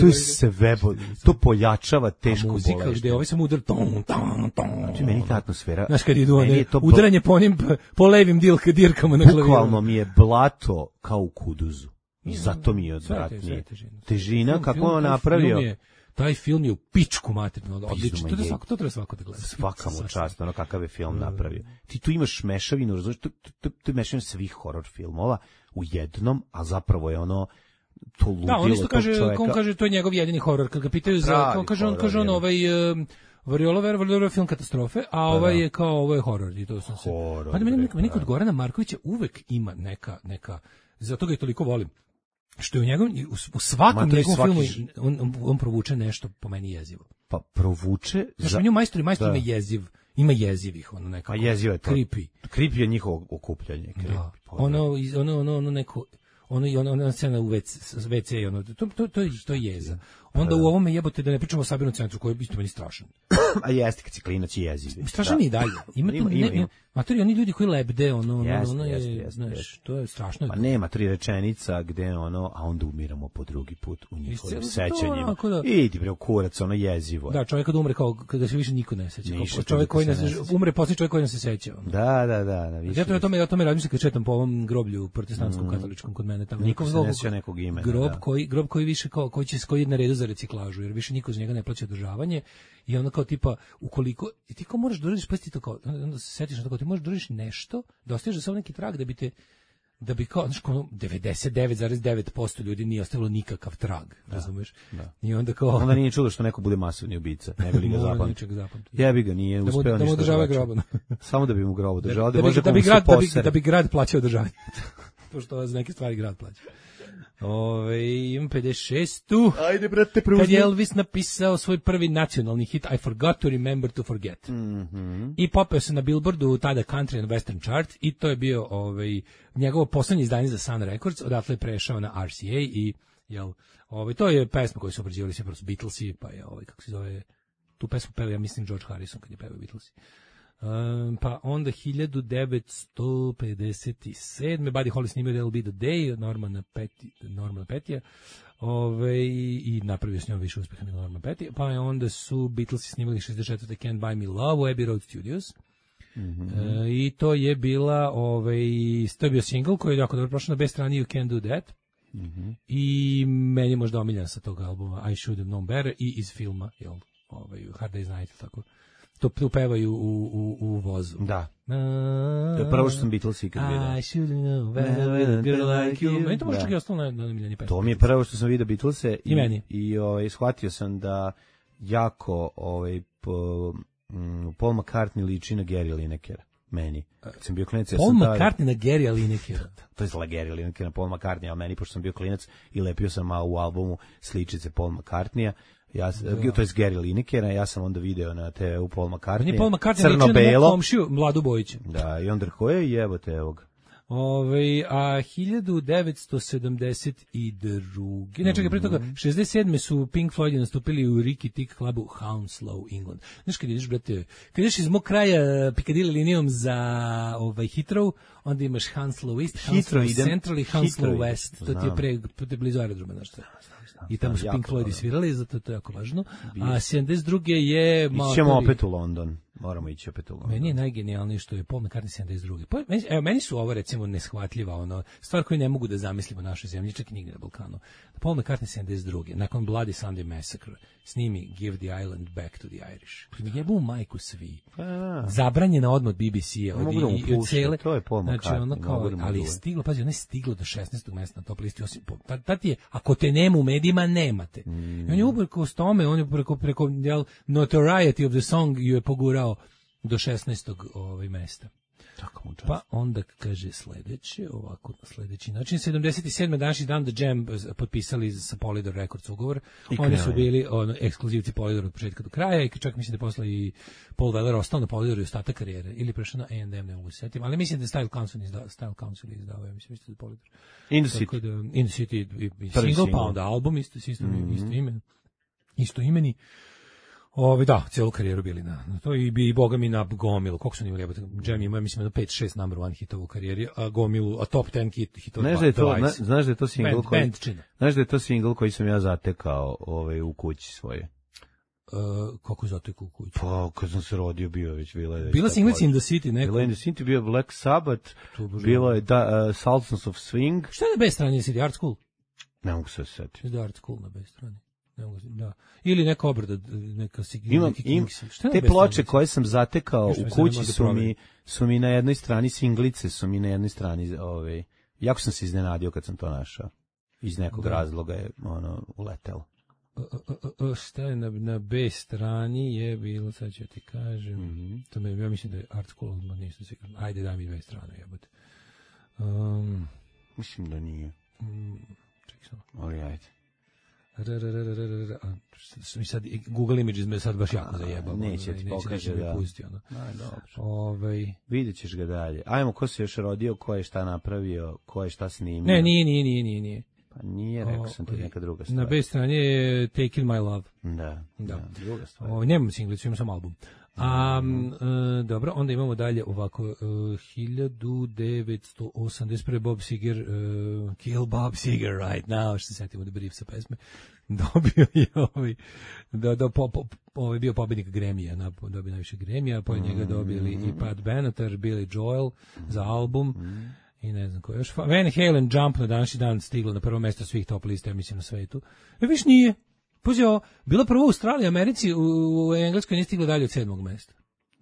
je sve, to pojačava tešku bolest. Muzika gde ovaj sam udar, Znači, meni ta atmosfera... Znaš, kad idu one, udaranje po levim dirkama na klaviru. Bukvalno mi je blato kao u kuduzu. I zato mi je odvratnije. Težina, kako on napravio... Taj film je u pičku materinu, odlično. To treba svako da gleda. Svaka mu čast, ono kakav je film napravio. Ti tu imaš mešavinu, razumiješ, to je mešavina svih horor filmova u jednom, a zapravo je ono to ludilo tog čoveka. On kaže, to je njegov jedini horor. Kad ga pitaju za, kaže on ovaj... Variola film katastrofe, a ovaj je kao, ovo je horor. I to sam se... Meni kod Gorana Markovića uvek ima neka, zato ga i toliko volim. Što je u svakom njegovom filmu on provuče nešto po meni jezivo. Pa provuče... Znaš, u njemu majstor ima jezivih, ono nekako. A jezivo je to. Creepy. Creepy je njihovo okupljanje. Da. Ono neko... Ona scena u WC, to je jeza. Onda u ovome jebote da ne pričamo o Sabirnom centru, koji je isto meni strašan. A jeste kad si klinac i jeziv. Strašan i dalje. Ima matori, oni ljudi koji lebde, znaš, to je strašno. Pa nema 3 rečenica gde a onda umiramo po drugi put u njihovim sećanjima. Idi bre u kurac, ono jezivo. Da, čovjek kad umre, kao kada se više niko ne seća. Čovjek koji umre, posljednji čovjek koji ne se seća. Da. Ja tome razmišljam kad četam po ovom groblju protestantskom katoličkom kod mene tamo. Niko se ne seća nekog imena. Grob koji više koji je na redu za reciklažu, jer više niko za njega ne plaća održavanje. I onda kao tipa, ukoliko, i ti kao moraš da uradiš, pa ti to kao, onda se setiš na to kao, ti možeš da uradiš nešto, da ostaviš za samo neki trag, da bi kao, znaš, 99,9% ljudi nije ostavilo nikakav trag, razumeš? Da. I onda kao... Onda nije čudo što neko bude masovni ubica, ne bi li ga zapamtio. Jebi ga, nije uspeo ništa. Da mu održava grob. Samo da bi mu grob održavao, da bi grad plaćao održavanje. Pošto za neke stvari grad plaća. Imam 56. Ajde, brate, preuzmi. Kad je Elvis napisao svoj prvi nacionalni hit I Forgot to Remember to Forget. I popeo se na Billboardu, tada Country and Western chart, i to je bio njegovo poslednje izdanje za Sun Records, odatle je prešao na RCA i to je pesma koju su obrađivali sve prosto Beatlesi, pa je kako se zove, tu pesmu peva, ja mislim, George Harrison kad je pevao Beatlesi. Pa onda 1957. Buddy Holly snimio That'll Be the Day, Normana Petija, i napravio s njom više uspeha nego Norman Petty. Pa onda su Beatlesi snimali 64. Can't Buy Me Love u Abbey Road Studios. I to je bila to je bio single koji je jako dobro prošao na B strani You Can't Do That. I meni je možda omiljan sa tog albuma I Should Have Known Better i iz filma Hard Day's Night, tako. To pevaju u vozu. Da. To je prvo što sam Beatles ikad vidio. I should know better, girl like you. Meni to možda čak i ostalo na miljeni pesmi. To mi je prvo što sam vidio Beatlese. I meni. I shvatio sam da jako Paul McCartney liči na Gary Linekera. Meni. Kad sam bio klinac, Paul McCartney na Gary Linekera. To je Gary Lineker na Paul McCartney, a meni, pošto sam bio klinac i lepio sam malo u albumu sličice Paul McCartneya. To je Gary Linekera, ja sam onda video na TV-u Paul McCartney, crno-belo, komšiju Mladu Bojića. Da, i onda rekao je, jebote, evo ga. A 1972. Ne, čekaj, pre toga, 67. su Pink Floyd nastupili u Ricky Tick klubu Hounslow, England. Znaš, kad ideš, brate, kad ideš iz mog kraja Piccadilly linijom za Heathrow, onda imaš Hounslow East, Hounslow Central i Hounslow West. To ti je blizu aerodroma, znaš što. I tamo su Pink Floyd svirali, zato to je jako važno. A 72. je... Ićemo opet u London. Moramo ići opet u London. Meni je najgenijalnije što je Paul McCartney 72. Meni su ovo, recimo, neshvatljiva stvar koju ne mogu da zamislimo u našoj zemlji, čak i nigde na Balkanu. Paul McCartney 72. nakon Bloody Sunday Massacre snimi Give the Island Back to the Irish. Mi jebu majku svi. Zabranjena odmah od BBC-a. I od cele. To je Paul McCartney. Ali je stiglo, pazi, ona je stiglo do 16. mesta na top listi. Tad je, ako te nema u medijima, nemate. I on je uprkos tome, on je preko notoriety of the song ju je pogurao do 16. Mesta. Pa onda kaže sledeći način, 77. današnji dan The Jam potpisali sa Polydor Records ugovor. Oni su bili ekskluzivci Polydor od početka do kraja i čak mislim da je posle i Paul Weller ostao na Polydoru i ostatak karijere ili prešao na A&M, ne mogu se setiti, ali mislim da je Style Council izdao, mislim da je Polydor. In the City single, pa onda album isto ime. Isto imeni. Da, celu karijeru bili na to i boga mi na gomilu. Koliko su oni imali jebote? Jam ima, mislim, na 5-6 number one hitova u karijeri, a gomilu, a top 10 hitova. Znaš da je to single koji... Znaš da je to single koji sam ja zatekao u kući svoje? Kako je zatekao u kući? Pa, kad sam se rodio, bio već Bila Singlets in the City, neko. Bila in the City, bio Black Sabbath, bilo je Sultans of Swing. Šta je na B strani, jesi Art School? Ne mogu se setiti. Da, Art School na B strani. Da. Ili neka obrada, neka te ploče koje sam zatekao u kući su mi na jednoj strani singlice, su mi na jednoj strani jako sam se iznenadio kad sam to našao. Iz nekog razloga je uletelo. Šta je na B strani je bilo, sad ću ti kažem. Ja mislim da je Art School, nisam siguran. Ajde, daj mi 2 strane, jebote. Mislim da nije. Čekaj samo. Ali ajde. Mi sad Google Images me sad baš jako zajebao. Neće ti pokaže da. Dobro. Vidjet ćeš ga dalje. Ajmo, ko se još rodio, ko je šta napravio, ko je šta snimio. Ne, nije. Pa nije, rekao sam ti neka druga stvar. Na B strani je Taking My Love. Da, druga stvar. Nemam singlicu, imam sam album. Dobro, onda imamo dalje ovako 1981. Bob Seger, Kill Bob Seger right now, što se setimo da brief sa pesme, dobio je bio pobednik Grammy-a, dobio najviše Grammy-a, po njega dobili i Pat Benatar, Billy Joel za album, i ne znam ko još. Van Halen Jump na današnji dan stiglo na prvo mesto svih top lista, ja mislim, na svetu. Viš nije. Puzio, bila prvo u Australiji, Americi, u Engleskoj nije stigla dalje od 7. mesta.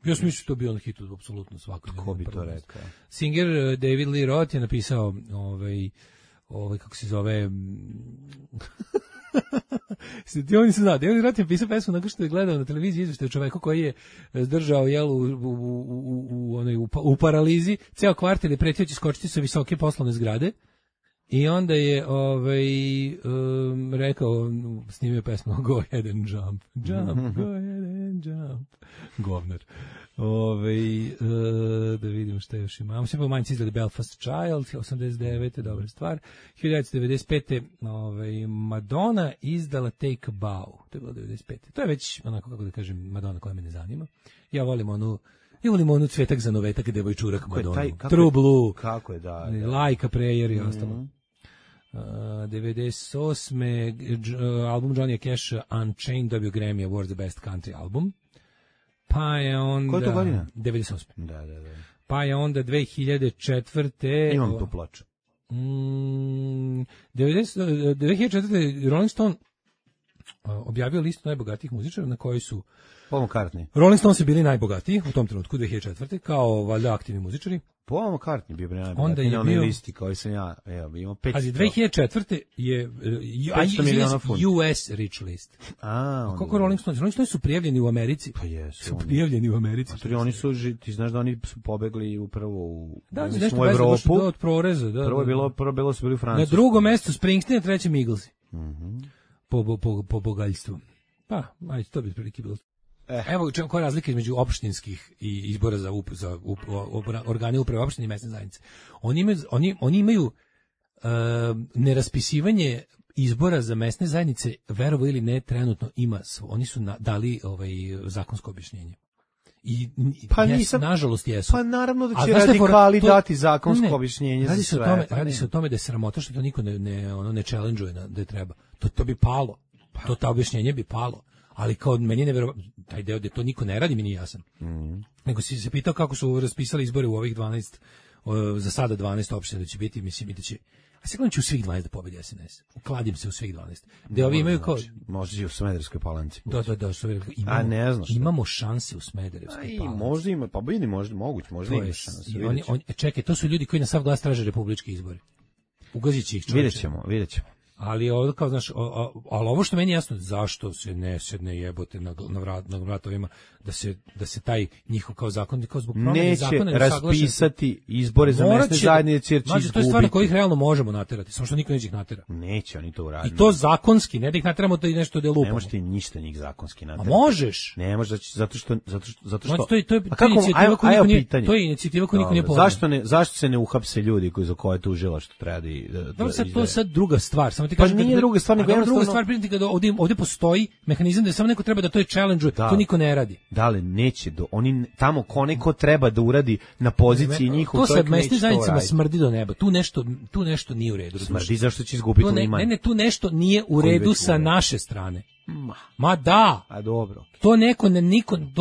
Ja sam mislio to bio na hitu, apsolutno svako. Ko bi to rekao? Singer David Lee Roth je napisao kako se zove... Oni se zna, David Roth je napisao pesmu nakon što je gledao na televiziji izveštaj o čoveku koji je zdržao u paralizi, ceo kvartal je pretio će skočiti sa visoke poslovne zgrade. I onda je rekao, snimio pesmu Go ahead and jump, go ahead and jump. Govnar. Da vidimo šta još imamo. Sve pomanjci izgleda Belfast Child, 89. dobra stvar. 1995. Madonna izdala Take a Bow. To je bilo 95. To je već, onako kako da kažem, Madonna koja me ne zanima. Ja volim onu Cvetak za novetak, devojčurak Madonna. True Blue. Kako je, da. Like a Prayer i ostalo. 98. album Johnny Cash Unchained dobio Grammy Award za Best Country Album. Pa je onda... Koja je to godina? 98. Da. Pa je onda 2004. Imam tu ploču. 2004. Rolling Stone objavio listu najbogatijih muzičara na kojoj su Paul McCartney. Rolling Stones su bili najbogatiji u tom trenutku 2004. kao valjda aktivni muzičari. Paul McCartney bio najbogatiji na onoj listi koji sam ja, imao 500. Ali 2004. je US Rich List. Kako Rolling Stones? Rolling Stones su prijavljeni u Americi. Pa jesu. Su prijavljeni u Americi. Oni su, ti znaš da oni su pobegli upravo u Evropu. Od proreza, da. Prvo su bili u Francusku. Na drugom mestu Springsteen, na trećem Eaglesi. Po bogaljstvu. Pa, ajde, to bi prilike bilo. Evo koja je razlika između opštinskih i izbora za organe uprave opštine i mesne zajednice. Oni imaju neraspisivanje izbora za mesne zajednice, verovo ili ne, trenutno ima. Oni su dali zakonsko objašnjenje. Nažalost jesu. Pa naravno da će radikali dati zakonsko objašnjenje za sve. Radi se o tome da je sramota što to niko ne challenge-uje da je treba. To bi palo. To objašnjenje bi palo. Ali kao meni je neverovatno, taj deo da to niko ne radi mi nije jasan. Nego si se pitao kako su raspisali izbore u ovih 12, za sada 12 opština da će biti, mislim i da će, a sigurno će u svih 12 da pobedi SNS. Ukladim se u svih 12. Da ovi imaju kao... Možda i u Smederevskoj Palanci. Da, imamo šanse u Smederevskoj Palanci. Možda ima, pa vidi, možda ima šanse. Čekaj, to su ljudi koji na sav glas traže republički izbori. Ugazit će ih čovječe. Vidjet ćemo. Ali ovo kao, znaš, ali ovo što meni jasno, zašto se ne sedne jebote na vratovima da se taj njihov kao zakon kao zbog promene zakona neće raspisati izbore za mesne zajednice jer će izgubiti. To je stvar na kojih realno možemo naterati, samo što niko neće ih natera. Neće oni to uraditi. I to zakonski, ne da ih nateramo da i nešto da lupamo. Ne možeš ti ništa njih zakonski naterati. A možeš. Ne možeš zato što. To je inicijativa koju niko nije. To je inicijativa koju niko nije podržao. Zašto se ne uhapse ljudi koji za koje tužilaštvo treba da sad to je sad druga stvar. Samo ti kažem, nije druga stvar, nego druga stvar, kada ovdje postoji mehanizam da samo neko treba da to je challenge, to niko ne radi. Da li neće oni tamo ko treba da uradi na poziciji njihov, to sa mesnim zajednicama smrdi do neba. Tu nešto nije u redu. Smrdi zašto će izgubiti Liman. Ne, tu nešto nije u redu sa naše strane. Ma da. A dobro. To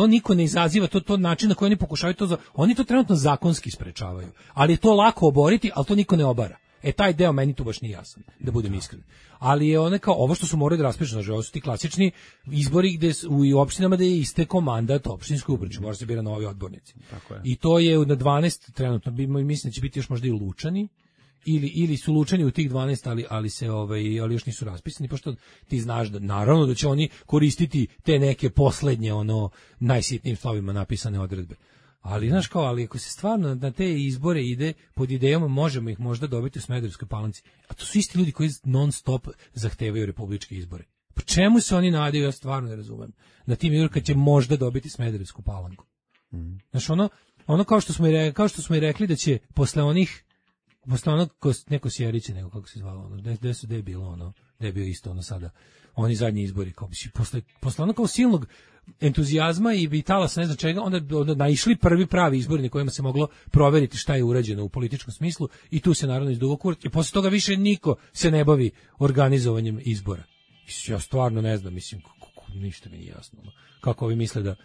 niko ne izaziva, to način na koji oni pokušavaju oni to trenutno zakonski sprečavaju. Ali je to lako oboriti, ali to niko ne obara. Taj deo meni tu baš nije jasan, da budem iskren. Ali je kao ovo što su morali da raspišu, ovo su ti klasični izbori gde u opštinama da je istekao mandat opštinskoj upravi, mora se bira novi odbornici. Tako je. I to je na 12 trenutno, mislim da će biti još možda i Lučani, ili su Lučani u tih 12, ali još nisu raspisani, pošto ti znaš da naravno da će oni koristiti te neke poslednje najsitnijim slovima napisane odredbe. Ali znaš ali ako se stvarno na te izbore ide pod idejom možemo ih možda dobiti u Smederevskoj Palanci, a to su isti ljudi koji non stop zahtevaju republičke izbore. Po čemu se oni nadaju, ja stvarno ne razumem. Na tim izborima kad će možda dobiti Smederevsku Palanku. Znaš ono kao što smo i rekli da će posle onog neko Sjeriće, nego kako se zvalo gde je bilo gde je bio isto sada oni zadnji izbori kao bi posle ono kao silnog entuzijazma i vitala sa ne znam čega, onda naišli prvi pravi izbori na kojima se moglo proveriti šta je urađeno u političkom smislu i tu se naravno izdugo kurac i posle toga više niko se ne bavi organizovanjem izbora. Ja stvarno ne znam, ništa mi nije jasno. Kako ovi misle da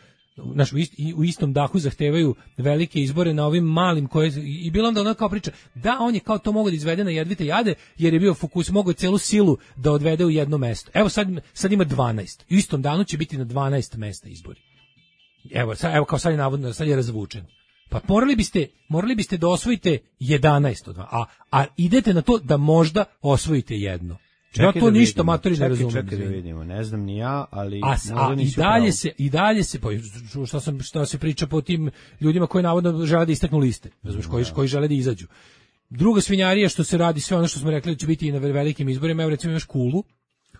u istom dahu zahtevaju velike izbore na ovim malim koje i bilo onda ona kao priča da on je kao to mogao da izvede na jedvite jade jer je bio fokus, mogao celu silu da odvede u jedno mesto. Evo sad ima 12. U istom danu će biti na 12 mesta izbori. Evo kao sad je navodno, sad je razvučen. Pa morali biste da osvojite 11 od 2, a idete na to da možda osvojite jedno. Ja to ništa matori ne razumem. Čekaj da vidimo, ne znam ni ja, ali i dalje se šta se priča po tim ljudima koji navodno žele da istaknu liste, razumeš, koji žele da izađu. Druga svinjarija što se radi, sve ono što smo rekli da će biti i na velikim izborima, evo recimo imaš Kulu,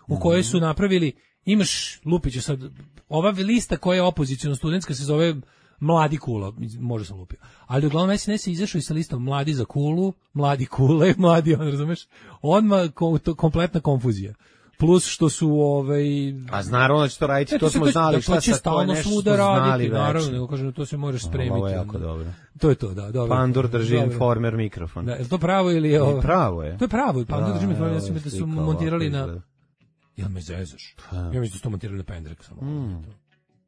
u kojoj su napravili, imaš Lupiću sad, ova lista koja je opoziciono studentska se zove Mladi Kula, možda sam lupio. Ali uglavnom SNS je izašao i sa listom Mladi za Kulu, Mladi Kule, Mladi, razumeš? Odmah kompletna konfuzija. Plus što su A naravno da će to raditi, to smo znali, šta sad to je nešto smo znali već. Naravno, nego kažem, to se možeš spremiti. Ovo je jako dobro. To je to, da, dobro. Pandur drži informer mikrofon. Da, je to pravo ili je ovo? Pravo je. To je pravo, Pandur drži mikrofon, ja sam da su montirali na... Jel me zezaš? Ja mislim da su to montirali na pendrek samo.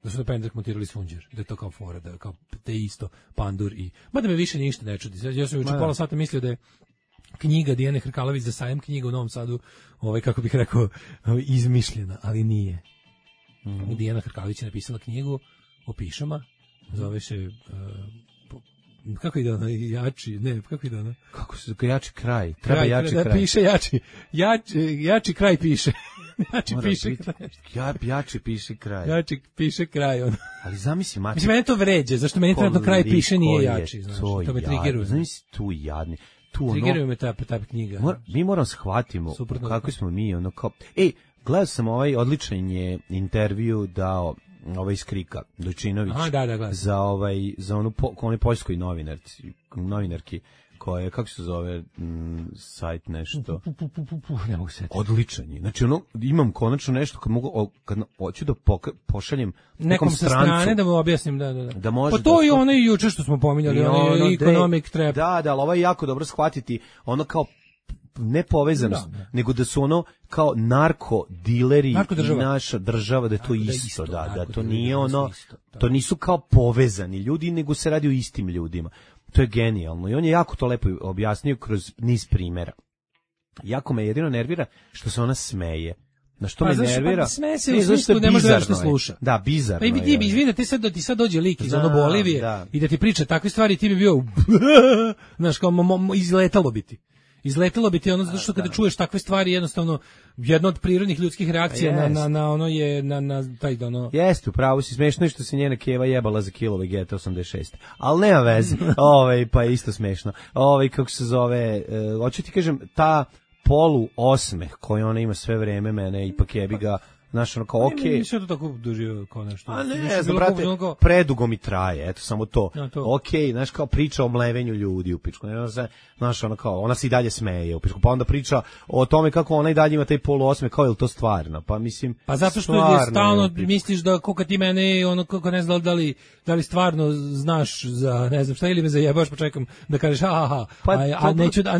Da su na pendrek montirali Sunđer, da je to kao fora, da kao te isto Pandur i... Mada me više ništa ne čudi. Ja sam juče pola sata mislio da je knjiga Dijane Hrkalović za sajam knjiga u Novom Sadu, kako bih rekao, izmišljena, ali nije. Dijana Hrkalović je napisala knjigu o pišama, zove se... kako ide ona? Kako ide ona? Kako se jači kraj? Treba jači kraj. Da piše jači. Jači kraj piše. Jači piše kraj. Jači piše kraj. Jači piše kraj. Ali zamisli, Mati... Mislim, mene to vređe, zašto meni trenutno kraj piše nije jači. Znaš, to me triggeruje. Zamisli, tu jadni. Triggeruje me ta knjiga. Mi moramo shvatimo kako smo mi, kao... Gledao sam odličan je intervju dao iz Krika, Dojčinović. Za onu poljskoj novinarki koja je, kako se zove sajt nešto. Ne mogu se. Odličan je. Znači imam konačno nešto kad hoću da pošaljem nekom sa strane da mu objasnim, da može. Pa to je ono i juče što smo pominjali, economic trap. Da, ali ovo je jako dobro shvatiti, ono kao ne povezanost, nego da su kao narkodileri i naša država, da je to isto, da to nije to nisu kao povezani ljudi, nego se radi o istim ljudima. To je genijalno i on je jako to lepo objasnio kroz niz primjera. Jako me jedino nervira što se ona smeje. Na što me nervira? Smeje se u smislu ne može da sluša. Da, bizarno. Pa i vidi da ti sad dođe lik iz Bolivije i da ti priča takve stvari, ti bi bio znaš, kao izletalo bi ti. Izletelo bi ti ono, zato što kada čuješ takve stvari, jednostavno, jedna od prirodnih ljudskih reakcija na ono je, na taj ono... Jeste, upravo si, smešno je što se njena keva jebala za kilo Vegeta 86. Ali nema veze, pa je isto smešno. Kako se zove, hoću ti kažem, ta polu osmeh koji ona ima sve vreme, mene ipak jebi ga, znaš, ono kao, okej. Nisam to tako doživio kao nešto. A ne znam, brate, predugo mi traje, eto, samo to. Okej, znaš, kao priča o mlevenju ljudi u pičku. Znaš, ono kao, ona se i dalje smeje u pičku. Pa onda priča o tome kako ona i dalje ima taj poluosme, kao je li to stvarno? Pa mislim, pa zato što je stalno misliš da koga ti mene, ono, kako ne znam da li stvarno znaš za, ne znam šta, ili me zajebaš, pa čekam da kažeš, a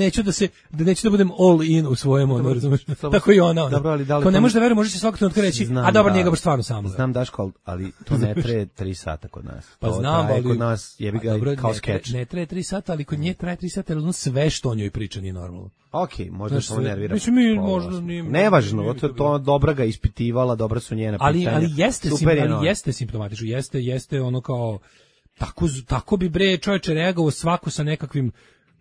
neću da budem all in u svojem, ono, razumeš? Tako i ona. Dobro, ali da li... Ko ne može da veruje, može se svakog trenutka reći, a dobro, njega baš stvarno samo. Znam, Daško, ali to ne traje 3 sata kod nas. Pa znam, ali... Kod nas jebi ga kao skeč. Ne traje 3 sata, ali kod nje traje 3 sata, ali ono sve što o njoj priča nije normalno. Okej, možda samo nervira. Mislim, mi možda nije... Nevažno, to dobra ga ispitivala, dobra su njena pitanja. Ali jeste simptomatično, jeste ono kao... Tako bi bre čovječe reagovao svako sa nekakvim...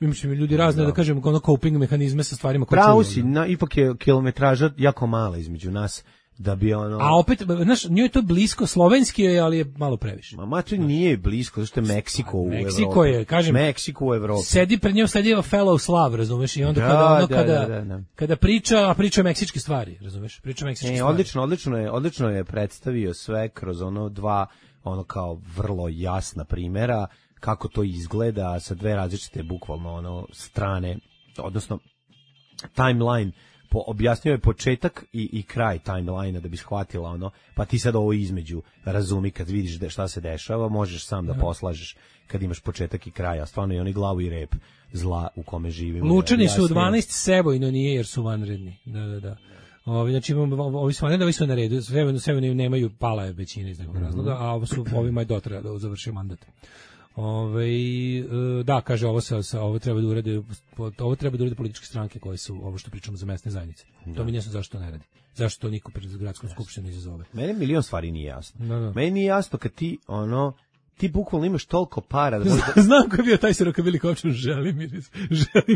Mislim, ljudi razne, da kažem, ono coping mehanizme sa stvarima koje čuju. Pravo si, ipak je kilometraža jako mala između nas, da bi ono... A opet, znaš, njoj je to blisko, slovenski je, ali je malo previše. Ma to nije blisko, zato što je Meksiko u Evropi. Meksiko je, kažem... Meksiko u Evropi. Sedi pred njom, sedi fellow Slav, razumeš, i onda kada priča meksičke stvari, razumeš, priča meksičke stvari. Odlično je predstavio sve kroz ono dva, ono kao vrlo jasna primjera, kako to izgleda sa dve različite bukvalno ono strane, odnosno timeline, objasnio je početak i kraj timeline-a da bi shvatila ono, pa ti sad ovo između razumi kad vidiš šta se dešava, možeš sam da poslažeš kad imaš početak i kraj, a stvarno je oni glavu i rep zla u kome živimo. Lučani su u 12, Sebojno nije jer su vanredni. Da. Znači ovi su vanredni, ovi su na redu, Sebojno nemaju, pala je većina iz nekog razloga, a ovima je dotraja da završi mandat. Da, kaže, ovo treba da urade političke stranke koje su ovo što pričamo za mesne zajednice. To mi nesam zašto to ne radi. Zašto to niko pred gradskom skupštinom izazove. Meni milion stvari nije jasno. Meni nije jasno kad ti bukvalno imaš toliko para da možda... Znam ko je bio taj Sirokabili Kopčan, Želimir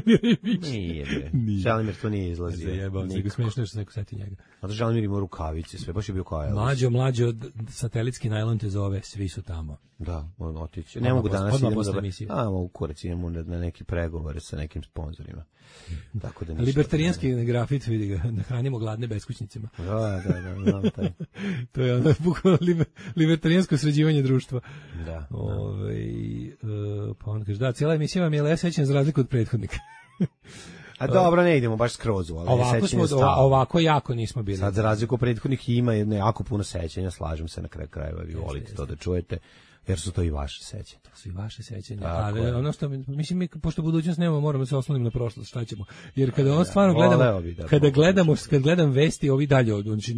Jević. Nije. Želimir to nije izlazio. Zajebao se, smiješno je što se neko seti njega. A da Želimir ima rukavice, sve baš je bio kao Elvis. Mlađo, satelitski najlon te zove, svi su tamo. Da, on otići. Ne mogu danas idemo mogu kurac, idemo na neki pregovore sa nekim sponzorima. Tako da libertarijanski grafit, vidi ga, nahranimo gladne beskućnicima. Da, znam taj. To je ono bukvalno libertarijansko sređivanje društva. Da. Pa on kaže, cijela emisija vam je le sećanje za razliku od prethodnika. A dobro, ne idemo baš skroz, ali ovako jako nismo bili. Sad za razliku od prethodnih ima jako puno sećanja, slažem se na kraju krajeva, vi volite to da čujete. Jer su to i vaše sećanja. To su i vaše sećanja. Ali ono što, mislim, mi, pošto budućnost nemamo, moramo se osloniti na prošlost, šta ćemo. Jer kada ono stvarno gledamo, kad gledam vesti, ovi dalje,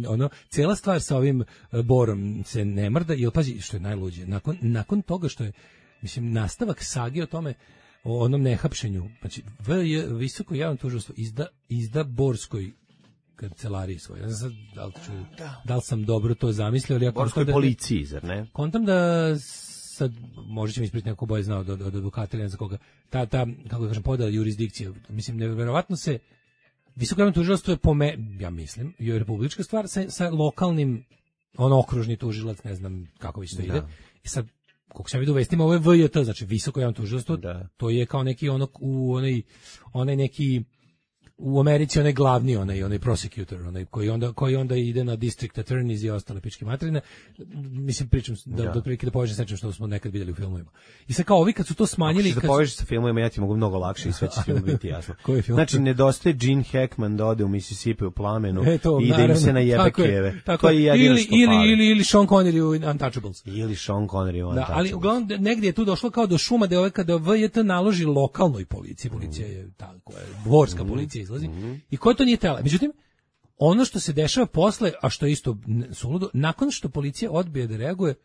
ono, cijela stvar sa ovim Borom se ne mrda, jer pazi, što je najluđe, nakon toga što je, mislim, nastavak sage o tome, o onom nehapšenju, znači, visoko javno tužilaštvo izda Borskoj kancelariji svoje. Ne znam da li sam dobro to zamislio, ali ja Borskoj policiji, zar ne? Kontam da sad, možda će mi ispriti neko bolje znao od advokata ili ne za koga, ta kako da kažem, podela jurisdikcije. Mislim, nevjerovatno se visoko javno tužilaštvo je ja mislim, je republička stvar sa lokalnim, okružni tužilac, ne znam kako već to ide. I sad, koliko sam vidio u vestima, ovo je VJT, znači visoko javno tužilaštvo, to je kao neki onaj neki u Americi onaj glavni, onaj prosecutor, koji onda ide na district attorneys i ostale pičke materine. Mislim, pričam da prilike da povežem sečem što smo nekad vidjeli u filmovima. I sad kao ovi kad su to smanjili... Ako se povežeš sa filmovima, ja ti mogu mnogo lakše i sve će film biti jasno. Znači, nedostaje Gene Hackman da ode u Mississippi u plamenu i da im se najebe keve. To je jedino što pali. Ili Sean Connery u Untouchables. Ili Sean Connery u Untouchables. Ali uglavnom negdje je tu došlo kao do šuma da kada VJT naloži lokalnoj policiji, policija je tako, dvorska policija izlazi, i ko to nije tela. Međutim, ono što se dešava posle, a što je isto suludo, nakon što policija odbije da reaguje,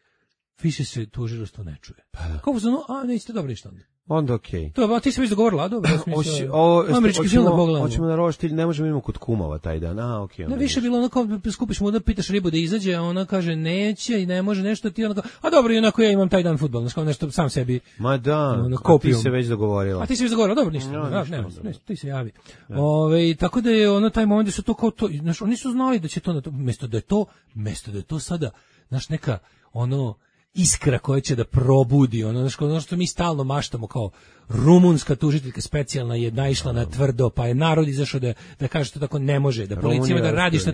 više se tužilaštvo ne čuje. Kako se nećete dobro ništa onda. Onda okej. To, ti se već dogovorila, dobro. Američki film da pogledamo. Hoćemo na roštilj, ne možemo imamo kod kumova taj dan. Okej. Ne, više bilo onako, skupiš mu da pitaš ribu da izađe, a ona kaže neće i ne može nešto, ti onako, a dobro, i onako ja imam taj dan fudbal, znači nešto sam sebi. Ma da, ti se već dogovorila. A ti se već dogovorila, dobro, ništa. Ne, ti se javi. Tako da je ono taj moment da su to kao to, znači oni su znali da će to mesto da je to sada, znaš, neka ono iskra koja će da probudi ono što mi stalno maštamo kao rumunska tužiteljka specijalna je naišla na tvrdo, pa je narod izašao da kaže što tako ne može, da policija da radi šta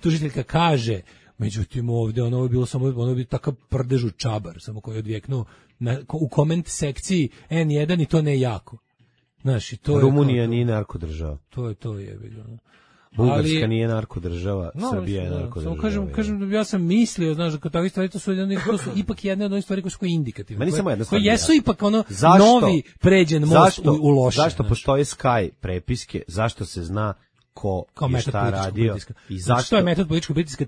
tužiteljka kaže. Međutim ovde ono je bilo samo ono bi takav prdežu čabar samo koji je odvjeknuo u koment sekciji N1 i to ne jako. Znaš, i to Rumunija nije narkodržava. To je bilo. Bugarska nije narkodržava, Srbija je narkodržava. Kažem, ja sam mislio, znaš, da takve stvari to su ipak jedne od onih stvari koje su indikativne. Meni samo jedna stvar. Koji jesu ipak ono novi pređen most u loše. Zašto postoje Sky prepiske? Zašto se zna ko je šta radio i zašto? To je metod političkog pritiska.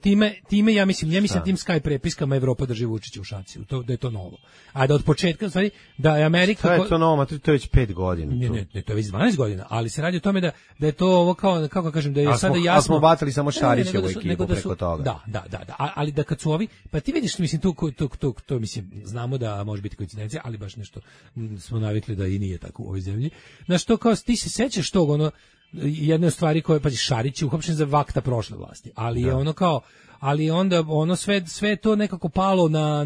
Time ja mislim tim Sky prepiskama Evropa drži Vučića u šaci. Da je to novo. A da od početka, stvari, da je Amerika... Šta je to novo? To je već 5 godina. Ne, to je već 12 godina, ali se radi o tome da je to ovo kao, kako kažem, da je sada jasno... Ali smo batali samo Šarića u ekipu preko toga. Da. Ali da kad su ovi... Pa ti vidiš, mislim, to mislim, znamo da može biti koincidencija, ali baš nešto smo navikli da i nije tako u ovoj zemlji. Znaš, to kao, ti se sećaš tog, ono, jedne od stvari koje, pa Šarić je uhapšen za vakta prošle vlasti, ali je ono kao, ali onda ono sve to nekako palo na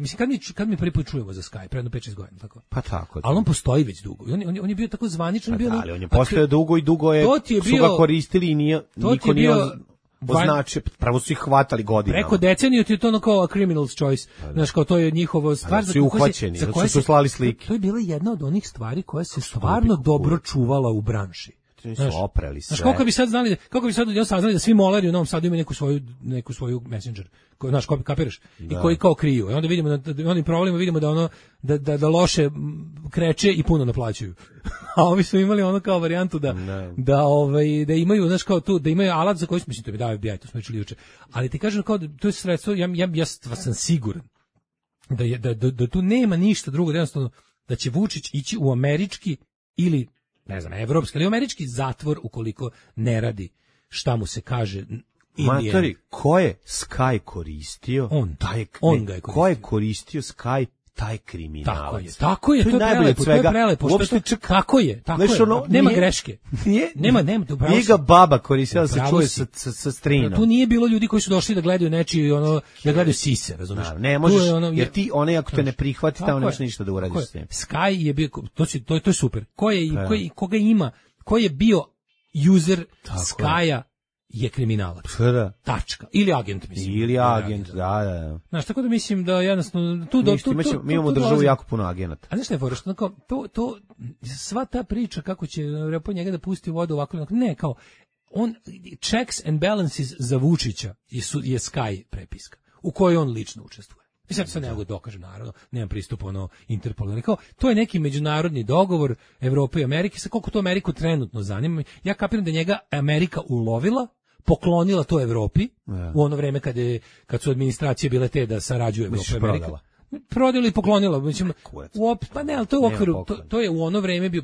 mislim kad mi prvi put čujemo za Skype, predno 5-6 godina, tako. Pa tako. Ali on postoji već dugo. On je bio tako zvaničan, bio. Ali on je postojao dugo i dugo su ga koristili i niko nije označio, pravo su ih hvatali godinama. Preko deceniju ti je to ono kao a criminal's choice. Znaš, kao to je njihovo stvar za koju su slali slike. To je bila jedna od onih stvari koja se stvarno dobro čuvala u branši. Su oprali sve. Znaš, kako bi sad saznali da svi molari u Novom Sadu imaju neku svoju messenger, znaš, kapiraš, i koji kao kriju. I onda vidimo da onim problemima vidimo da ono da loše kreće i puno naplaćuju. A ovi su imali ono kao varijantu da imaju, znaš, kao tu, da imaju alat za koji mislim to bi dao FBI, to smo čuli juče. Ali ti kažem kao to je sredstvo, ja sam siguran da tu nema ništa drugo, jednostavno da će Vučić ići u američki ili ne znam, evropski ili američki zatvor ukoliko ne radi šta mu se kaže. Matori, ko je Sky koristio? On ga je koristio. Ko je koristio Sky? Taj kriminalac. Tako je, to je prelepo. Tako je. Nema greške. Nema. Nije ga baba koristila da se čuje sa strinom. Tu nije bilo ljudi koji su došli da gledaju nečiji, da gledaju sise, razumiješ? Ne možeš, jer ti, ako te ne prihvati, tamo nemaš ništa da uradiš s tim. Sky je bio, to je super. Koga ima, ko je bio user Skya, je kriminalac. Tačka. Ili agent, mislim. Ili agent, da. Znaš, tako da mislim da jednostavno mi imamo državu jako puno agenata. A znaš šta je fora, što to sva ta priča kako će po njega da pusti vodu ovako, ne, kao on checks and balances za Vučića je Sky prepiska u kojoj on lično učestvuje. I sad se ne mogu dokažem, naravno, nemam pristup Interpolu, ali kao, to je neki međunarodni dogovor Evrope i Amerike, sa koliko to Ameriku trenutno zanima. Ja kapiram da njega Amerika ulovila, poklonila to Evropi, u ono vreme kad su administracije bile te da sarađuju Evropa i Amerika. Prodala i poklonila, mislim, pa ne, ali to je u okviru, to je u ono vreme bio,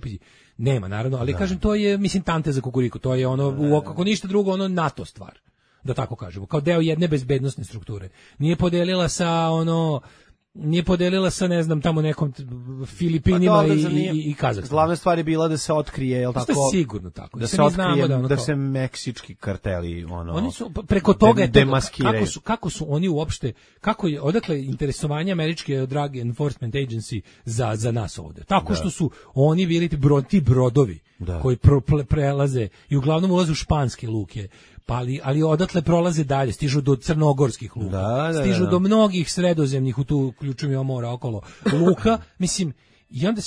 nema naravno, ali kažem, to je, mislim, tante za kukuriku, to je ono, kako ništa drugo, NATO stvar, da tako kažemo, kao deo jedne bezbednosne strukture. Nije podelila sa, ne znam, tamo nekom Filipinima i Kazahstanu. Glavna stvar je bila da se otkrije, je li tako? To je sigurno tako. Da se otkrije, da se meksički karteli, oni su, preko toga je to, kako su oni uopšte, odakle interesovanje američke Drug Enforcement Agency za nas ovde. Tako što su oni bili ti brodovi koji prelaze i uglavnom ulaze u španske luke. Ali odatle prolaze dalje, stižu do crnogorskih luka, stižu do mnogih sredozemnih, u tu uključujem mora okolo luka, mislim, i onda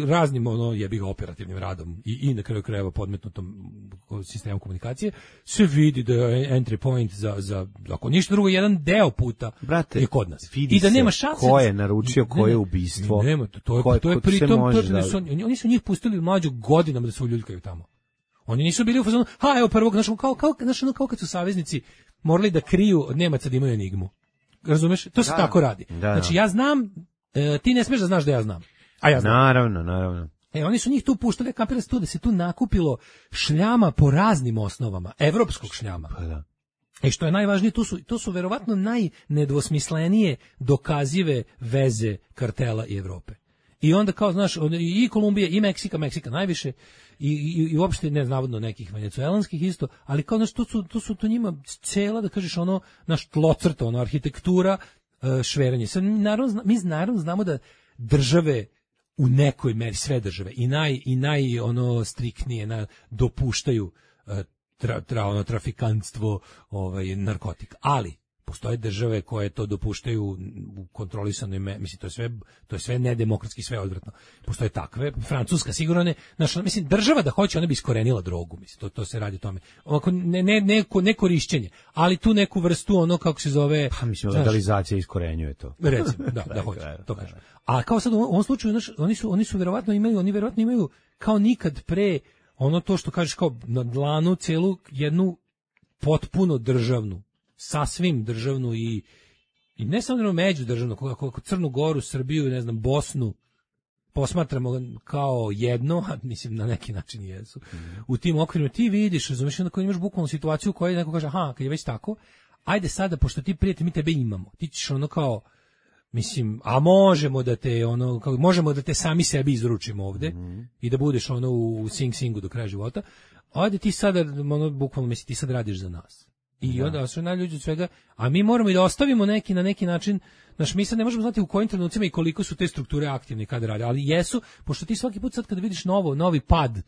raznim jebi ga operativnim radom i na kraju krajeva podmetnutom sistemom komunikacije se vidi da je entry point za ako ništa drugo, jedan deo puta je kod nas. I da nema šanse. Ko je naručio, ko je ubistvo. Nema, to je pritom, oni su njih pustili mlađu godinama da se uljuljkaju tamo. Oni nisu bili u fazonu, evo prvog, kao kad su saveznici morali da kriju od Nemaca da imaju enigmu. Razumeš? To se tako radi. Znači, ja znam, ti ne smiješ da znaš da ja znam. A ja znam. Naravno. Oni su njih tu puštali, kapirali se tu da se tu nakupilo šljama po raznim osnovama, evropskog šljama. Pa da. I što je najvažnije, to su verovatno najnedvosmislenije dokazive veze kartela i Evrope. I onda kao, znaš, i Kolumbije, i Meksika najviše, i uopšte ne navodno nekih venecuelanskih isto, ali kao, znaš, to njima cela, da kažeš, ono, naš tlocrta, ono, arhitektura, šveranje. Sad, mi naravno znamo da države u nekoj meri, sve države, i naj ono, striktnije dopuštaju trafikantstvo, narkotika. Ali postoje države koje to dopuštaju u kontrolisanoj mislim, to je sve nedemokratski, sve odvratno. Postoje takve, Francuska sigurno ne, mislim, država da hoće, ona bi iskorenila drogu, mislim, to se radi o tome. Ovako, ne korišćenje, ali tu neku vrstu, ono, kako se zove... Pa mislim, legalizacija iskorenjuje to. Recimo, da hoće, to kažem. A kao sad u ovom slučaju, oni su verovatno imaju kao nikad pre, ono to što kažeš, kao na dlanu celu jednu potpuno državnu, sasvim državnu i ne samo međudržavnu, kako Crnu Goru, Srbiju, ne znam, Bosnu posmatramo kao jedno, a mislim na neki način jesu. U tim okvirima ti vidiš, razumiješ, onda imaš bukvalnu situaciju u kojoj neko kaže, aha, kad je već tako, ajde sada, pošto ti prijatelj, mi tebe imamo, ti ćeš ono kao, mislim, a možemo da te ono, možemo da te sami sebi izručimo ovde i da budeš ono u Sing-Singu do kraja života, ajde ti sada, ono, bukvalno, mislim, ti sad radiš za nas. I onda su najljuđi od svega, a mi moramo i da ostavimo na neki način, mi sad ne možemo znati u kojim trenucima i koliko su te strukture aktivne i kada rade, ali jesu, pošto ti svaki put sad kada vidiš novi pad,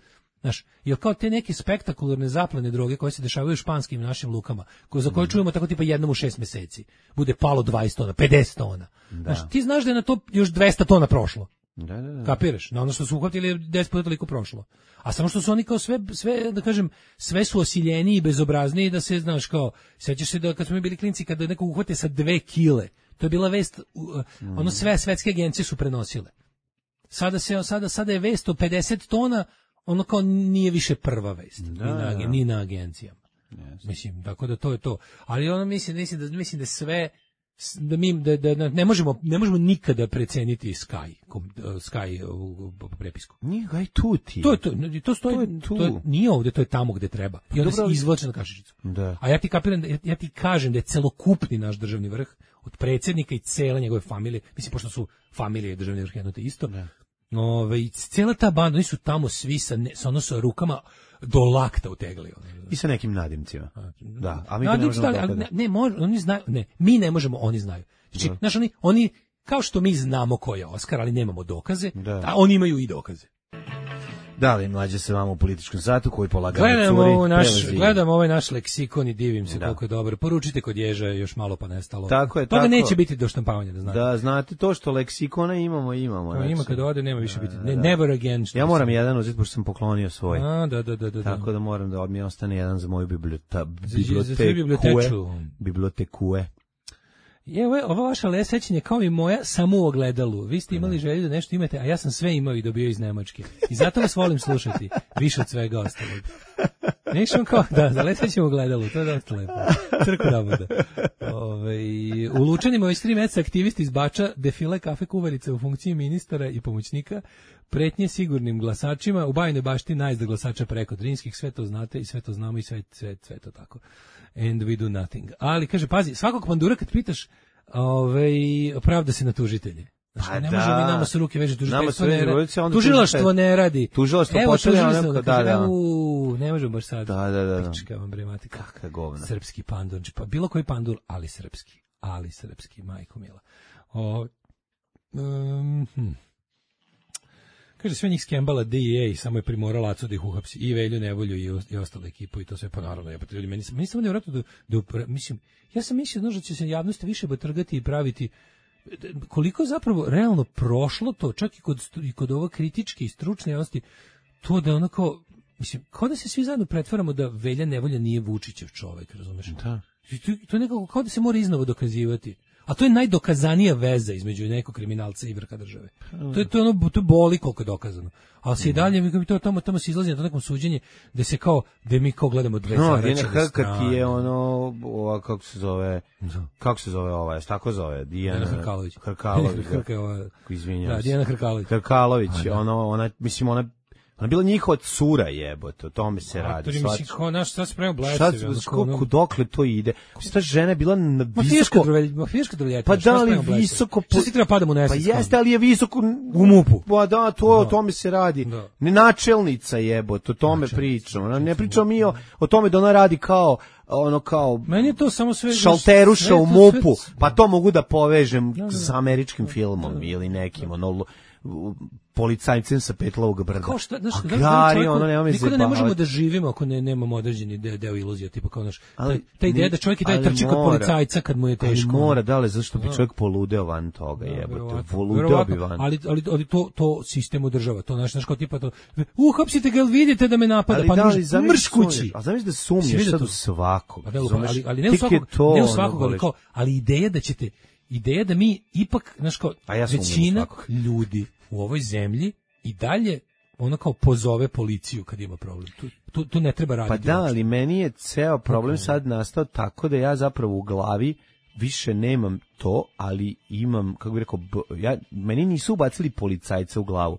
jer kao te neke spektakularne zaplene droge koje se dešavaju u španskim našim lukama, za koje čujemo tako tipa jednom u 6 meseci, bude palo 20 tona, 50 tona. Ti znaš da je na to još 200 tona prošlo. Da. Kapiraš? Na ono što su uhvatili je 10 puta toliko prošlo. A samo što su oni kao sve, da kažem, sve su osiljeniji i bezobrazniji, da se, znaš, kao, sećaš se da kad smo mi bili klinci, kada neko uhvate sa 2 kile, to je bila vest, ono sve svetske agencije su prenosile. Sada je vest o 50 tona, ono kao nije više prva vest, ni na agencijama. Yes. Mislim, tako da to je to. Ali ono mislim da sve, da ne možemo nikada preceniti Sky u prepisku. Nije ga i tu ti. To stoji, to nije ovdje, to je tamo gde treba. I onda se izvlače na kašičicu. Da. A ja ti kažem da je celokupni naš državni vrh, od predsjednika i cele njegove familije, mislim, pošto su familije i državni vrh jedno te isto, i cijela ta banda, oni su tamo svi sa rukama do lakta utegli. I sa nekim nadimcima. Da, a mi ne možemo oni znaju, mi ne možemo, oni znaju. Znači, oni, kao što mi znamo ko je Oskar, ali nemamo dokaze, a oni imaju i dokaze. Da li Mlađe se vama u političkom satu koji polagano curi? Gledam ovaj naš leksikon i divim se koliko je dobar. Poručite kod Ježa još malo pa nestalo. Tako je, toga neće biti do štampavanja, da znate. Da, znate to što leksikona imamo. Znači. Ima kad ode, nema više biti. Never again. Ja moram jedan uzeti, pošto sam poklonio svoj. Da. Tako da moram da mi ostane jedan za moju bibliotekue. Ova vaša sećanje kao i moja samo u ogledalu. Vi ste imali želju da nešto imate, a ja sam sve imao i dobio iz Nemačke. I zato vas volim slušati, više od svega ostalog. Nešto kao, za lesećem u ogledalu, to je dosta lepo. Crku da bude. U Lučanima već 3 meseca aktivisti iz Bača defile kafe kuvarice u funkciji ministara i pomoćnika, pretnje sigurnim glasačima, u Bajnoj Bašti najezda glasača preko Drinskih, sve to znate i sve to znamo i sve to tako. And we do nothing. Ali, kaže, pazi, svakog pandura kad pitaš, pravda se na tužitelje. Znači, ne možemo mi nama sa ruke veže, tužilaštvo ne radi. Tužilaštvo počeli, ne možemo baš sad. Da. Pička vam brematika. Kakva govna. Srpski pandur, pa bilo koji pandur, ali srpski, majko mila. Kaže, sve njih skembala DEA, samo je primorala Acu da ih uhapsi, i Velju Nevolju i ostalu ekipu, i to sve, pa naravno, meni samo nevjerojatno mislim, ja sam mislio, da će se javnost više batrgati i praviti, koliko je zapravo realno prošlo to, čak i kod ove kritičke i stručne javnosti, to da onako, mislim, kao da se svi zajedno pretvaramo da Velja Nevolja nije Vučićev čovek, razumeš? Da. To je nekako kao da se mora iznova dokazivati. a to je najdokazanija veza između nekog kriminalca i vrha države. To je boli koliko je dokazano. Ali se i dalje mi tamo se izlazi na to nekom suđenje da se kao da mi kao gledamo dve zaračene strane. Ti je ono kako se zove ova, šta ko zove? Dijana Hrkalović. Izvinjavam se. Dijana Hrkalović, ona mislim ona bila njihova cura, jebote, o tome se radi. To mislim kao naš sad spremao blesevi. Kako dokle to ide? Ta žena je bila na visoko... Mafijaška drveljeta. Pa da li visoko... Što si treba padamo u nesvest? Pa jeste, ali je visoko... U MUP-u. Pa da, o tome se radi. Ne načelnica, jebote, o tome pričamo. Ne pričamo mi o tome da ona radi kao meni je to samo sve šalteruša u MUP-u, pa to mogu da povežem s američkim filmom ili nekim policajcem sa Petlovog brda. Kao šta, niko ne možemo da živimo ako nemamo određeni deo iluzija, tipa kao naš, ta ideja da čovjek i dalje trči kod policajca kad mu je teško. Mora, zašto bi čovjek poludeo van toga, jebote, poludeo bi van. Ali to sistem održava, to naš kao tipa to, hapsite ga, vidite da me napada, pa mrš kući. A zamisli da sumnješ sad u svakog. Ali ne u svakog, ali ideja da mi ipak, znaš kao, većina ljudi u ovoj zemlji i dalje ono kao pozove policiju kad ima problem. Tu ne treba raditi. Pa da, ali meni je ceo problem sad nastao tako da ja zapravo u glavi više nemam to, ali imam, kako bih rekao, meni nisu ubacili policajca u glavu.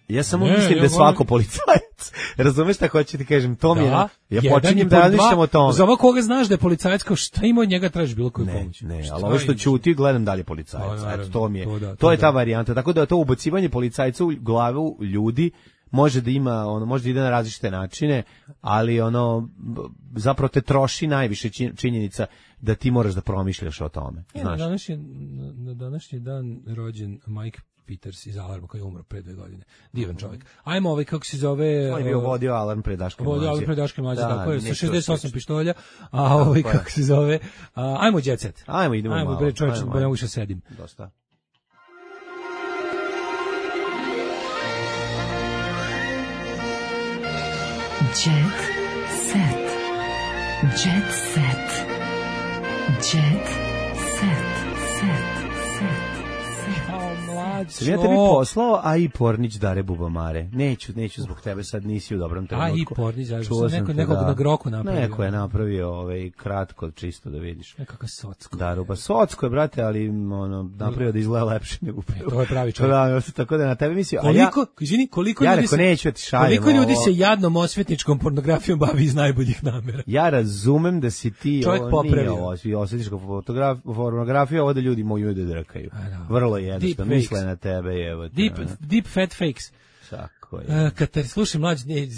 Ja samo mislim da je svako policajac. Razumeš šta hoću ti kažem? To mi je. Ja počinjem da razmišljam o tome. Za ovog koga znaš da je policajac, kao šta ima od njega tražiš bilo koju pomoć? Ne, ali ovo što ćuti gledam dalje policajac. Eto, to mi je. To je ta varijanta. Tako da to ubacivanje policajca u glavu ljudi može da ima, može da ide na različite načine, ali zapravo te troši najviše činjenica da ti moraš da promišljaš o tome. Na današnji dan rođen Mike Peters iz Alarma koji je umro pre 2 godine. Divan čovjek. Ajmo kako se zove... On je bio vodio Alarm pre Daške mlađe. Vodio Alarm pre Daške mlađe, tako je, sa 68 pištolja. A kako se zove... Ajmo Jet Set. Idemo malo. Ajmo, čovječ, ne mogu što sedim. Dosta. Jet Set. Jet Set. Jet Set. Sam ja tebi poslao, a i Pornić Dare Bubamare. Neću zbog tebe, sad nisi u dobrom trenutku. A i Pornić, nekog na groku napravio. Neko je napravio kratko, čisto da vidiš. Nekako Socko. Daruba, Socko je, brate, ali napravio da izgleda lepše nego prvo. To je pravi čovjek. Tako da na tebe mislio. Koliko ljudi se jadnom osvetničkom pornografijom bavi iz najboljih namera? Ja razumem da si ti osvetnička pornografija, ovo da ljudi mogu da drkaju. Vrlo jednostavno, misle na tebe, evo. Deep fat fakes. Tako je.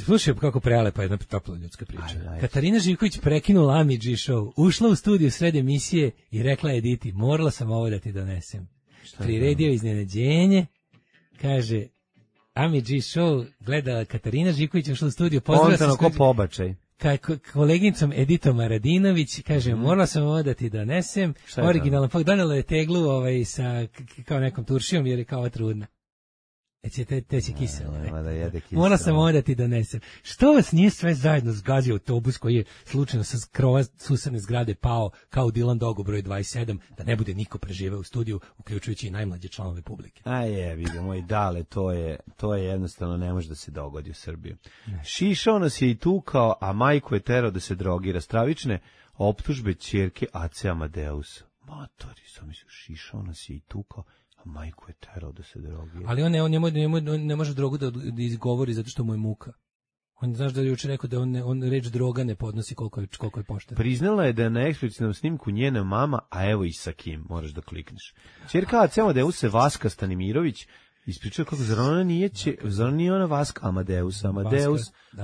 Slušaj kako prelepa jedna topla ljudska priča. Katarina Živković prekinula Ami G show, ušla u studiju sred emisije i rekla Editi, morala sam ovo da ti donesem. Priredio iznenađenje, kaže, Ami G show gledala Katarina Živković, ušla u studiju, pozdravila se ko pobačaj. Koleginicom Editom Maradinović, kaže, morala sam ovo da ti donesem, originalno, pa donela je teglu sa kao nekom turšijom jer je kao trudna. Te si kisela. Morala sam ovo da ti donesem. Što vas nije sve zajedno zgazio autobus koji je slučajno sa krova susedne zgrade pao kao Dylan Dogo broj 27, da ne bude niko preživeo u studiju, uključujući i najmlađe članove publike. Vidim, moj dale, to je jednostavno ne može da se dogodi u Srbiji. Šišao nas je i tukao, a majku je terao da se drogira. Stravične optužbe ćerke Ace Amadeusa. Matori, sam mislio, šišao nas je i tukao, a majku je terao da se drogira. Ali on ne može drogu da izgovori zato što mu je muka. On znaš da je juče rekao da on reč droga ne podnosi koliko je pošteno. Priznala je da je na eksplicitnom snimku njena mama, a evo i sa kim, moraš da klikneš. Ćerka Ace Amadeusa Vaska Stanimirović ispričala kako zar nije ona Vaska Amadeus,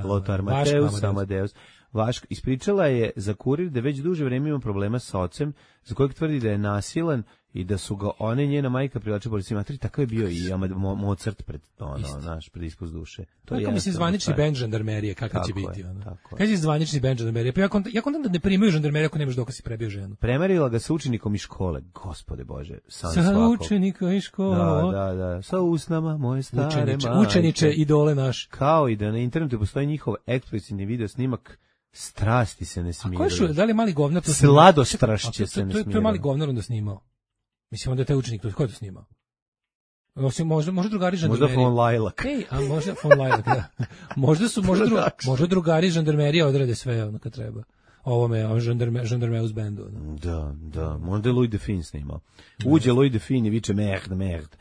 Lothar Mateus, Amadeus. Ispričala je za Kurir da već duže vreme ima problema sa ocem, za kojeg tvrdi da je nasilan i da su ga one njena majka privlačila policiji. Matri, takav je bio i Mozart pred ispust duše. To je mislim zvanični bend žandarmerije, kakav će biti. Kaj je zvanični bend žandarmerije? Pa ja kontam da ne primaju žandarmerije ako nemaš dokaz si prebio ženu. Premerila ga sa učenikom iz škole. Gospode Bože, sa učenikom iz škole. Da. Sa usnama moje stare majke. Učeniče, idole naš. Kao i da na internetu postoji njihov eksplicitni video snimak. Strasti se ne smiraju. A ko je da li mali govnar to Sladostrašće se ne smiraju. To je mali govnar onda snimao. Mislim, onda je taj učenik, ko je to snimao? Osim, možda drugari žandarmerije. Možda von Lajlak. Ej, a možda von Lajlak, da. Možda drugari žandarmerije odrade sve ono kad treba. Ovome, žandarmeus bendu. Da. Možda je Louis Define snimao. Uđe Louis Define i viče merde.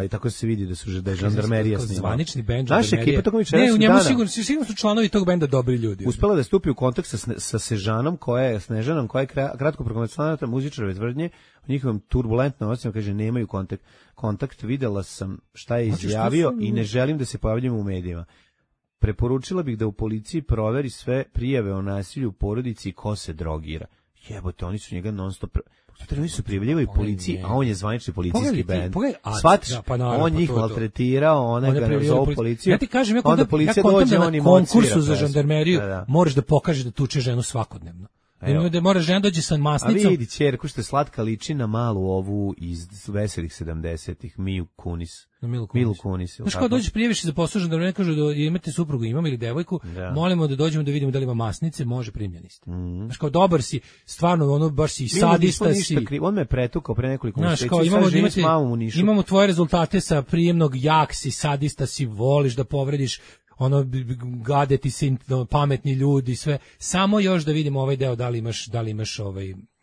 I tako se vidi da je žandarmerija snimao. Zvanični bend žandarmerije. Naša ekipa tokom večera. Ne, u njemu sigurno su članovi tog benda dobri ljudi. Uspela da stupi u kontakt sa Snežanom, koja je kratko prokomentarna muzičarove tvrdnje, u njihovom turbulentnom ocjenu kaže nemaju kontakt. Videla sam šta je izjavio i ne želim da se pojavljam u medijima. Preporučila bih da u policiji proveri sve prijave o nasilju u porodici i ko se drogira. Jebote, oni su njega non stop... Oni su prijavljivali policiji, a on je zvanični policijski bend. Shvatiš, on njih maltretirao, ona ga zovu policiju. Ja ti kažem, onda policija dođe, on im na konkursu za žandarmeriju moraš da pokažeš da tuče ženu svakodnevno. Da mora žena dođe sa masnicom. A vidi, ćerku što je slatka liči na malu ovu iz veselih 70-ih, Milu Kunis. Milu Kunis. Znaš kao dođeš prijaviš za posao žandarmerije, kažu da imate suprugu, imam ili devojku, molimo da dođemo da vidimo da li ima masnice, može, primljeni ste. Znaš kao dobar si, stvarno ono baš si sadista si. On me pretukao pre nekoliko mjeseci. Imamo tvoje rezultate sa prijemnog, jak si, sadista si, voliš da povrediš, ono gade ti se pametni ljudi, sve. Samo još da vidimo ovaj deo, da li imaš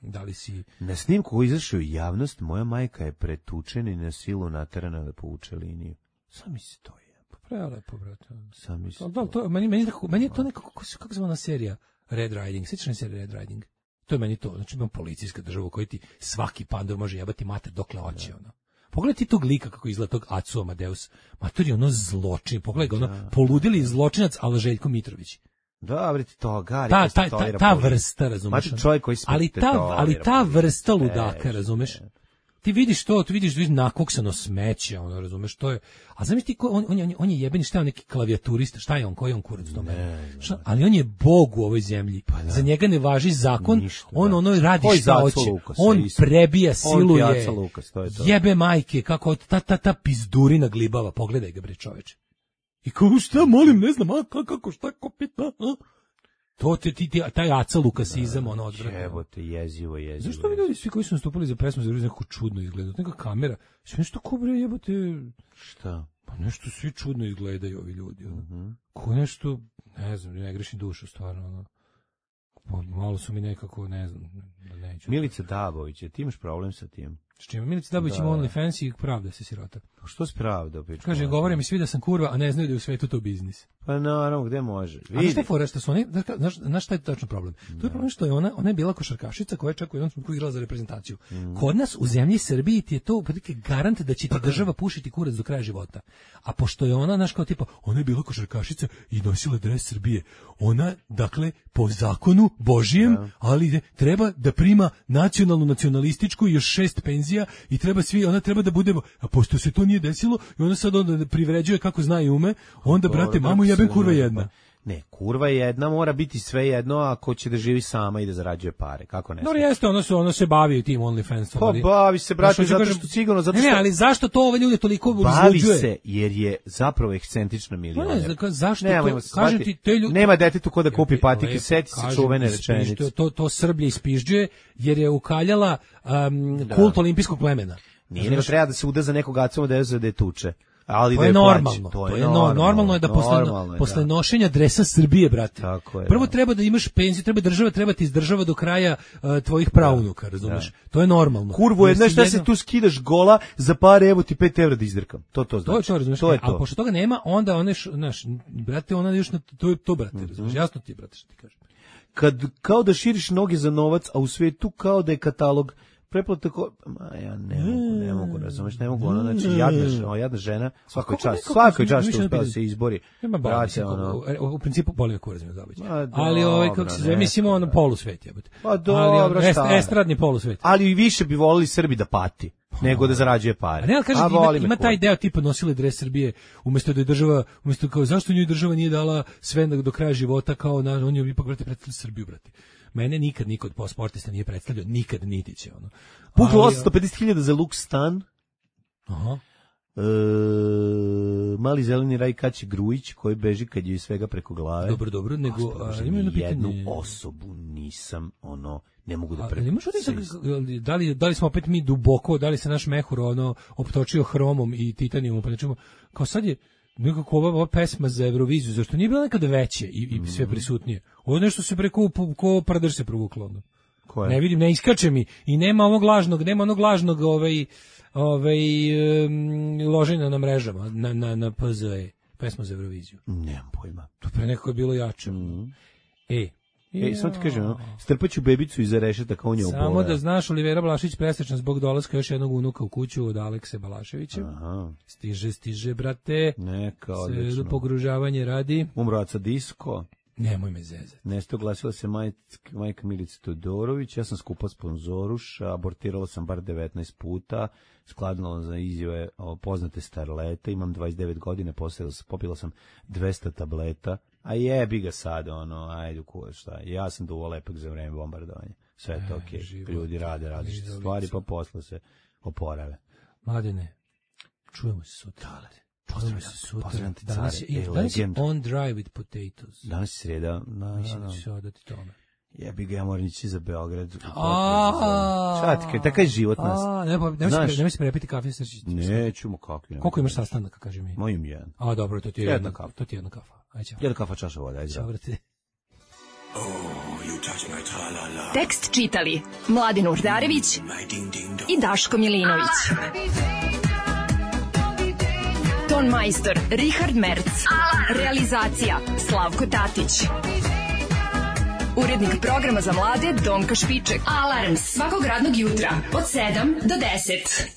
da li si... Na snimku koji izašao u javnost, moja majka je pretučena i na silu naterana da povuče liniju. Sam mi se to je. Prelepo, brate. Sam mi se meni je to nekako, kako zvana serija Red Riding, sjećaš na seriju Red Riding? To je meni to, znači imam policijska država u kojoj ti svaki pandor može jebati mater dokle hoće, ono. Pogledaj ti tog lika kako izgleda tog Acu Amadeus. Mater je ono zločin, pogledaj ga, ono poludili zločinac, ali Željko Mitrović. Da, vreti to, gari. Ta vrsta, razumeš? Ali ta vrsta ludaka, razumeš? Ti vidiš nakoksano smeće, ono, razumeš, to je. A znaš ti on je jebeni, šta je on neki klavijaturista, šta je on, koji je on kurac u tome? Ali on je bog u ovoj zemlji. Za njega ne važi zakon, ništa, on ono radi šta hoće. On prebija, siluje. Jebe majke, kako ta pizdurina glibava, pogledaj ga bre, čoveče. I kao šta, molim, ne znam, kako, šta, kopita, to taj Aca Lukasizam, ono odvratno. Jebote, jezivo. Zašto vi ljudi svi koji su nastupali za pesmu za nekako čudno izgleda? Neka kamera, sve nešto ko bre jebote... Šta? Pa nešto svi čudno izgledaju ovi ljudi. Ko nešto, ne znam, ne grešim dušu stvarno. Ono. Malo su mi nekako, ne znam, da neću. Milica Dabović, ti imaš problem sa tim? S čime? Milica Dabović ima OnlyFans i pravda se sirota. Pa što se pravda? Kaže, govore mi svi da sam kurva, a ne znaju da je u svetu to biznis. Pa naravno, gde može? A znaš šta je fora, što su oni, znaš šta je tačno problem? To je problem što je ona je bila košarkašica koja je čak u jednom trenutku igrala za reprezentaciju. Kod nas u zemlji Srbiji ti je to prilike garant da će ti država pušiti kurac do kraja života. A pošto je ona, znaš kao tipa, ona je bila košarkašica i nosila dres Srbije. Ona, dakle, po zakonu Božijem, ali treba da prima nacionalističku još 6 penzija i ona treba da bude, a pošto se to nije desilo i ona sad onda privređuje kako zna i ume, onda brate, mamu jebem kurva jedna. Ne, kurva jedna mora biti sve jedno ako će da živi sama i da zarađuje pare. Kako ne? No jeste, ono se bavi tim OnlyFansom. Pa bavi se, brate, zato što sigurno, zato što... Ne, ali zašto to ove ljude toliko uzbuđuje? Bavi se, jer je zapravo ekscentrična milioner. Ne, zašto to? Kažem ti, te ljudi... Nema detetu ko da kupi patike, seti se čuvene rečenice. To Srblja ispižđuje, jer je ukaljala kult olimpijskog plemena. Nije, nego treba da se uda za nekog Aca Amadeusa da je tuče. Ali to je normalno. Normalno je da posle nošenja dresa Srbije, brate. Prvo treba da imaš penziju, država treba ti izdržava do kraja tvojih praunuka, razumeš? To je normalno. Kurvo je, znaš šta se tu skidaš gola za pare, evo ti 5 evra da izdrkam. To znači. To je to, razumeš? A pošto toga nema, onda znaš, brate, ona još to brate, razumeš? Jasno ti je, brate, što ti kažem. Kad kao da širiš noge za novac, a u svetu kao da je katalog preplata ja ne mogu, razumeš, ne mogu, ona, znači, jadna žena, svakoj čast što uspela da se izbori. Brate, u principu boli me kurac me zabaći. Ali kako se zove, mislimo ono polusvet, jebote. Pa dobro, šta? Estradni polusvet. Ali i više bi volili Srbi da pati nego da zarađuje pare. Ne, ali kažem, ima taj deo tipa nosile dres Srbije, umjesto da je država, umjesto kao zašto njoj država nije dala sve do kraja života, kao on je ipak, brate, predstavlja Srbiju, brate. Mene nikad niko od sportista nije predstavljao, nikad niti će ono. Puklo 850.000 za luk stan. Aha. Mali zeleni raj Kaći Grujić koji beži kad je svega preko glave. Dobro, nego ima jedno pitanje. Jednu osobu nisam ne mogu da Ali imaš utisak, da li smo opet mi duboko, da li se naš mehur optočio hromom i titanijumom, pa nečemu, kao sad je nekako ova pesma za Euroviziju, zašto nije bila nekada veće i sve prisutnije. Ovo nešto se preko ko pradrž se provuklo. Ne vidim, ne iskače mi i nema onog lažnog loženja na mrežama, na PZE, pesma za Euroviziju. Nemam pojma. To pre nekako je bilo jače. Samo ti kažem, strpaću bebicu iza rešetaka, on je obola. Samo da znaš, Olivera Balašić presrećna zbog dolaska još jednog unuka u kuću od Alekse Balaševića. Stiže, brate. Neka, odlično. Sve pogružavanje radi. Umrovaca disko. Nemoj me zezati. Nesto glasila se majka Milica Todorović, ja sam skupa sponzoruša, abortirala sam bar 19 puta, skladnala za izjave poznate starlete, imam 29 godina, popila sam 200 tableta, a jebi ga sad, ajde šta, ja sam duvo lepak za vreme bombardovanja, sve je to okej, ljudi rade različite stvari, pa posle se oporave. Mladene, čujemo se sutra. Pozdravljam ti danas je on dry with potatoes. Danas je sreda. Mislim da ću se odati tome. Jebi ga, ja moram ići za Beograd. Šta ti, takav je život nas. Nemoj se prepiti kafe srčić. Nećemo kakvi. Koliko imaš sastanaka, kaži mi? Mojim jedan. Dobro, to ti je jedna kafa. To ti je jedna kafa. Jedna kafa, čaša voda, ajde. Ćao, brate. Tekst čitali Mladin Urdarević i Daško Milinović. Ton majstor Richard Merc. Realizacija Slavko Tatić. Urednik programa za mlade Donka Špiček. Alarms svakog radnog jutra od 7 do 10.